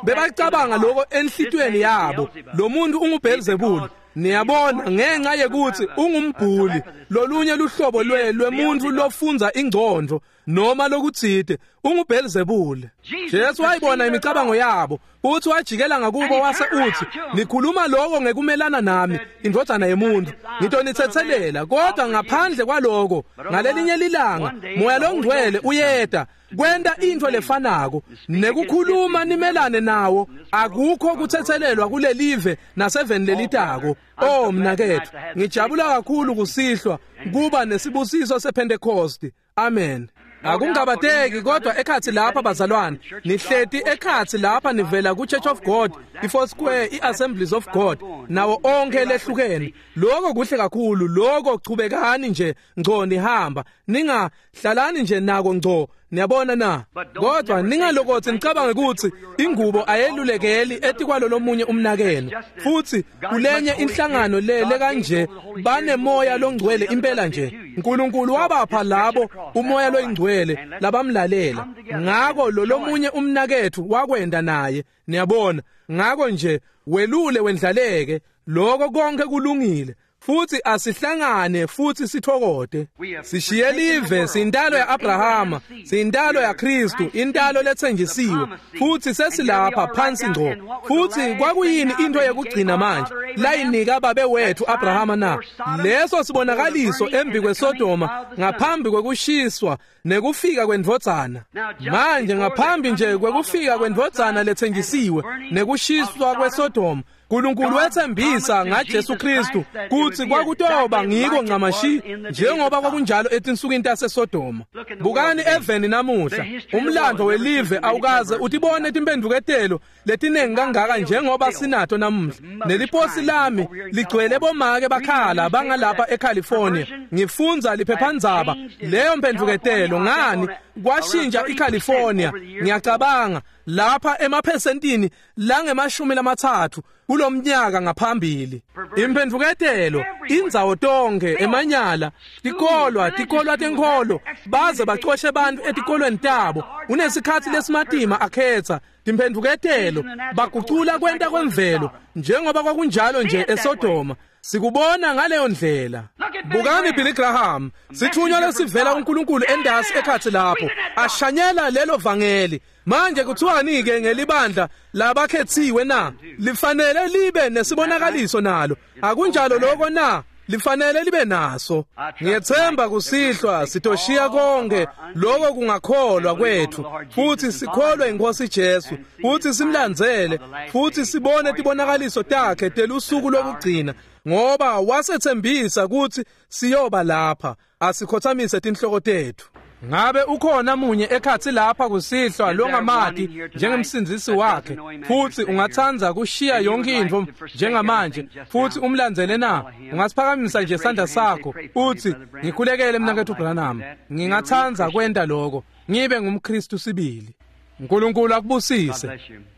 Bebacabanga lokho enhlitiyweni yabo, lo muntu unguBelzebuli. Niyabona, ngenxa yekuthi ungumbhuli, lolunye luhlobo lwe lwemuntu lofunza ingcondvo noma lokutsite, unguBelzebuli. Jesu wayibona imicabango yabo, uthi wajikela ngakubo wase uthi, nikhuluma lokho ngekumelana nami, indvodzana yemuntu, ngitonitsetselela, kodwa ngaphandle kwaloko ngalelinye lilanga Moya loNgcwele uyeta kwenta intfo lefanako nekukhuluma nimelane nawo. Akukho kutsetselelwa kulelive naseveni lelitako. Oh mnaketfu, ngijabula kakhulu kusihlwa kuba nesibusiso sePentecost. Amen. Akungabateki kodwa ekhatsi lapha bazalwane, nihleti ekhatsi lapha nivela ku Church of God, i-Four Square, i-Assemblies of God, nawo onke lehlukene. Lokho kuhle kakhulu, lokho chubekani nje ngco nihamba, ningahlalani nje nako ngco. Niyabona na? Kodwa ningalokothi nicabange ukuthi ingubo ayelulekeli etikwalo lomunye umnakenu. Futhi kulenye inhlangano lele kanje banemoya longcwele impela nje. uNkulunkulu wabapha labo umoya loyingcwele labamlalela. Ngako lo lomunye umnakethu wakwenda naye. Niyabona? Ngako nje welule wendlaleke, lokho konke kulungile. Futhi asihlangane futhi sithokote. Sishiye live, sintalo ya-Abrahama, sintalo yaKristu, intalo lethenjisiwe. Futhi sesilapha phansi ngco. Futhi kwakuyini into yokugcina manje layinika babe wethu Abrahama na? Leso sibonakaliso embi kweSodoma ngaphambi kwekushiswa nekufika kwendvodzana. Manje ngaphambi nje kwekufika kwendvodzana lethenjisiwe nekushiswa kweSodoma, uNkulunkulu wethembisa ngaJesu Kristu kuthi kwakutoba ngiko ncamashi njengoba kwakunjalo etinsukwini taseSodoma. Bukani eveni namuhla, umlando welive awukaze utibone timphendvuketelo letinengi kangaka njengoba sinato namuhla. Neliposi lami ligcwele bomake bakhala bangalapha eCalifornia. Ngifunza liphephandzaba leyo mphendvuketelo ngani kwashintsha iCalifornia. Ngiyacabanga lapha emaphesentini langemashumi lamatsatfu kulomnyaka ngaphambili. Imphendvuketelo indzawo tonke, emanyala, tikolwa, tikolwa tenkholo, baze bacoshe abantu etikolweni tabo. Unesikhatsi lesimatima akhetha timphendvuketelo, bagucula kwenta kwemvelo njengoba kwakunjalo nje eSodoma. Sikubona ngaleyo ndlela. Bukani Billy Graham, sithunywa lesivela kuNkulunkulu endasi ekhatsi lapho, ashanyela lelo vangeli. Manje kuthiwani ke ngelibandla labakhethiwe na? Lifanele libe nesibonakaliso nalo. Akunjalo lokho na? Lifanele libe naso. Ngiyethemba kusihlwa sitoshiya konke lokho kungakholwa kwethu, futhi sikholwe inkosi Jesu, futhi simlandzele, futhi sibone tibonakaliso takhe telusuku lokugcina, ngoba wasethembisa ukuthi siyoba lapha. Asikhothamise tinhloko tethu. Ngabe ukhona munye ekhatsi lapha kusihlwa longamati njengemsindzisi wakhe, futhi ungatsandza kushiya yonke intfo njengamanje futhi umlandzele na? Ungasiphakamisa nje isandla sakho uthi, ngikhulekele mnaketfu Branham, ngingatsandza kwenta lokho, ngibe ngumKristu sibili. uNkulunkulu akubusise.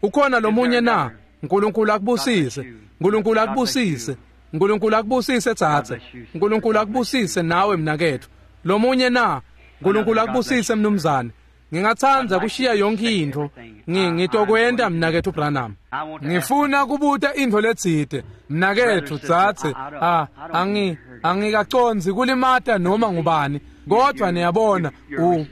Ukhona lomunye na? uNkulunkulu akubusise. uNkulunkulu akubusise. uNkulunkulu akubusise tsatse. uNkulunkulu akubusise nawe mnaketfu. Lomunye na? uNkulunkulu akubusise mnumzane. Ngingatsandza kushiya yonke intfo. Ngitokwenta mnaketfu Branham. Ngifuna kubuta intfo letsite. Mnaketfu tsatse, ah angi angikacondzi kulimata noma ngubani, kodwa niyabona u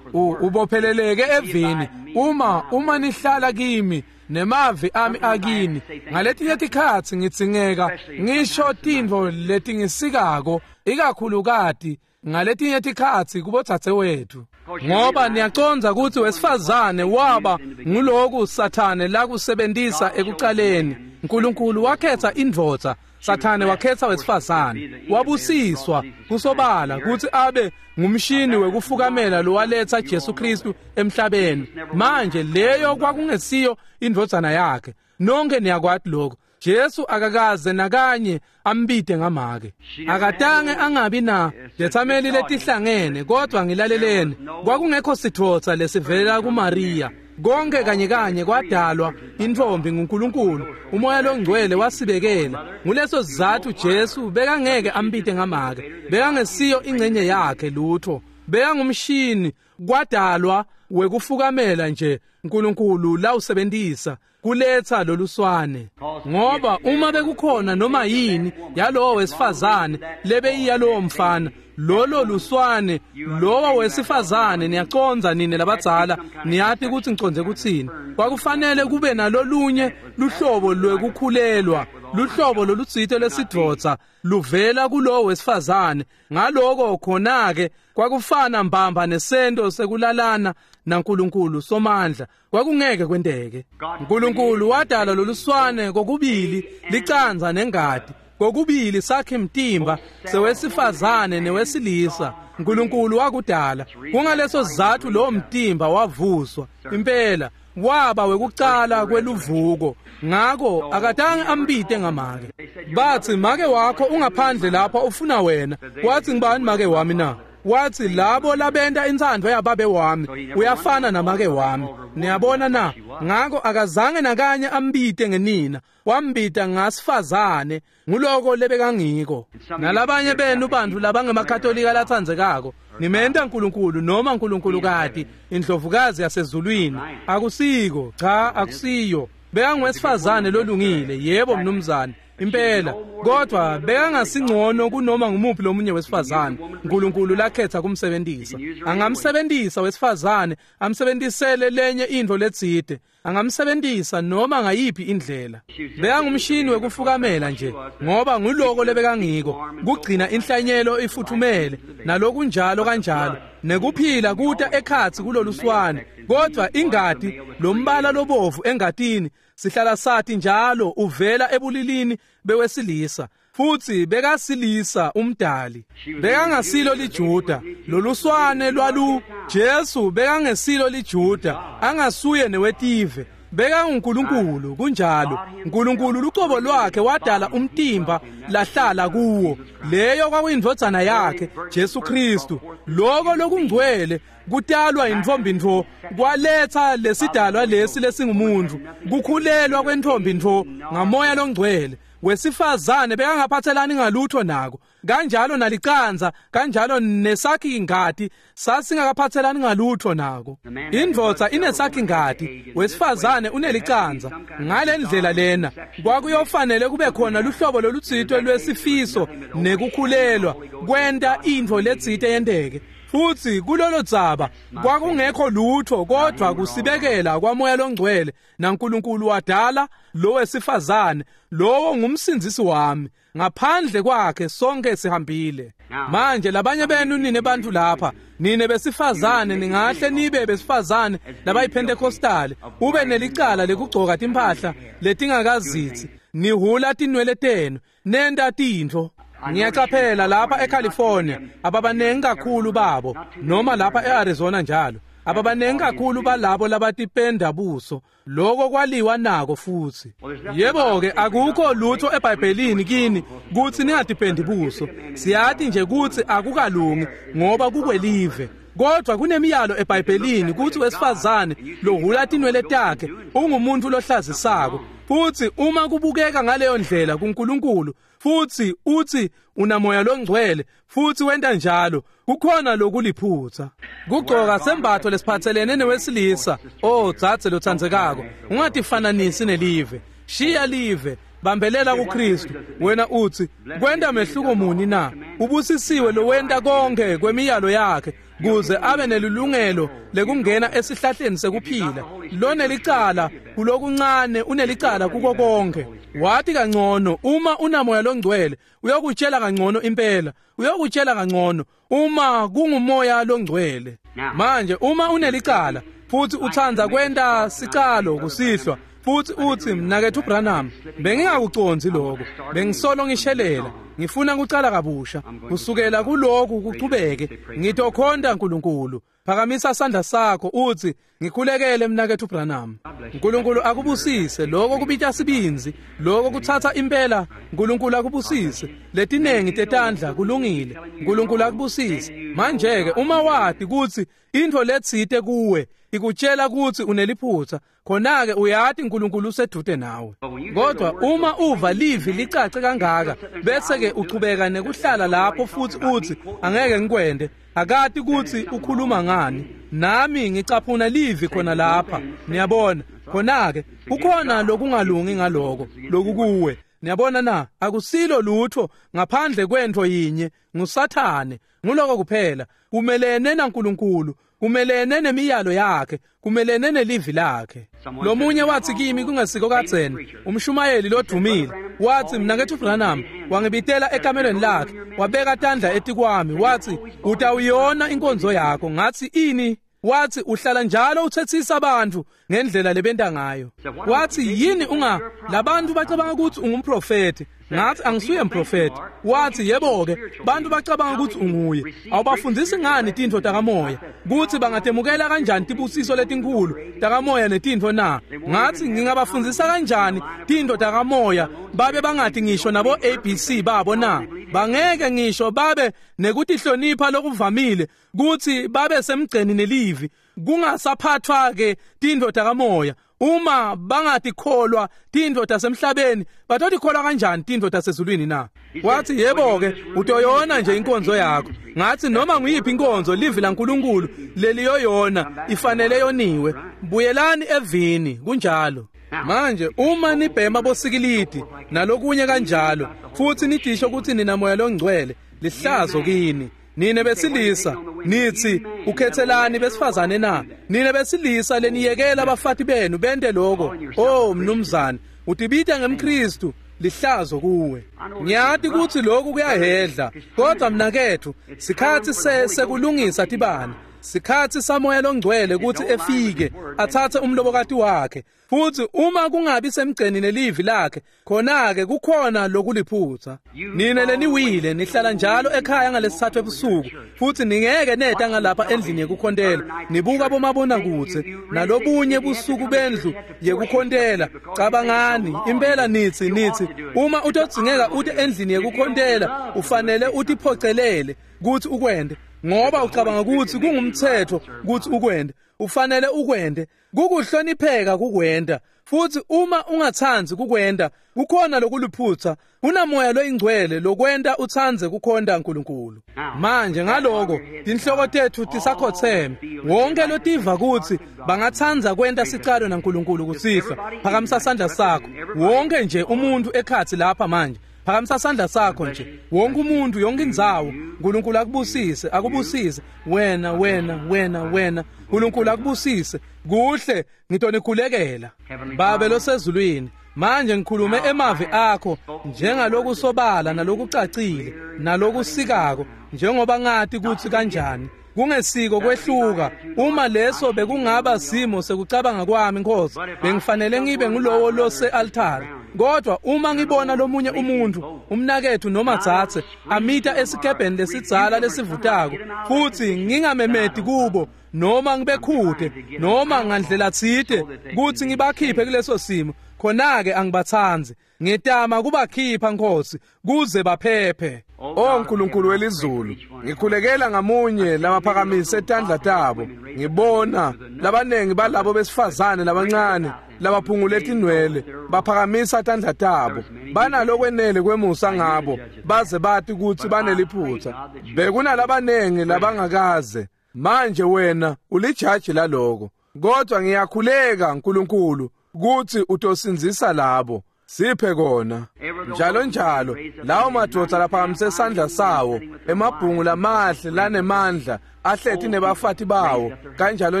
u ubopheleleke evini. Uma uma nihlala kimi nemavi ami akini, ngaletinye tikhatsi ngitsingeka ngisho tintfo letingisikako, ikakhulukati ngaletinye tikhatsi kubotsatse wethu, ngoba niyacondza kutsi wesifazane waba nguloku Sathane lakusebentisa ekucaleni. uNkulunkulu wakhetha indvodza, Sathane wakhetha wesifazane. Wabusiswa kusobala kutsi abe ngumshini wekufukamela lowaletsa Jesu Kristu emhlabeni. Manje leyo kwakungesiyo indvodzana yakhe. Nonke niyakwati lokho. Jesu akakaze nakanye ambide ngamake. Akatange angabi na tetsameli letihlangene, kodwa ngilaleleni, kwakungekho sithotsa lesivelela kuMaria. Konke kanye kanye kwadalwa intfombi nguNkulunkulu. Umoya longcwele wasibekela. Nguleso sizatfu Jesu bekangeke ambite ngamake. Bekangesiyo ingcenye yakhe lutho. Bekangumshini kwadalwa wekufukamela nje uNkulunkulu lawusebenzisa kuletha loluswane. Ngoba uma bekukhona noma yini yalowo wesifazane lebeyiya lowo mfana, lolo luswane lowo wesifazane, niyaconza nine labadzala, niyati ukuthi ngiconze kutsini. Kwakufanele kube nalolunye luhlobo lwekukhulelwa, luhlobo lolutsite lwesidvodza luvela kulowo wesifazane. Ngaloko khona-ke kwakufana mbamba nesento sekulalana naNkulunkulu Somandla. Kwakungeke kwenteke. uNkulunkulu wadala loluswane kokubili licanza nengati, kokubili sakhe mtimba sewesifazane newesilisa. uNkulunkulu wakudala. Kungaleso sizatfu lo mtimba wavuswa impela waba wekucala kweluvuko. Ngako akatange ambite ngamake. Bathi make wakho ungaphandle lapha ufuna wena. Wathi ngibani make wami na? Wathi labo labenta intsandvo yababe wami uyafana namake wami. Niyabona na? Ngako akazange nakanye ambite ngenina, wambita ngasifazane. Nguloko lebekangiko. Nalabanye benu bantu labangemakatolika latsandzekako, nimenta uNkulunkulu noma uNkulunkulukati indlovukazi yasezulwini. Akusiko, cha, akusiyo. Bekangwesifazane lolungile, yebo mnumzane, impela, kodwa bekangasingcono kunoma ngumuphi lomunye wesifazane uNkulunkulu lakhetha kumsebenzisa. Angamsebenzisa wesifazane amsebenzisele lenye intfo letsite, angamsebenzisa noma ngayiphi indlela. Bekangumshini wekufukamela nje, ngoba nguloko lebekangiko, kugcina inhlanyelo ifuthumele nalokunjalo kanjalo, nekuphila kuta ekhatsi kuloluswane. Kodwa ingati, lombala lobovu engatini, sihlala sathi njalo uvela ebulilini bewesilisa, futhi bekasilisa umdali. Bekangasilo liJuda, loluswane lwalu Jesu bekangesilo liJuda, angasuye newetive. BekanguNkulunkulu, kunjalo. uNkulunkulu lucobo lwakhe wadala umtimba lahlala kuwo. Leyo kwakuyindvodzana yakhe Jesu Kristu. Lokho lokungcwele kutalwa intfombi ntfo kwaletha lesidalwa lesi lesingumuntu, kukhulelwa kwentfombi ntfo ngamoya longcwele. Wesifazane bekangaphathelani ngalutho nako, kanjalo nalicanza, kanjalo nesakhi ingati sasingakaphathelani ngalutho nako. Indvodza inesakhi ingati, wesifazane unelicanza. Ngale ndlela lena kwakuyofanele kube khona luhlobo lolutsite lwesifiso nekukhulelwa kwenta intfo letsite yenteke. Futhi kulolo dzaba kwakungekho lutho kodwa kusibekela kwamoya longcwele, naNkulunkulu wadala lo wesifazane. Lowo ngumsindzisi wami, ngaphandle kwakhe sonke sihambile. Manje labanye benu nine bantu lapha, nine besifazane, ningahle nibe besifazane labayiPentecostal, ube nelicala lekugcoka timphahla letingakazitsi, nihula tinwele tenu, nenta tintfo. Ngiyacaphela lapha eCalifornia ababanengi kakhulu babo, noma lapha eArizona njalo ababanengi kakhulu balabo labatipenda buso. Lokho kwaliwa nako futhi. Yebo ke, akukho lutho eBhayibhelini kini kutsi ningatipendi buso. Siyati nje kutsi akukalungi ngoba kukwelive. Kodwa kunemiyalo eBhayibhelini kutsi wesifazane lohula tinwele takhe ungumuntu lohlazisako. Futhi uma kubukeka ngaleyo ndlela kuNkulunkulu, futhi uthi unamoya longcwele futhi wenta njalo, kukhona lokuliphutha. Kugcoka sembatho lesiphathelene newesilisa, oh dzadze lotsandzekako, ungatifananisi nelive. Shiya live, bambelela kuKristu. Wena uthi kwenta mehluko muni na? Ubusisiwe lowenta konke kwemiyalo yakhe kuze abe nelilungelo lekungena esihlahleni sekuphila. Lonelicala kulokuncane unelicala kuko konke. Wathi kangcono uma unamoya longcwele, uyokutshela kangcono impela, uyokutshela kangcono uma kungumoya longcwele. Manje uma unelicala futhi utsandza kwenta sicalo kusihlwa, futhi uthi mnaketfu Branham, bengingakucondzi lokho, bengisolo ngishelela, ngifuna kucala kabusha kusukela kuloku kuchubeke, ngitokhonta uNkulunkulu. Phakamisa sandla sakho uthi ngikhulekele mnaketfu Branham. uNkulunkulu akubusise. Lokho kubita sibinzi, lokho kuthatha impela. uNkulunkulu akubusise. Letinengi tetandla kulungile. uNkulunkulu akubusise. Manje ke uma wati kutsi intfo letsite kuwe ikutshela ukuthi uneliphutha, khona-ke uyati uNkulunkulu usedude nawe. Kodwa uma uva livi licace kangaka bese-ke uchubeka nekuhlala lapho futhi uthi angeke ngikwende, akati ukuthi ukhuluma ngani. Nami ngicaphuna livi khona lapha, niyabona. Khona-ke kukhona lokungalungi ngaloko lokukuwe, niyabona na? Akusilo lutho ngaphandle kwento yinye, nguSathane. Nguloko kuphela. Kumelene naNkulunkulu, kumelene nemiyalo yakhe, kumelene nelivi lakhe. Lomunye wathi kimi kungesiko kadzeni, umshumayeli lodumile, wathi mnaketfu Branham wangibitela ekamelweni lakhe, wabeka tandla etikwami, wathi utawuyona inkonzo yakho. Ngathi ini? Wathi uhlala njalo uthethisa abantu ngendlela lebenta ngayo. Wathi yini unga labantu bacabanga ukuthi ungumprofeti? Ngathi angisuye mprofeti. Wathi yebo-ke, bantu bacabanga ukuthi unguye. Awubafundisi ngani tintfo takamoya, kuthi bangatemukela kanjani tibusiso letinkhulu takamoya netintfo na? Ngathi ngingabafundisa kanjani tintfo takamoya babe bangathi ngisho nabo A B C babo na? Bangeke ngisho babe nekutihlonipha lokuvamile kuthi babe semgceni nelivi, kungasaphathwa-ke tintfo takamoya. Uma bangatikholwa tintfo tasemhlabeni, batotikholwa kanjani tintfo tasezulwini na? Wathi yebo-ke, utoyona nje inkonzo yakho. Ngathi noma nguyiphi inkonzo livi laNkulunkulu leliyoyona ifanele yoniwe. Buyelani evini, kunjalo. Manje uma nibhema bosikilidi nalokunye kanjalo futhi nidisho ukuthi nina moya longcwele, lihlazo kini. Nine besilisa nithi ukhethelani besifazane na? Nine besilisa leniyekela abafati benu bente lokho. Oh mnumzane, utibita ngemKristu, lihlazo kuwe. Ngiyati ukuthi lokhu kuyahedla, kodwa mnakethu sikhathi sekulungisa tibane, sikhathi samoya longcwele ukuthi efike athathe umlobokati wakhe. Futhi uma kungabi semgceni nelivi lakhe, khona-ke kukhona lokuliphutha. Nine leniwile nihlala njalo ekhaya ngalesithathu ebusuku, futhi ningeke neta ngalapha endlini yekukhontela, nibuka bomabonakudze nalobunye busuku bendlu yekukhontela. Cabangani impela, nithi nithi uma utodzingeka ute endlini yekukhontela ufanele utiphocelele kuthi ukwende, ngoba ucabanga ukuthi kungumthetho ukuthi ukwende. Ufanele ukwende, kukuhlonipheka kukwenda. Futhi uma ungathandi kukwenda, kukhona lokuliphutha. Kunamoya loyingcwele lokwenda uthandze kukhonda uNkulunkulu. Manje ngaloko tinhloko tethu tisakhotheme. Wonke lotiva kuthi bangathandza kwenta sicalo naNkulunkulu kusihlwa, phakamisa sandla sakho. Wonke nje umuntu ekhathi lapha manje, phakamisa sandla sakho nje. Wonke umuntu, yonke indzawo. uNkulunkulu akubusise, akubusise wena, wena, wena, wena. uNkulunkulu akubusise. Kuhle, ngitonikhulekela. Babe losezulwini, manje ngikhulume emavi akho njengalokusobala nalokucacile nalokusikako, njengoba ngati ukuthi kanjani kungesiko kwehluka. Uma leso bekungaba simo sekucabanga kwami, Nkosi, bengifanele ngibe ngulowo lose altare. Kodwa uma ngibona lomunye umuntu, umnakethu noma dzadze, amita esikebheni lesidzala lesivutako, futhi ngingamemedi kubo noma ngibekhude noma ngandlela tsite kuthi ngibakhiphe kuleso simo, khona-ke angibathandzi. Ngitama kubakhipha, Nkosi, kuze baphephe. O Nkulunkulu welizulu, ngikhulekela ngamunye labaphakamise tandla tabo. Ngibona labanengi balabo besifazane labancane labaphungule tinwele baphakamisa tandla tabo. Banalokwenele kwemusa ngabo baze bati ukuthi baneliphutha. Bekunalabanengi labangakaze. Manje wena ulijaji laloko. Kodwa ngiyakhuleka Nkulunkulu kuthi utosindzisa labo. Siphe kona njalo njalo lawo madoda laphakamise sandla sawo, emabhungu lamahle lanemandla ahleti nebafati bawo kanjalo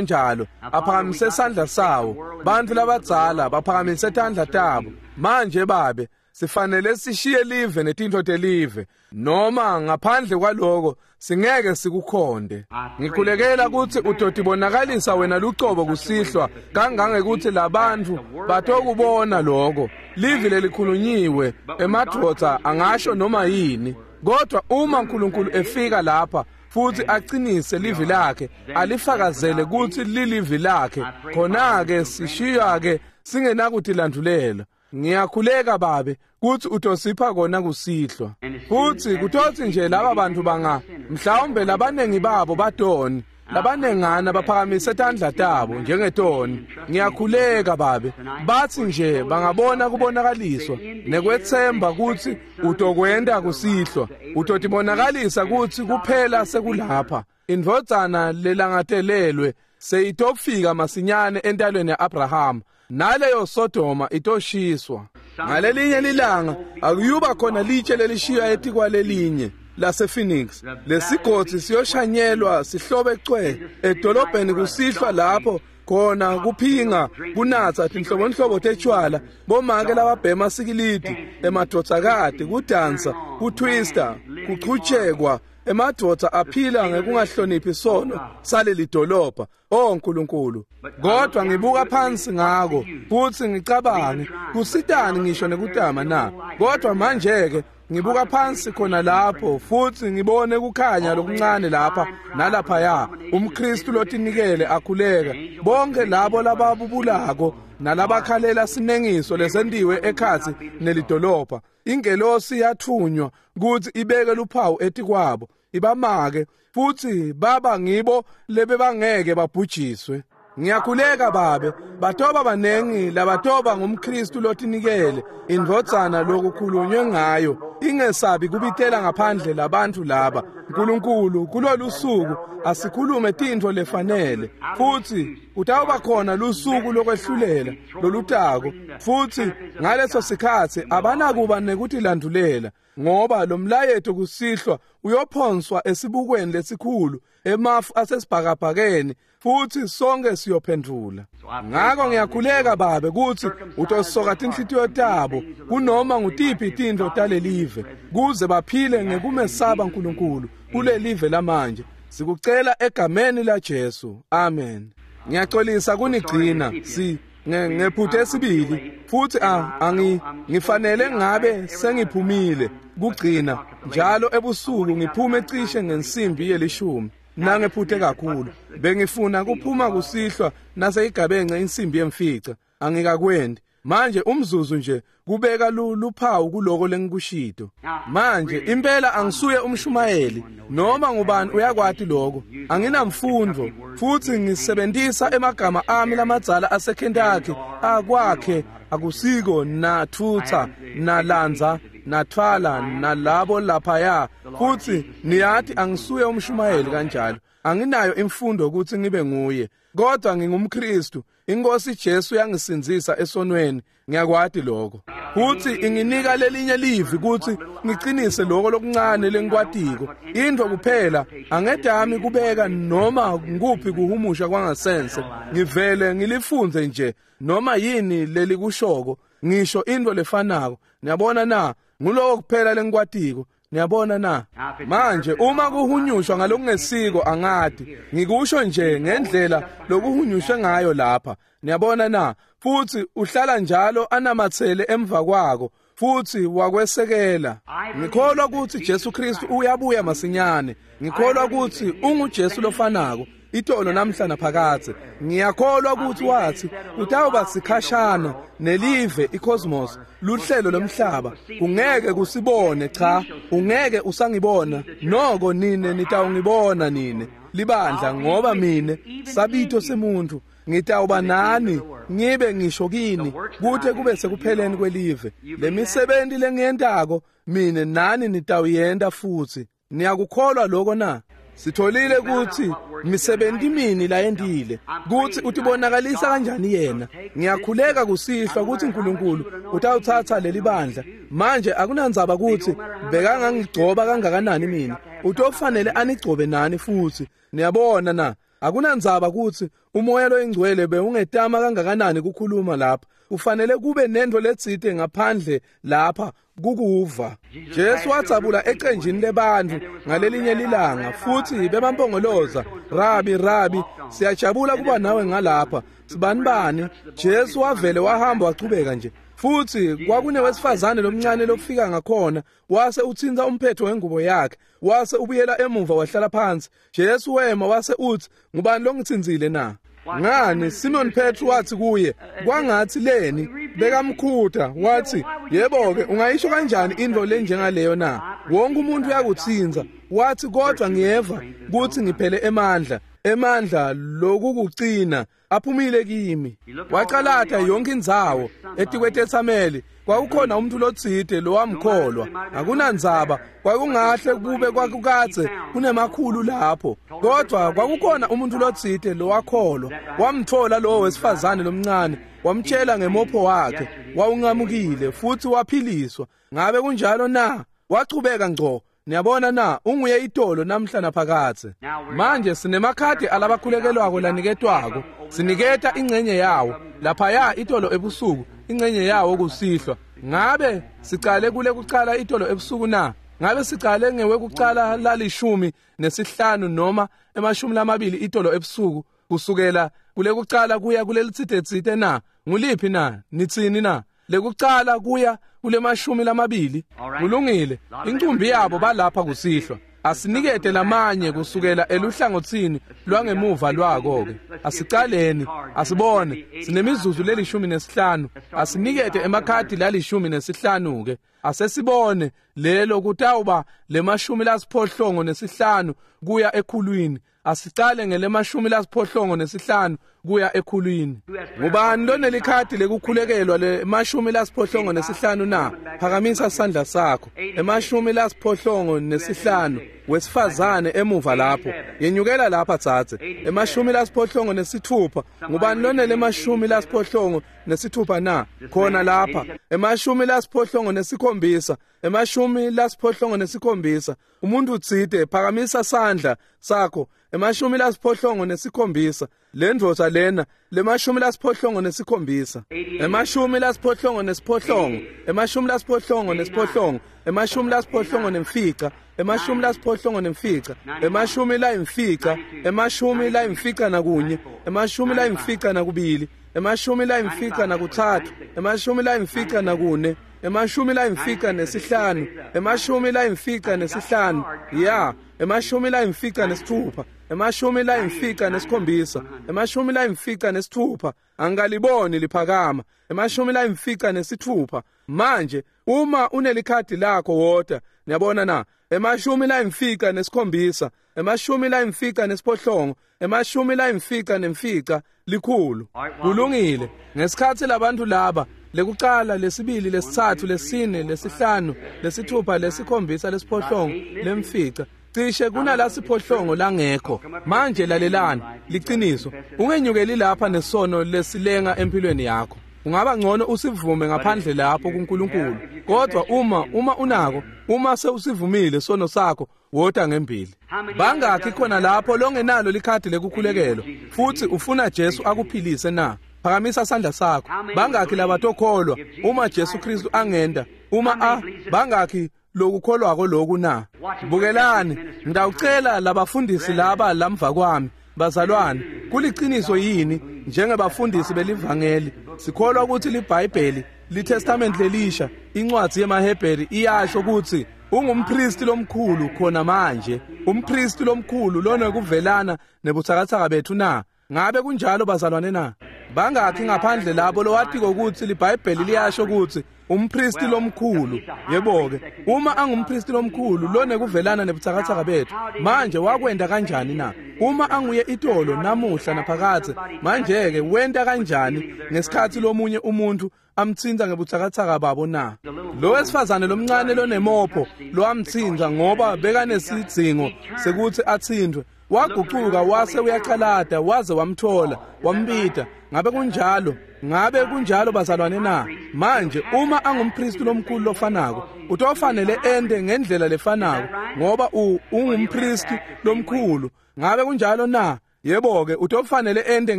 njalo, aphakamise sandla sawo. Bantu labadzala baphakamise tandla tabo. Manje babe, sifanele sishiye live netintfo telive, noma ngaphandle kwaloko singeke sikukhonde. Ngikhulekela kutsi utotibonakalisa wena lucobo kusihlwa kangangekuthi labantu batokubona loko. Livi lelikhulunyiwe, emadvodza angasho noma yini, kodwa uma uNkulunkulu efika lapha futhi aqinise livi lakhe, alifakazele kutsi lilivi lakhe, khona-ke sishiywa-ke singenakutilandulela. Ngiyakhuleka babe kuthi utosipha kona kusihlwa. Futhi kutothi nje laba bantu banga mhlawumbe labanengi babo badoni, Labanengana baphakamise tandla tabo njengetoni. Ngiyakhuleka Babe, bathi nje bangabona kubonakaliswa nekwetsemba kutsi utokwenta kusihlwa, utotibonakalisa kutsi kuphela sekulapha. Indvodzana lelangatelelwe seyitofika masinyane entalweni ya-Abrahama, naleyo Sodoma itoshiswa. Ngalelinye lilanga akuyuba khona litshe lelishiywa etikwalelinye lase-Phoenix. Lesigodzi siyoshanyelwa sihlobe cwe edolobheni kusihlwa, lapho khona kuphinga, kunatsa tinhlobonhlobo tetshwala, bomake lababhema sikilidi, emadvodzakati, kudansa, kutwista, kuchutshekwa, emadvodza aphila ngekungahloniphi sono saleli dolobha. Oh Nkulunkulu, kodwa ngibuka phansi ngako futhi ngicabange kusitani ngisho nekutama na? Kodwa manje-ke ngibuka phansi khona lapho futhi ngibone kukhanya lokuncane lapha nalaphaya, umKristu lotinikele akhuleka, bonke labo lababubulako nalabakhalela sinengiso lesentiwe ekhatsi nelidolobha. Ingelosi yathunywa kutsi ibeke luphawu etikwabo, ibamake, futhi baba ngibo lebebangeke babhujiswe. Ngiyakhuleka Babe, batoba banengi labatoba ngumKristu lotinikele, indvodzana lokukhulunywe ngayo, ingesabi kubitela ngaphandle labantu laba. Nkulunkulu, kulolu suku asikhulume tintfo lefanele, futhi kutawuba khona lusuku lokwehlulela lolutako, futhi ngaleso sikhatsi abanakuba nekutilandulela, ngoba lo mlayeto kusihlwa uyophonswa esibukweni lesikhulu emafu asesibhakabhakeni, futhi sonke siyophendvula. Ngako ngiyakhuleka Babe kutsi utosoka tinhlitiyo tabo kunoma ngutiphi tintfo talelive, kuze baphile ngekumesaba Nkulunkulu kulelive lamanje. Sikucela egameni la Jesu, amen. Ngiyaxolisa kunigcina si ngephuthe esibili, futhi angi ngifanele ngabe sengiphumile kugcina njalo ebusuku ngiphume cishe ngensimbi yelishumi. Nangephuthe kakhulu, bengifuna kuphuma kusihlwa naseyigabence insimbi yemfica, angikakwendi. Manje umzuzu nje kubeka luphawu kuloko lengikushito. Manje impela angisuye umshumayeli, noma ngubani uyakwati lokho. Anginamfundo, futhi ngisebenzisa emagama ami lamadzala aseKentucky akwakhe akusiko nathutha nalanza nathwala nalabo laphaya. Futhi niyati angisuye umshumayeli kanjalo, anginayo imfundo ukuthi ngibe nguye, kodwa ngingumKristu. Inkosi Jesu yangisindzisa esonweni, ngiyakwati lokho. Futhi inginika lelinye livi ukuthi ngiqinise lokho lokuncane lengikwatiko. Into kuphela angedami kubeka noma nguphi kuhumusha kwangasense, ngivele ngilifunze nje noma yini lelikushoko, ngisho into lefanako. Niyabona na? Nguloko kuphela lengikwatiko. Niyabona na? Manje uma kuhunyushwa ngalokungesiko angati, ngikusho nje ngendlela lokuhunyushwe ngayo lapha. Niyabona na? Futhi uhlala njalo anamathele emva kwako futhi wakwesekela. Ngikholwa ukuthi Jesu Kristu uyabuya masinyane. Ngikholwa ukuthi unguJesu lofanako itolo namhla naphakadze. Ngiyakholwa ukuthi wathi utawuba sikhashana nelive icosmos, luhlelo lomhlaba kungeke kusibone. Cha, ungeke usangibona, noko nine nitawungibona nine libandla, ngoba mine sabito semuntu ngitawuba nani ngibe ngisho kini kuthe kube sekupheleni kwelive. Lemisebenti lengiyentako mine nani nitawuyenta futhi. Niyakukholwa lokho na? Sitholile ukuthi misebenti mini layentile, ukuthi utibonakalisa kanjani yena. Ngiyakhuleka kusihlwa ukuthi uNkulunkulu utawuthatha leli bandla. Manje akunandzaba ukuthi bekangangigcoba kangakanani mina, utofanele anigcobe nani futhi. Niyabona na? Akunandzaba ukuthi umoya loyingcwele bewungetama kangakanani kukhuluma lapha, ufanele kube nento letsite ngaphandle lapha kukuva. Jesu watsabula ecenjini lebantu ngalelinye lilanga, futhi bebampongoloza, Rabi, Rabi, siyajabula kuba nawe ngalapha, sibanibani. Jesu wavele wahamba wachubeka nje. Futhi kwakunewesifazane lomncane lofika ngakhona, wase uthinta umphetho wengubo yakhe, wase ubuyela emuva wahlala phansi. Jesu wema wase uthi, ngubani longithinzile na? Ngani, Simon Petru wathi kuye, kwangathi leni bekamkhuta, wathi, yebo-ke, ungayisho kanjani into lenjengaleyo na? Wonke umuntu uyakuthinza. Wathi, kodwa ngiyeva kuthi ngiphele emandla. Emandla lokukucina aphumile kimi. Wacalata yonke indzawo etikwetetsameli kwakukhona umuntu lotsite lowamkholwa. Akunandzaba kwakungahle kube kwakukadze kunemakhulu lapho, kodwa kwakukhona umuntu lotsite lowakholwa. Wamthola lowo wesifazane lomncane, wamtshela ngemopho wakhe wawunqamukile futhi waphiliswa. Ngabe kunjalo na? Wachubeka ngco. Niyabona na, unguye itolo namhla naphakadze. Manje sinemakhadi alabakhulekelwako laniketwako. Siniketa ingcenye yawo laphaya itolo ebusuku, ingcenye yawo kusihlwa. Ngabe sicale kule kucala itolo ebusuku na? Ngabe sicale ngewekucala lalishumi nesihlanu noma emashumi lamabili itolo ebusuku, kusukela kule kucala kuya kulelitsite na? Nguliphi na? Nitsini na? Lekucala kuya kulemashumi lamabili. Kulungile. Incumbi yabo balapha kusihlwa. Asinikete lamanye kusukela eluhlangotsini lwangemuva lwako ke. Asicaleni, asibone. Sinemizuzu lelishumi nesihlanu. Asinikete emakhadi lalishumi nesihlanu ke. Asesibone lelo kutawuba lemashumi lasiphohlongo nesihlanu kuya ekhulwini. Asicale ngelemashumi lasiphohlongo nesihlanu kuya ekhulwini. Ngubani lonelikhadi lekukhulekelwa lemashumi lasiphohlongo nesihlanu na? Phakamisa sandla sakho. Emashumi lasiphohlongo nesihlanu, wesifazane emuva lapho. Yenyukela lapha tsatse. Emashumi lasiphohlongo nesithupha. Ngubani lonelemashumi lasiphohlongo nesithupha na? Khona lapha. Emashumi lasiphohlongo nesikhombisa. Emashumi lasiphohlongo nesikhombisa. Umuntu utsite phakamisa sandla sakho. Emashumi lasiphohlongo nesikhombisa. Lendvodza lena lemashumi lasiphohlongo nesikhombisa. Emashumi lasiphohlongo nesiphohlongo. Emashumi lasiphohlongo nesiphohlongo. Emashumi lasiphohlongo nemfica. Emashumi lasiphohlongo nemfica. Emashumi layimfica. Emashumi layimfica nakunye. Emashumi layimfica nakubili. Emashumi layimfica nakutsatfu. Emashumi layimfica nakune. Emashumi layimfica nesihlanu. Emashumi layimfica nesihlanu. Ya, emashumi layimfica nesithupha. Emashumi layimfica nesikhombisa. Emashumi layimfica nesithupha. Angaliboni liphakama. Emashumi layimfica nesithupha. Manje uma unelikhadi lakho wota. Niyabona na? Emashumi layimfica nesikhombisa. Emashumi layimfica nesiphohlongo. Emashumi layimfica nemfica likhulu. Kulungile. Ngesikhatsi labantu laba lekucala, lesibili, lesitsatfu, lesine, lesihlanu, lesithupha, lesikhombisa, lesiphohlongo, lemfica, cishe kunala siphohlongo langekho. Manje lalelani, liciniso, ungenyukeli lapha nesono lesilenga empilweni yakho. Ungaba ngcono usivume ngaphandle lapho kuNkulunkulu. Kodwa uma uma unako, uma sewusivumile sono sakho, wota ngembili. Bangakhi khona lapho longenalo likhadi lekukhulekelwa futhi ufuna Jesu akuphilise na? Phakamisa sandla sakho. Bangakhi labatokholwa uma Jesu Kristu angenda? Uma a bangakhi lokukholwako lokhu na? Bukelani, ngitawucela labafundisi laba lamva kwami, bazalwane, kuliciniso yini njengebafundisi belivangeli sikholwa ukuthi liBhayibheli, liTestament lelisha, incwadi yemaHebheru iyasho ukuthi ungumpristi lomkhulu khona manje, umpristi lomkhulu lonekuvelana nebutsakatsaka bethu na? Ngabe kunjalo bazalwane na? Bangakhi ngaphandle labo lowatiko ukuthi liBhayibheli liyasho ukuthi umpristi lomkhulu? Yebo-ke, uma angumpristi lomkhulu lonekuvelana nebutsakatsaka bethu, manje wakwenda kanjani na? Uma anguye itolo namuhla naphakadze, manje-ke wenta kanjani ngesikhatsi lomunye umuntu amtsinza ngebutsakatsaka babo na? Lo wesifazane lomncane lonemopho lowamtsinza ngoba bekanesidzingo sekuthi atsintwe, wagucuka wase uyacalata waze wamthola wambita. Ngabe kunjalo? Ngabe kunjalo bazalwane na? Manje uma angumpristi lomkhulu lofanako, utofanele ende ngendlela lefanako ngoba ungumpristi lomkhulu. Ngabe kunjalo na? Yebo-ke, utofanele ende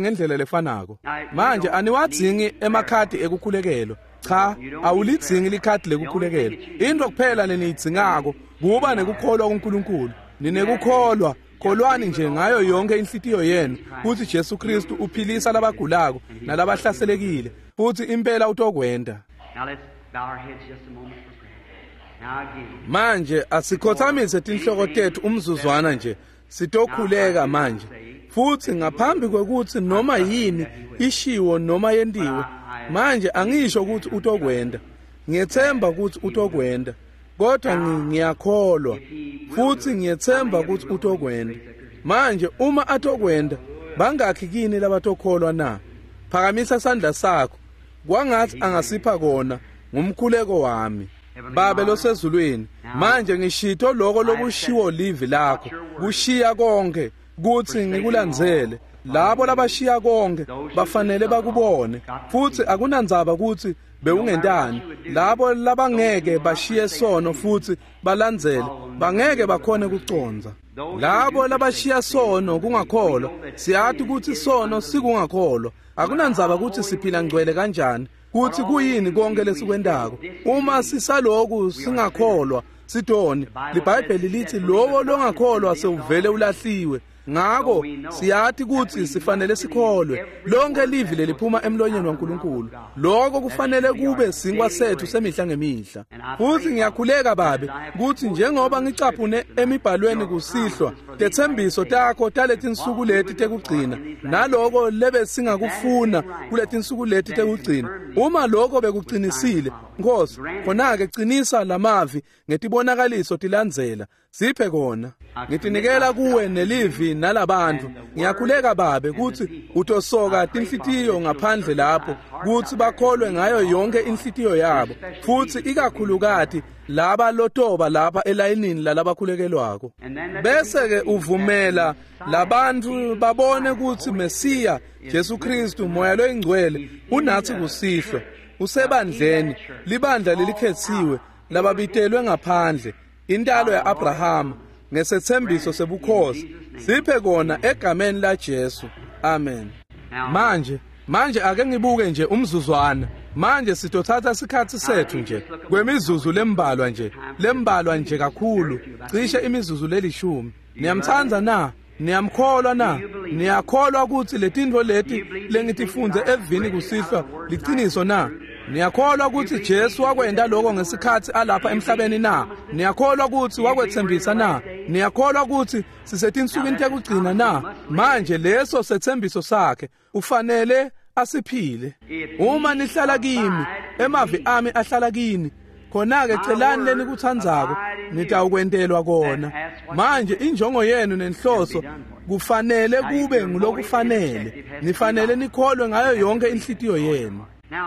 ngendlela lefanako. Manje aniwadzingi emakhadi ekukhulekelwa. Cha, awulidzingi likhadi lekukhulekelwa. Into kuphela leniyidzingako kuba nekukholwa kuNkulunkulu. Ninekukholwa, kholwani nje ngayo yonke inhlitiyo yenu kutsi Jesu Kristu uphilisa labagulako nalabahlaselekile, futhi impela utokwenta. Manje asikhothamise tinhloko tetfu umzuzwana nje, sitokhuleka manje. Futhi ngaphambi kwekutsi noma yini ishiwo noma yentiwe, manje angisho ukuthi utokwenta. Ngiyethemba ukuthi utokwenta, kodwa ngiyakholwa futhi ngiyethemba ukuthi utokwenta. Manje uma atokwenda, bangakhi kini labatokholwa na? Phakamisa sandla sakho. Kwangathi angasipha kona ngumkhuleko wami. Babe losezulwini, manje ngishito lokho lokushiwo livi lakho, kushiya konke kutsi ngikulandzele. Labo labashiya konke bafanele bakubone, futsi akunandzaba kutsi bewungentani. Labo labangeke bashiye sono futsi balandzele bangeke bakhone kucondza. Labo labashiya sono kungakholwa, siyati kutsi sono sikungakholwa. Akunandzaba kutsi siphila ngcwele kanjani, kutsi kuyini konke lesikwentako. Uma sisaloku singakholwa sidoni. LiBhayibheli lithi lowo longakholwa sewuvele ulahliwe. Ngako siyati kutsi sifanele sikholwe lonke livi leliphuma emlonyeni waNkulunkulu. Lokho kufanele kube sinkwa sethu semihla ngemihla. Futhi ngiyakhuleka Babe kutsi njengoba ngicaphune emibhalweni kusihlwa tetsembiso takho taletinsuku leti tekugcina, naloko lebe singakufuna kuletinsuku leti tekugcina, uma lokho bekuqinisile Nkosi, khona-ke qinisa lamavi ngetibonakaliso tilandzela. Siphe kona. Ngitinikela kuwe nelivi nalabantu. Ngiyakhuleka Babe kutsi utosoka tinhlitiyo ngaphandle lapho, kutsi bakholwe ngayo yonke inhlitiyo yabo, futsi ikakhulukati laba lotoba lapha elayinini lalabakhulekelwako. Bese-ke uvumela labantu babone kutsi Mesiya Jesu Kristu Moya loyingcwele unatsi kusihlwa, usebandleni, libandla lelikhetsiwe lababitelwe ngaphandle, intalo ya-Abrahama ngesetsembiso sebukhosi. Siphe kona egameni la Jesu. Amen. Manje manje ake ngibuke nje umzuzwana. Manje sitothatha isikhatsi sethu nje kwemizuzu lembalwa nje, lembalwa nje kakhulu, cishe imizuzu lelishumi. Niyamtsandza na? Niyamkholwa na? Niyakholwa kutsi letintfo leti lengitifundze evini kusihlwa liciniso na? Niyakholwa kutsi Jesu wakwenta lokho ngesikhatsi alapha emhlabeni na? Niyakholwa kutsi wakwetsembisa na? Niyakholwa kutsi sisetinsukwini tekugcina na? Manje leso setsembiso sakhe ufanele asiphile. Uma nihlala kimi, emavi ami ahlala kini, khona-ke celani lenikutsandzako, nitawukwentelwa kona. Manje injongo yenu nenhloso kufanele kube ngulokufanele. Nifanele nikholwe ngayo yonke inhlitiyo yenu.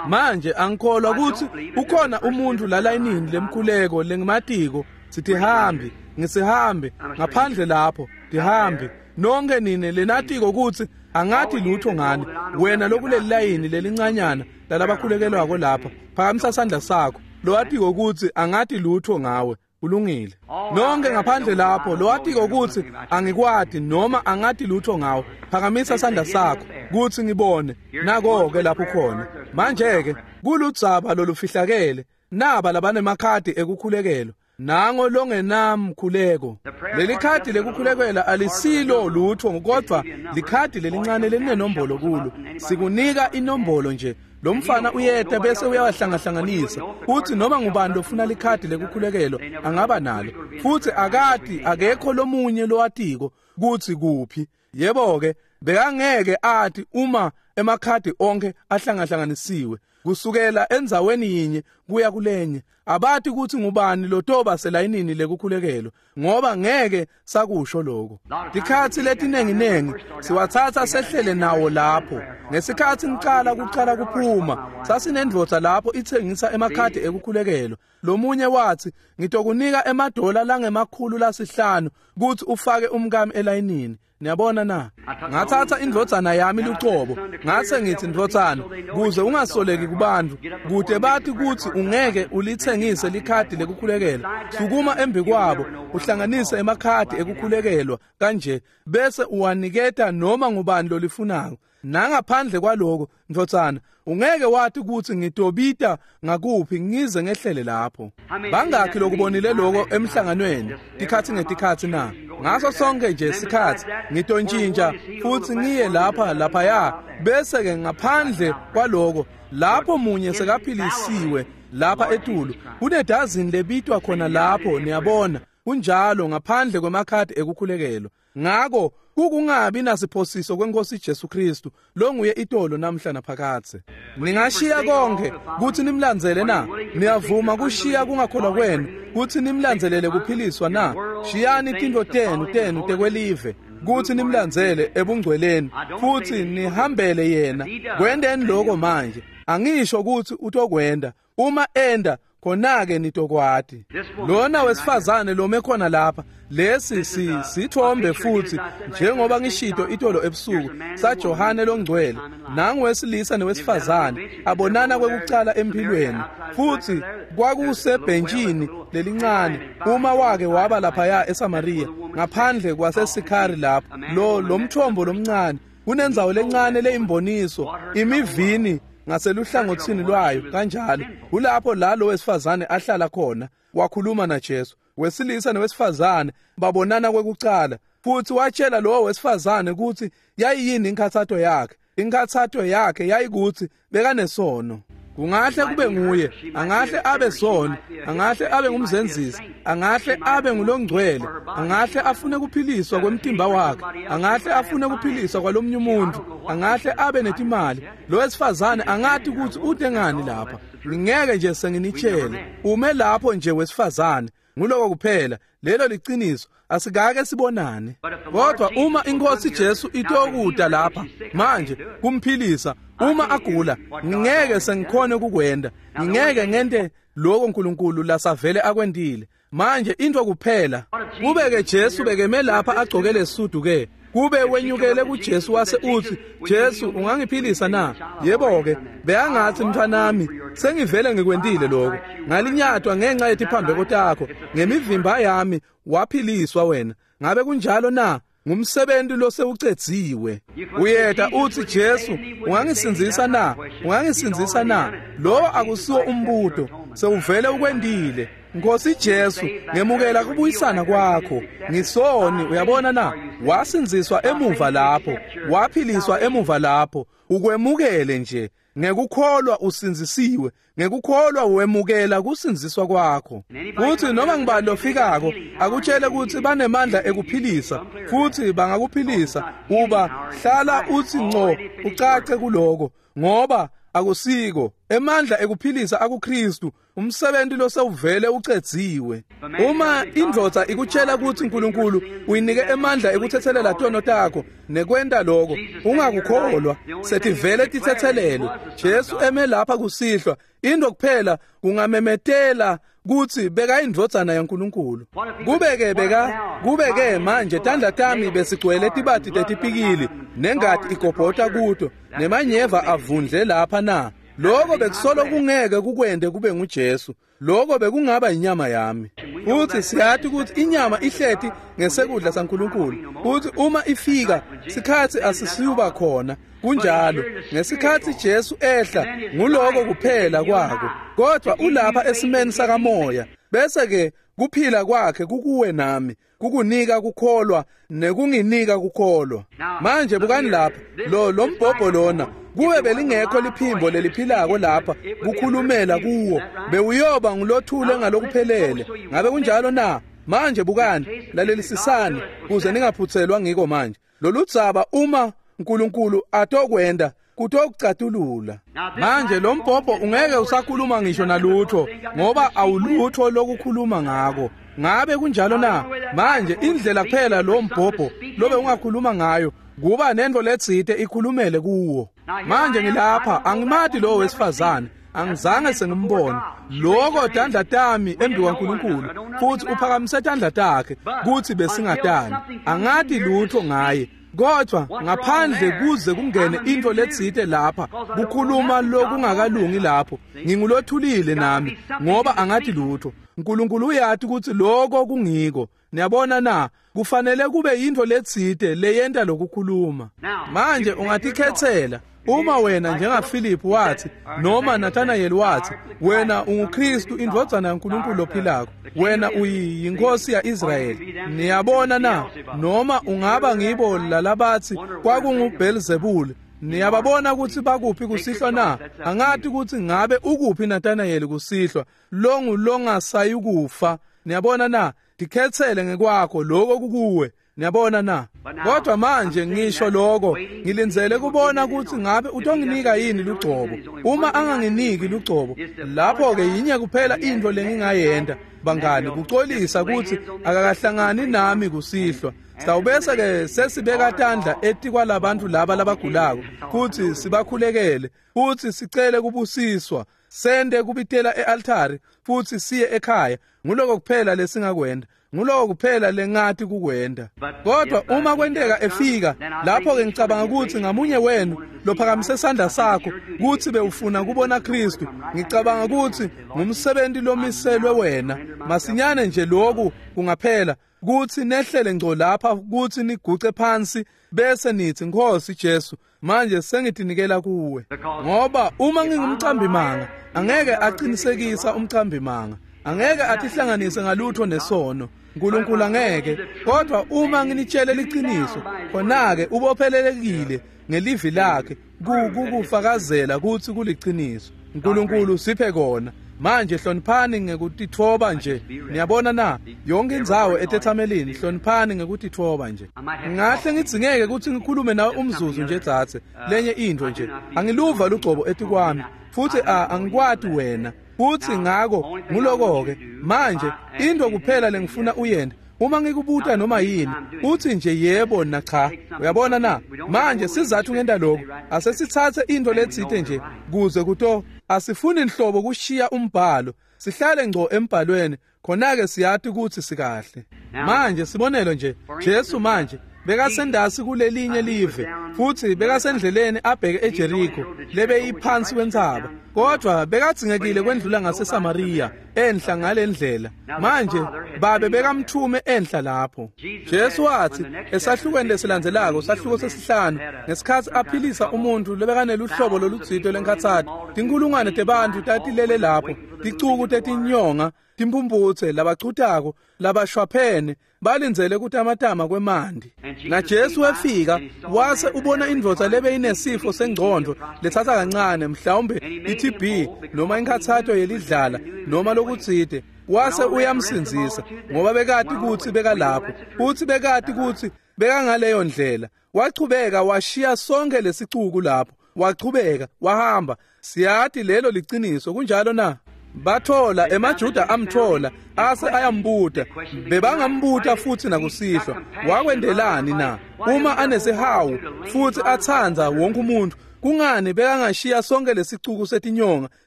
Manje angikholwa kutsi ukhona umuntu lalayinini lemkhuleko lengimatiko. Sitihambi, ngisihambi ngaphandle lapho, tihambi. Nonke nine lenatiko kutsi angathi lutho ngani. Wena lokuleli layini lelincanyana lalabakhulekelwako lapha, phakamisa sandla sakho. Lowatiko kutsi angathi lutho ngawe, ulungile. Nonke ngaphandle lapho lowatiko kutsi angikwati noma angathi lutho ngawe, phakamisa sandla sakho kutsi ngibone. Nako-ke lapho khona. Manje-ke kuludzaba lolufihlakele, naba labanemakhadi ekukhulekelwa, nango longenamkhuleko. Leli khadi lekukhulekela alisilo lutho, kodwa likhadi lelincane lelinenombolo kulo. Sikunika inombolo nje. Lo mfana uyeta bese uyawahlangahlanganisa. Uthi noma ngubani lofuna likhadi lekukhulekelwa angaba nalo. Futhi akati, akekho lomunye lowatiko kutsi kuphi. Yebo-ke, bekangeke ati uma emakhadi onke ahlangahlanganisiwe kusukela endzaweni yinye kuya kulenye. Abati kutsi ngubani lotoba selayinini lekukhulekelwa, ngoba ngeke sakusho lokho. Tikhatsi letinenginengi siwatsatsa sehlele nawo lapho. Ngesikhatsi ngicala kucala kuphuma, sasinendvodza lapho itsengisa emakhadi ekukhulekelwa. Lomunye watsi, ngitokunika emadola langemakhulu lasihlanu kutsi ufake umkami elayinini. Niyabona na? Ngathatha indvodzana yami lucobo, ngase ngithi, ndvodzana, kuze ungasoleki kubantu, kude bathi kutsi ungeke ulitsengise likhadi lekukhulekelwa, sukuma embi kwabo uhlanganise emakhadi ekukhulekelwa kanje, bese uwaniketa noma ngubani lolifunako. Nangaphandle kwaloko, ndvodzana, ungeke wathi kutsi ngitobita ngakuphi ngize ngehlele lapho. Bangakhi lokubonile lokho emhlanganweni tikhatsi ngetikhatsi na? Ngaso sonke nje sikhatsi ngitontjintja futsi ngiye lapha laphaya, bese-ke ngaphandle kwaloko lapho munye sekaphilisiwe lapha etulu, kunedazini lebitwa khona lapho. Niyabona, kunjalo, ngaphandle kwemakhadi ekukhulekelwa. Ngako kukungabi nasiphosiso kwenkosi Jesu Kristu longuye itolo namhla naphakadze. Ningashiya konke kutsi nimlandzele na? Niyavuma kushiya kungakholwa kwenu kutsi nimlandzelele kuphiliswa na? Shiyani tintfo tenu tenu tekwelive kutsi nimlandzele ebungcweleni futsi nihambele yena. Kwenteni lokho manje. Angisho kutsi utokwenda. Uma enda khona-ke nitokwati. Lona wesifazane lome khona lapha, lesi si sithombe futhi njengoba ngishito itolo ebusuku saJohane longcwele, nangu wesilisa newesifazane abonana kwekucala empilweni, futhi kwakusebhentshini lelincane uma wake waba laphaya eSamaria ngaphandle kwaseSikhari lapho lo lomthombo lomncane kunendzawo lencane leyimboniso imivini ngaseluhlangothini lwayo kanjalo. Kulapho la lo wesifazane ahlala khona wakhuluma naJesu. Wesilisa nowesifazane babonana kwekucala, futhi watshela lo wesifazane ukuthi yayiyini inkathatho yakhe. Inkathatho yakhe yayikuthi bekanesono. Kungahle kube nguye, angahle abe sona, angahle abe ngumzenzisi, angahle abe ngulongcwele, angahle afune kuphiliswa kwemtimba wakhe, angahle afune kuphiliswa kwalomnye umuntu, angahle abe netimali. Lo wesifazane angathi ukuthi ude ngani lapha. Ngingeke nje senginitshele. Ume lapho nje wesifazane, nguloko kuphela. Lelo liciniso, asikake sibonane. Kodwa uma inkosi Jesu itokuda lapha manje kumphilisa, uma agula, ngingeke sengikhone ukukwenda, ngingeke ngente lokho uNkulunkulu lasavele akwendile. Manje into kuphela, kube ke Jesu bekeme lapha agcoke lesudu ke, kube wenyukele kuJesu wase uthi, Jesu ungangiphilisa na? Yebo ke, beyangathi mntwanami, sengivele ngikwendile lokho. Ngalinyatwa ngenxa yetiphambeko takho, ngemivimba yami waphiliswa wena. Ngabe kunjalo na? Ngumsebenzi losewucedziwe. Uyeta uthi, Jesu ungangisindzisa na? Ungangisindzisa na? Lo akusiwo umbuto, sewuvele ukwendile. Nkosi Jesu, ngemukela kubuyisana kwakho. Ngisoni, uyabona na? Wasindziswa emuva lapho, waphiliswa emuva lapho. Ukwemukele nje. Ngekukholwa usindzisiwe, ngekukholwa wemukela kusindziswa kwakho. Futhi noma ngibani lofikako akutshele ukuthi banemandla ekuphilisa futhi bangakuphilisa, uba hlala uthi ngco ucace kuloko, ngoba akusiko emandla ekuphilisa akuKristu, umsebenzi losewuvele ucedziwe. Uma indvodza ikutshela ukuthi uNkulunkulu uyinike emandla ekuthethelela tono takho nekwenta lokho, ungakukholwa, setivele tithethelelwe. Jesu eme lapha kusihlwa, into kuphela kungamemetela kutsi beka indvodzana yaNkulunkulu. Kubeke beka kubeke manje tandla tami besigcwele tibati tetipikili nengati igobhota kuto nemanyeva avundle lapha na. Lokho bekusolo kungeke kukwende kube nguJesu. Lokho bekungaba inyama yami. Futhi siyathi ukuthi inyama ihleti ngesekudla saNkulunkulu. Futhi uma ifika sikhathi asisiyuba khona. Kunjalo, ngesikhathi Jesu ehla nguloko kuphela kwako. Kodwa ulapha esimeni sakamoya. Bese ke kuphila kwakhe kukuwe nami, kukunika kukholwa nekunginika kukholwa. Manje bukani lapha, lo lombhobho lona, kube belingekho liphimbo leliphilako lapha kukhulumela kuwo, bewuyoba ngulothule ngalokuphelele. Ngabe kunjalo na? Manje bukani, lalelisisani kuze ningaphuthelwa ngiko manje. Loludzaba uma uNkulunkulu atokwenda kutokucatulula. Manje lo mbhobho ungeke usakhuluma ngisho nalutho, ngoba awulutho lokukhuluma ngako. Ngabe kunjalo na? Manje indlela kuphela lo mbhobho lobe ungakhuluma ngayo kuba nento letsite ikhulumele kuwo. Manje ngilapha, angimati lo wesifazane, angizange sengimbone. Lokho tandla tami embi kwaNkulunkulu, futhi uphakamise tandla takhe kuthi besingatani. Angati lutho ngaye. Kodwa ngaphandle kuze kungene into letsite lapha kukhuluma lokungakalungi lapho, ngingulothulile nami ngoba angathi lutho. uNkulunkulu uyathi ukuthi lokho kungiko. Niyabona na? Kufanele kube yinto letsite leyenta lokukhuluma. Manje ungatikhethela. Uma wena njengaFilip wathi noma Nathanael wathi, wena unguKristu indvodzana yaNkulunkulu lophilako, wena uyinkosi yaIsrayeli. Niyabona na? Noma ungaba ngibo lalabathi kwakunguBelzebul. Niyababona ukuthi bakuphi kusihlwa na? Angathi ukuthi ngabe ukuphi Nathanael kusihlwa, longu longasayikufa. Niyabona na? Tikhethele ngekwakho lokho kukuwe. Niyabona na? Kodwa manje ngisho lokho, ngilindzele kubona ukuthi ngabe utonginika yini lugcobo. Uma anganginiki lugcobo, lapho ke yinye kuphela into lengingayenda bangani, kucolisa ukuthi akakahlangani nami kusihlwa. Sitawubese ke sesibeka tandla etikwalabantu laba labagulako futhi sibakhulekele futhi sicele kubusiswa, sende kubitela e-altari futhi siye ekhaya. Nguloko kuphela lesingakwenda, nguloko kuphela lengathi kukwenda. Kodwa uma kwenteka efika lapho ke, ngicabanga ukuthi ngamunye wenu lophakamise isandla sakho kuthi bewufuna kubona Kristu, ngicabanga ukuthi ngumsebenzi lomiselwe wena. Masinyane nje lokhu kungaphela, kuthi nehlele ngco lapha kuthi niguce phansi bese nithi, Nkosi Jesu, manje sengitinikela kuwe. Ngoba uma ngingumcambimanga, angeke aqinisekisa umcambimanga, angeke atihlanganise ngalutho nesono, uNkulunkulu angeke. Kodwa uma nginitshele liqiniso, khona-ke ubophelelekile ngelivi lakhe kukufakazela ukuthi kuliqiniso. uNkulunkulu siphe kona. Manje hloniphani ngekutitfoba nje. Niyabona na, yonke indzawo etethamelini hloniphani ngekutitfoba nje. Ngahle ngidzingeke ukuthi ngikhulume nawe umzuzu nje dzadze, lenye into nje. Angiluva lugcobo etikwami futhi angikwati wena futhi, ngako nguloko-ke. Manje into kuphela lengifuna uyende, uma ngikubuta noma yini, uthi nje yebo na cha. Uyabona na? Manje sizathu ngenta lokho, asesithathe into letsite nje kuze kuto asifuni inhlobo kushiya umbhalo, sihlale ngco embhalweni, khona-ke siyati ukuthi sikahle. Manje sibonelo nje, Jesu manje bekasendasi kulelinye live futhi bekasendleleni abheke eJericho lebeyiphansi kwentsaba, kodwa bekadzingekile kwendlula ngaseSamaria enhla ngalendlela. Manje babe bekamthume enhla lapho. Jesu wathi esahlukweni lesilandzelako, sahluko sesihlanu, ngesikhathi aphilisa umuntu lebekaneluhlobo lolutsito lenkhatsato, tinkulungwane tebantu tatilele lapho, ticuku tetinyonga, timphumphutse, labachutako, labashwaphene, balindzele kutamatama kwemanti. Na Jesu wefika wase ubona indvodza lebeyinesifo sengcondvo letsatsa kancane, mhlawumbe i-T B noma inkhatsato yelidlala noma lokutsite, wase uyamsindzisa ngoba bekati kutsi bekalapho futsi bekati kutsi bekangaleyo ndlela. Wachubeka washiya sonke lesicuku lapho, wachubeka wahamba. Siyati lelo liciniso, kunjalo na? Bathola emaJuda amthola ase ayambuta, bebangambuta futhi nakusihlwa, wakwendelani na? Uma anesihawu futhi atsandza wonke umuntu, kungani bekangashiya sonke lesicuku setinyonga,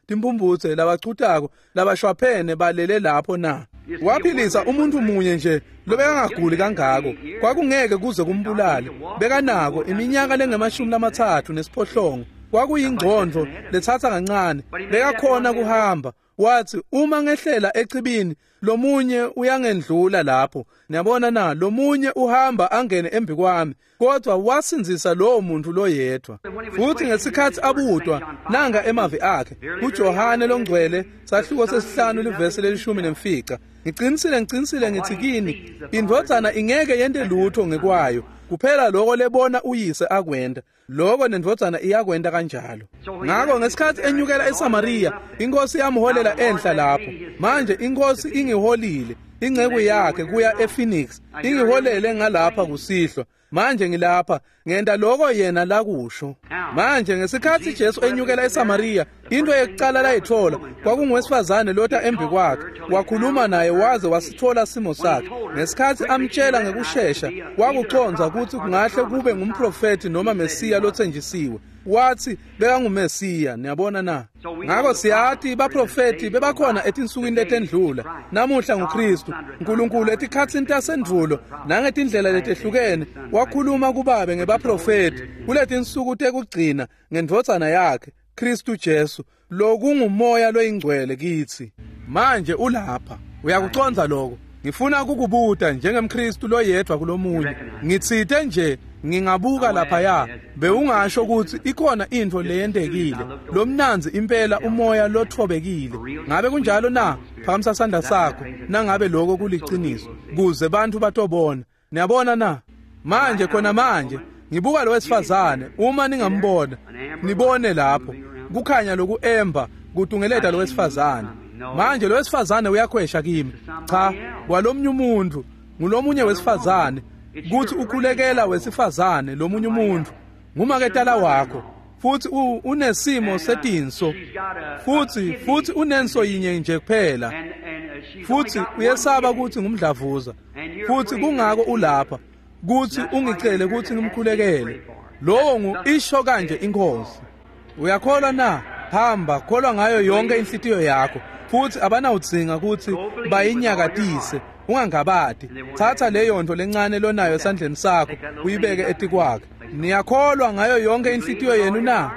timphumphutse, labachutako, labashwaphene balele lapho na? Waphilisa umuntu munye nje lobekangaguli kangako, kwakungeke kuze kumbulale. Bekanako iminyaka lengemashumi lamatsatfu nesiphohlongo, kwakuyingcondvo letsatsa kancane, bekakhona kuhamba. Wathi uma ngehlela echibini, lomunye uyangendlula lapho. Niyabona na, lomunye uhamba angene embi kwami. Kodwa wasindzisa lowo muntu loyedwa. Futhi ngesikhathi abutwa, nanga emavi akhe kuJohane longcwele sahluko sesihlanu livesi lelishumi nemfica, ngicinisile ngicinisile ngithi kini, indvodzana ingeke yente lutho ngekwayo, kuphela lokho lebona uyise akwenda, lokho nendvodzana iyakwenda kanjalo. Ngako ngesikhathi enyukela eSamaria, inkosi yamholela enhla lapho. Manje inkosi ingiholile inceku yakhe kuya ePhoenix, ingiholele ngalapha kusihlwa. Manje ngilapha ngenta lokho yena lakusho. Manje ngesikhathi Jesu enyukela eSamaria, into yekuqala layithola kwakungowesifazane lota embi kwakhe. Wakhuluma naye waze wasithola simo sakhe. Ngesikhathi amtshela ngekushesha, wakuconza ukuthi kungahle kube ngumprofeti noma Mesiya lothenjisiwe. Wathi bekanguMesiya. Niyabona na? Ngako siyati baprofeti bebakhona etinsukwini letendlula. Namuhla nguKristu. uNkulunkulu etikhatsini tasendvulo nangetindlela letehlukene wakhuluma kubabe ngebaprofeti kuletinsuku tekugcina ngendvodzana yakhe Kristu Jesu, lokungumoya loyingcwele kitsi. Manje ulapha. Uyakuconza lokho? Ngifuna kukubuta njengemKristu loyedwa kulomunye. Ngitsite nje ngingabuka laphaya, bewungasho ukuthi ikhona into leyentekile. Lomnanzi impela umoya lothobekile. Ngabe kunjalo na? Phakamisa sandla sakho nangabe lokho kuliciniso, kuze bantu batobona. Niyabona na? Manje khona manje ngibuka lo wesifazane, uma ningambona, nibone lapho kukhanya loku emba kutungeleta lo wesifazane. Manje lo wesifazane uyakhwesha kimi. Cha, kwalomnye umuntu, ngulomunye wesifazane, kuthi ukhulekela wesifazane lomunye umuntu, ngumaketala wakho, futhi unesimo setinso, futhi futhi unenso yinye nje kuphela, futhi uyesaba ukuthi ngumdlavuza, futhi kungako ulapha. kutsi ungicele kutsi ngimkhulekele. Lowo ngu isho kanje inkosi. Uyakholwa na? Hamba, kholwa ngayo yonke inhlitiyo yakho. Futhi abanawudzinga kutsi bayinyakatise. Ungangabati. Thatha leyo nto lencane lonayo esandleni sakho, uyibeke etikwakhe. Niyakholwa ngayo yonke inhlitiyo yenu na?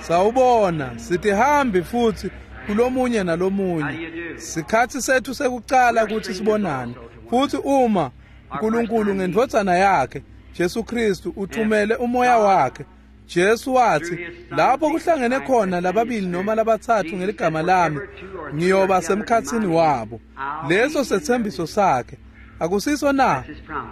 Sawubona, sitihambi futhi kulomunye nalomunye. Sikhatsi sethu sekucala kutsi sibonane. Futhi uma uNkulunkulu ngendvodzana yakhe Jesu Kristu uthumele umoya wakhe, Jesu wathi lapho kuhlangene khona lababili noma labatsatfu ngeligama lami, ngiyoba semkhatsini wabo. Leso sethembiso sakhe. Akusiso na?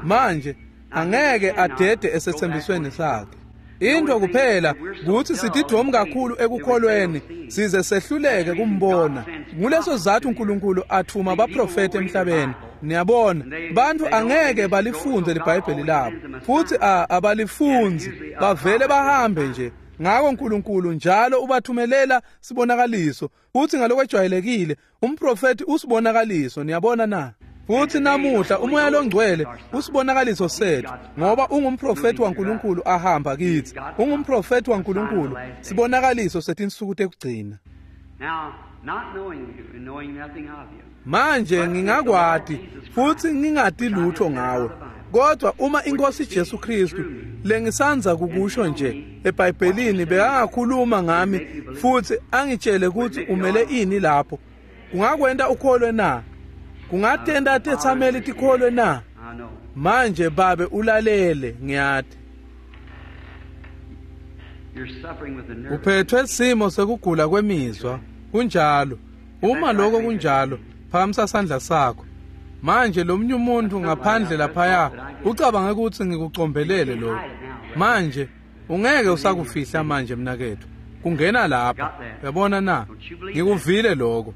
Manje angeke adede esethembisweni sakhe. Into kuphela kutsi sitidvomu kakhulu ekukholweni size sehluleke kumbona. Nguleso sizatfu uNkulunkulu athuma abaprofeti emhlabeni. Niyabona, bantfu angeke balifunze liBhayibheli labo, futhi abalifundzi, bavele bahambe nje. Ngako uNkulunkulu njalo ubathumelela sibonakaliso, futhi ngalokwejwayelekile umprofeti usibonakaliso. Niyabona na? Futhi namuhla umoya longcwele usibonakaliso sethu, ngoba ungumprofeti waNkulunkulu ahamba kithi. Ungumprofeti waNkulunkulu, sibonakaliso setinsuku tekugcina. Manje ngingakwati futhi ngingati lutho ngawe, kodwa uma inkosi Jesu Kristu lengisanza kukusho nje eBhayibhelini bekangakhuluma ngami futhi angitshele ukuthi umele ini lapho, kungakwenta ukholwe na? Kungatenda tetsameli tikholwe na? Manje babe ulalele, ngiyati uphethwe simo sekugula kwemizwa. Kunjalo. Uma lokho kunjalo, phakamisa sandla sakho. Manje lomunye umuntu ngaphandle laphaya ucabange ukuthi ngikucombelele lokho. Manje ungeke usakufihla manje mnakethu. Kungena lapha. Uyabona na? Ngikuvile lokho.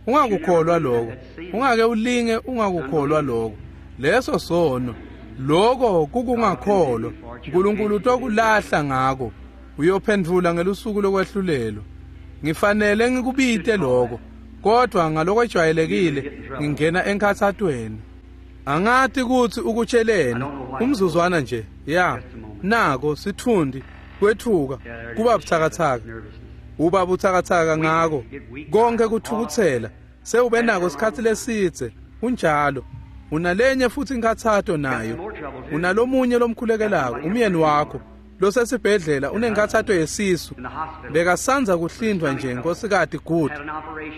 Ungakukholwa lokho. Ungake ulinge ungakukholwa lokho. Leso sono. Lokho kukungakholwa. uNkulunkulu utokulahla ngako. Uyophendvula ngelusuku lokwehlulelwa. Ngifanele ngikubite lokho, kodwa ngalokwejwayelekile ngingena enkhathatweni. Angati kutsi ukutsheleni umzuzwana nje. Ya, nako sithundi kwethuka kuba buthakathaka. Uba buthakathaka ngako konke kuthukuthela. Sewube nako isikhatsi lesidze. Kunjalo. Unalenye futhi inkhathato nayo. Unalomunye lomkhulekelako, umyeni wakho losesibhedlela, unenkhathato yesisu. Bekasanza kuhlindwa nje nkosikati Good.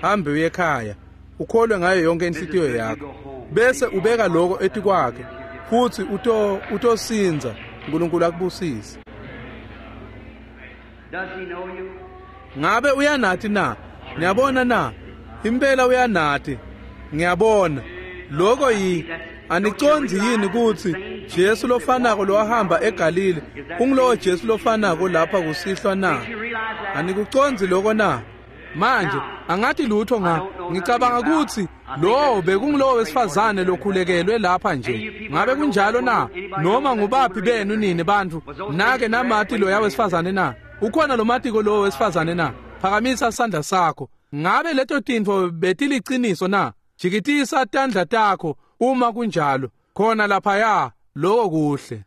Hambe uye ekhaya, ukholwe ngayo yonke inhlitiyo yakho, bese ubeka lokho etikwakhe, futhi uto utosinza. uNkulunkulu akubusise. Ngabe uyanati na? Niyabona na? Impela uyanati. Ngiyabona. Lokho yi anicondzi yini kutsi Jesu lofanako lowahamba eGalile ungulowo Jesu lofanako lapha kusihlwa na? Anikucondzi lokho na? Manje angathi lutho nga ngicabanga kutsi lo bekungulowo wesifazane lokhulekelwe lapha nje. Ngabe kunjalo na? Noma ngubaphi benu nini bantfu nake namati loya wesifazane na? Ukhona lo matiko lowo wesifazane na? Phakamisa sandla sakho. Ngabe leto tintfo betiliciniso na? Jikitisa tandla takho uma kunjalo. Khona laphaya, lokho kuhle.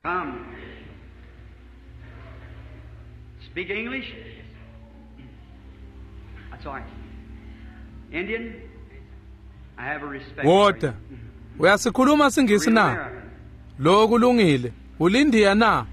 Speak English? That's all right. Indian? I have a respect. Wota. Uyasikhuluma singisi na? Lokho kulungile. Ulindiya na?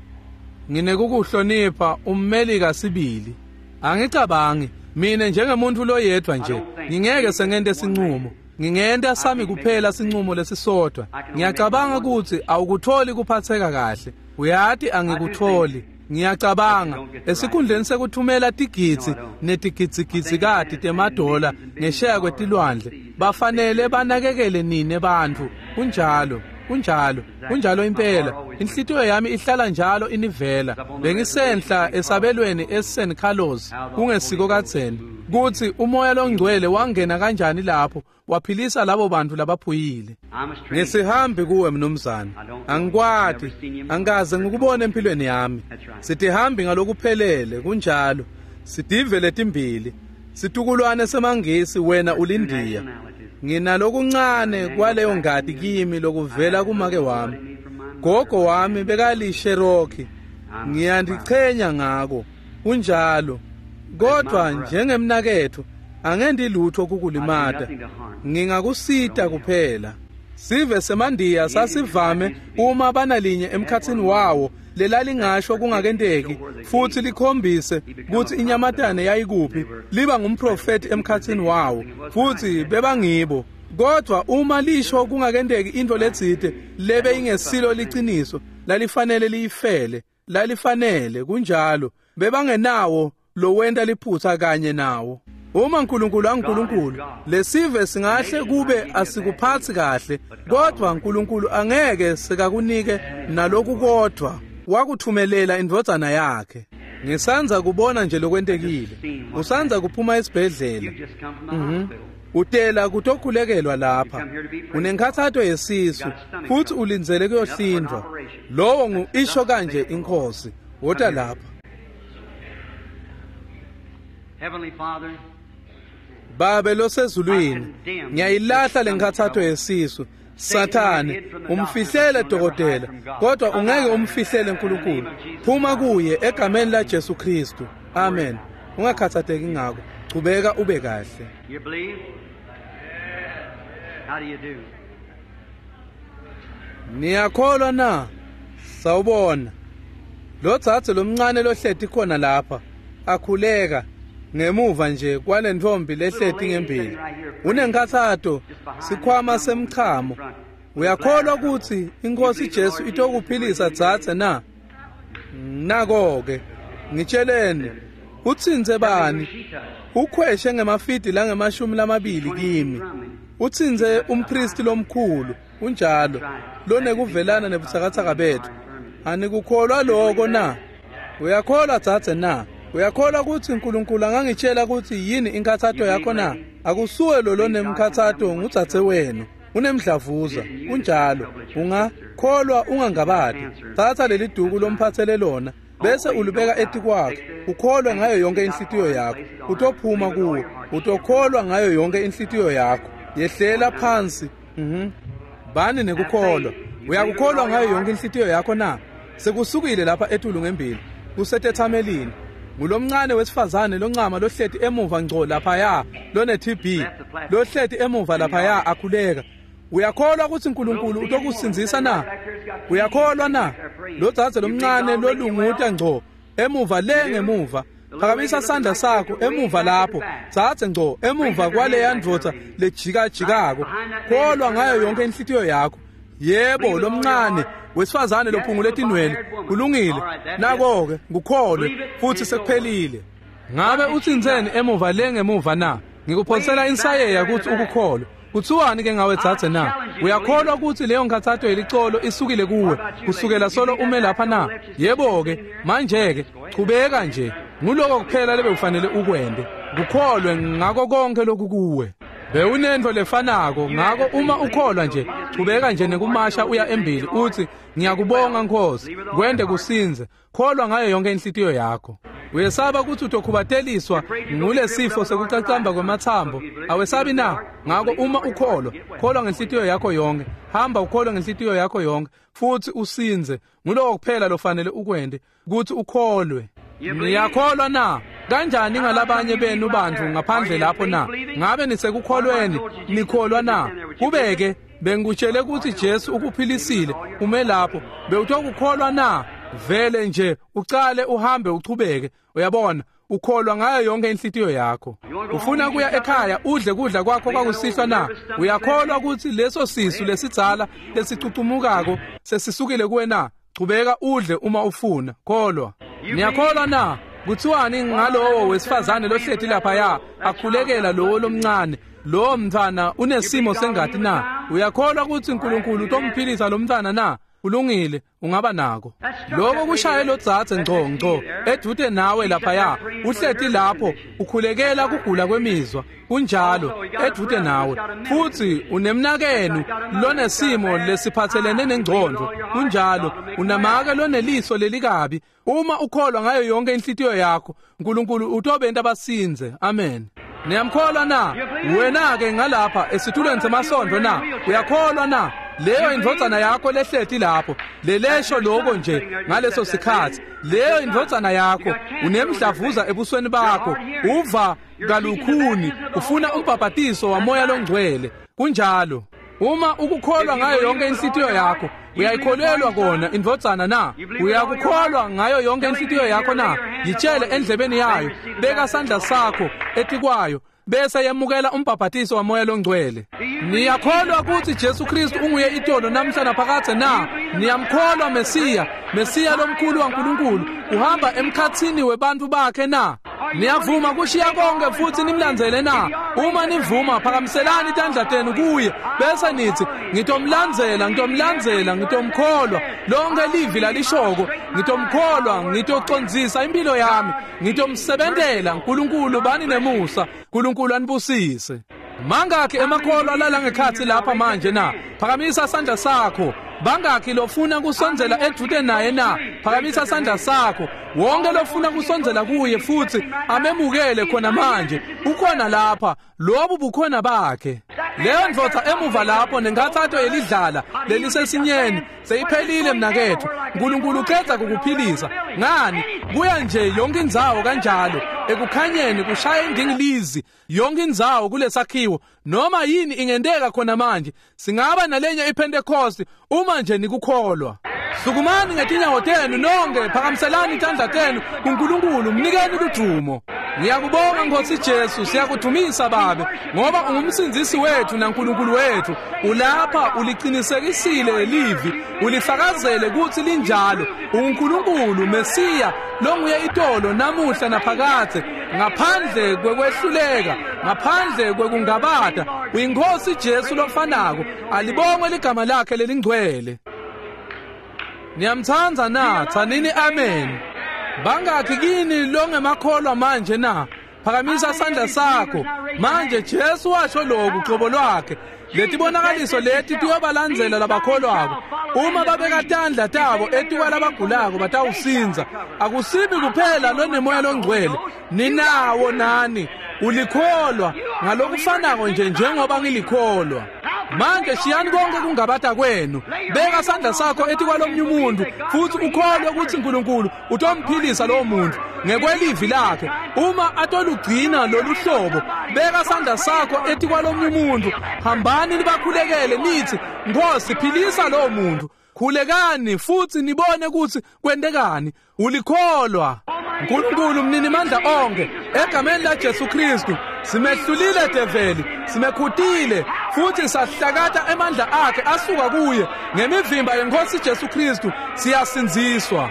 Nginekukuhlonipha ummelika sibili. Angicabangi mina njengemuntu loyedwa nje ngingeke sengente sinqumo. Ngingenta sami kuphela sinqumo lesisodwa. Ngiyacabanga ukuthi awukutholi kuphatheka kahle. Uyati angikutholi. Ngiyacabanga esikhundleni sekuthumela tigidzi netigidzigidzi temadola ngesheya kwetilwandle, bafanele banakekele nine bantfu. Kunjalo, kunjalo, kunjalo impela. Inhlitiyo yami ihlala njalo inivela. Bengisenhla esabelweni eSan Carlos kungesiko kadzeni kutsi umoya longcwele wangena kanjani lapho waphilisa labo bantu labaphuyile. Ngisihambi kuwe mnumzane, angikwati, angikaze ngikubone empilweni yami. Sitihambi ngalokuphelele, kunjalo. Sitive letimbili, situkulwane semangisi, wena ulindiya. Nginalokuncane kwaleyo ngati kimi lokuvela kumake wami. Gogo wami bekali-Cherokee. Ngiyandichenya ngako. Kunjalo. Kodwa njengemnaketfu angendi lutho kukulimata. Ngingakusita kuphela. Sive semandiya sasivame uma banalinye emkhatsini wawo lelalingasho kungakenteki futhi likhombise kutsi inyamatane yayikuphi liba ngumprofeti emkhatsini wawo futhi bebangibo. Kodwa uma lisho kungakenteki into letsite lebe ingesilo liciniso lalifanele liyifele lalifanele kunjalo bebangenawo lowenta liphutha kanye nawo. Uma uNkulunkulu anguNkulunkulu lesive singahle kube asikuphathi kahle kodwa uNkulunkulu angeke sekakunike naloku kodwa wakuthumelela indvodzana yakhe. Ngisanza kubona nje lokwentekile. Usanza kuphuma esibhedlela. Mhm. Utela kutokhulekelwa lapha. Unenkhathato yesisu futhi ulindzele kuyohlindwa. Lowo ngu isho kanje inkosi. Wota lapha. Heavenly Father, Babe losezulwini, ngiyayilahla lenkhathato yesisu. Sathane, umfihlele dokotela, kodwa ungeke umfihlele uNkulunkulu. Phuma kuye egameni la Jesu Kristu. Amen. Ungakhathatheki ngako. Chubeka ube kahle. You believe? How do you do? Niyakholwa na? Sawubona. Lo dzadze lomncane lohleti khona lapha akhuleka ngemuva nje kwalentombi lehleti ngembili. Unenkhathato sikhwama semchamo. Uyakholwa ukuthi inkosi Jesu itokuphilisa dzadze na? Nako-ke ngitsheleni utsintse bani? Ukhweshe ngemafidi langemashumi lamabili kimi. Utsintse umpristi lomkhulu unjalo lonekuvelana nebutsakatsaka bethu. Anikukholwa lokho na? Uyakholwa dzadze na? Uyakholwa ukuthi uNkulunkulu angangitshela ukuthi yini inkhathato yakho na? Akusuwe lo lonemkhathato ngudzadze wenu. Unemdlavuza kunjalo. Ungakholwa ungangabadi. Thatha leli duku lomphathele lona bese ulubeka etikwakhe. Ukholwe ngayo yonke inhlitiyo yakho. Utophuma kuwe. Utokholwa ngayo yonke inhlitiyo yakho. Yehlela phansi. Mhm. Bani nekukholwa. Uyakukholwa ngayo yonke inhlitiyo yakho na? Sekusukile lapha etulu ngembili. Kusetethamelini. Ngulomncane wesifazane loncama lohleti emuva ngco laphaya lone T B lohleti emuva laphaya akhuleka. Uyakholwa ukuthi uNkulunkulu utokusindzisa na? Uyakholwa na? Lo dzadze lomncane lolunguta ngco emuva le ngemuva. Phakamisa sandla sakho emuva lapho. Dzadze ngco emuva kwaleya ndvodza lejikajikako. Kholwa ngayo yonke inhlitiyo yakho. Yebo lomncane wesifazane lophungule tinwele kulungile. Nako-ke ngukholwe futhi sekuphelile. Ngabe utsintseni emuva le ngemuva na? Ngikuphonsela insayeya ukuthi ukukholwe. Kuthiwani ke ngawe dzadze na? Uyakholwa ukuthi leyo nkhathato yelicolo isukile kuwe kusukela solo ume lapha na? Yebo-ke manje-ke chubeka nje. Nguloko kuphela lebe ufanele ukwente. Kukholwe ngako konke lokhu kuwe. Bewunento lefanako ngako uma ukholwa nje chubeka nje nekumasha uya embili uthi ngiyakubonga Nkosi kwende kusinze. Kholwa ngayo yonke inhlitiyo yakho. Uyesaba ukuthi utokhubateliswa ngulesifo sekucacamba kwemathambo? Awesabi na? Ngako uma ukholwa kholwa ngenhlitiyo yakho yonke. Hamba ukholwe ngenhlitiyo yakho yonke futhi usinze. Nguloko kuphela lofanele ukwente ukuthi ukholwe. Niyakholwa na? Kanjani ngalabanye benu bantu ngaphandle lapho na? Ngabe nisekukholweni? Nikholwa na? Kubeke bengikutshele ukuthi Jesu ukuphilisile ume lapho. Bewutokukholwa na? Vele nje ucale uhambe uchubeke. Uyabona ukholwa ngayo yonke inhlitiyo yakho. Ufuna kuya ekhaya udle kudla kwakho kwakusihlwa na? Uyakholwa ukuthi leso sisu lesidzala lesicucumukako sesisukile kuwe na? Chubeka udle uma ufuna. Kholwa. Niyakholwa na? Kuthiwani ngalowo wesifazane lohleti laphaya akhulekela lowo lomncane? Lowo mntwana unesimo sengati na? Uyakholwa ukuthi uNkulunkulu utomphilisa lo mntwana na? Ulungile, ungaba nako. Lokho kushaye lo dzadze ngco ngco edude nawe laphaya uhleti lapho ukhulekela kugula kwemizwa kunjalo edude nawe futhi unemnakenu lonesimo lesiphathelene nengcondo kunjalo unamake loneliso lelikabi. Uma ukholwa ngayo yonke inhlitiyo yakho uNkulunkulu utobenta abasinze. Amen. Niyamkholwa na? Wena-ke ngalapha esitulweni semasondvo na? Uyakholwa na? Leyo indvodzana yakho lehleti lapho, lelesho lokho nje ngaleso sikhatsi. Leyo indvodzana yakho, unemdlavuza ebusweni bakho, uva kalukhuni, ufuna umbhabhatiso waMoya loNgcwele. Kunjalo. Uma ukukholwa ngayo yonke inhlitiyo yakho, uyayikholelwa kona indvodzana na? Uyakukholwa ngayo yonke inhlitiyo yakho na? Yitshele endlebeni yayo, beka sandla sakho etikwayo, bese yemukela umbhabhatiso waMoya loNgcwele. Niyakholwa ukuthi Jesu Kristu unguye itolo namhla naphakadze na? Niyamkholwa Mesiya, Mesiya lomkhulu waNkulunkulu, uhamba emkhatsini webantfu bakhe na? Niyavuma kushiya konke futhi nimlandzele na? Uma nivuma, phakamiselani tandla tenu kuye, bese nithi, ngitomlandzela, ngitomlandzela, ngitomkholwa. Lonke livi lalishoko, ngitomkholwa, ngitocondzisa impilo yami, ngitomsebentela. Nkulunkulu bani nemusa, Nkulunkulu anibusise. Mangakhi emakholwa lala ngekhatsi lapha manje na? Phakamisa sandla sakho. Bangakhi lofuna kusondzela edvute naye na? Phakamisa sandla sakho. Wonke lofuna kusondzela kuye futhi amemukele khona manje, ukhona lapha. Lobu bukhona bakhe. Leyo ndvodza emuva lapho nenkhatsato yelidlala lelisesinyeni seyiphelile mnaketfu. Nkulunkulu ucedza kukuphilisa. Ngani? Kuya nje yonke indzawo kanjalo, ekukhanyeni kushaya indingilizi yonke indzawo kulesakhiwo. Noma yini ingenteka khona manje. Singaba nalenye iPentecost uma nje nikukholwa. Sukumani ngetinyawo tenu nonke, phakamiselani tandla tenu kuNkulunkulu, mnikeni ludumo. Ngiyakubonga Nkosi Jesu, siyakudumisa Babe, ngoba ungumsindzisi wethu naNkulunkulu wethu. Ulapha, uliqinisekisile livi, ulifakazele kutsi linjalo. UnguNkulunkulu Mesiya longuye itolo namuhla naphakadze, ngaphandle kwekwehluleka, ngaphandle kwekungabata. UyiNkosi Jesu lofanako, alibongwe ligama lakhe lelingcwele. Niyamtsandza na? Tsanini amen. Bangakhi kini longemakholwa manje na? Phakamisa sandla sakho. Manje Jesu washo lokhu qobo lwakhe, letibonakaliso leti tiyobalandzela labakholwako. Uma babeka tandla tabo etikwa labagulako batawusindza. Akusibi kuphela lonemoya longcwele, ninawo nani. Ulikholwa ngalokufanako nje njengoba ngilikholwa. Manje shiyani konke kungabata kwenu, beka sandla sakho etikwalomnye umuntu futhi ukholwe ukuthi uNkulunkulu utomphilisa lowo muntu ngekwelivi lakhe. Uma atolugcina lolu hlobo, beka sandla sakho etikwalomnye umuntu, hambani nibakhulekele nithi, Nkosi philisa lowo muntu. Khulekani futhi nibone ukuthi kwentekani. Ulikholwa. Nkulunkulu mninimandla onke, egameni la Jesu Kristu simehlulile develi, simekhutile futhi sahlakata emandla akhe asuka kuye. Ngemivimba yenkosi Jesu Kristu siyasindziswa.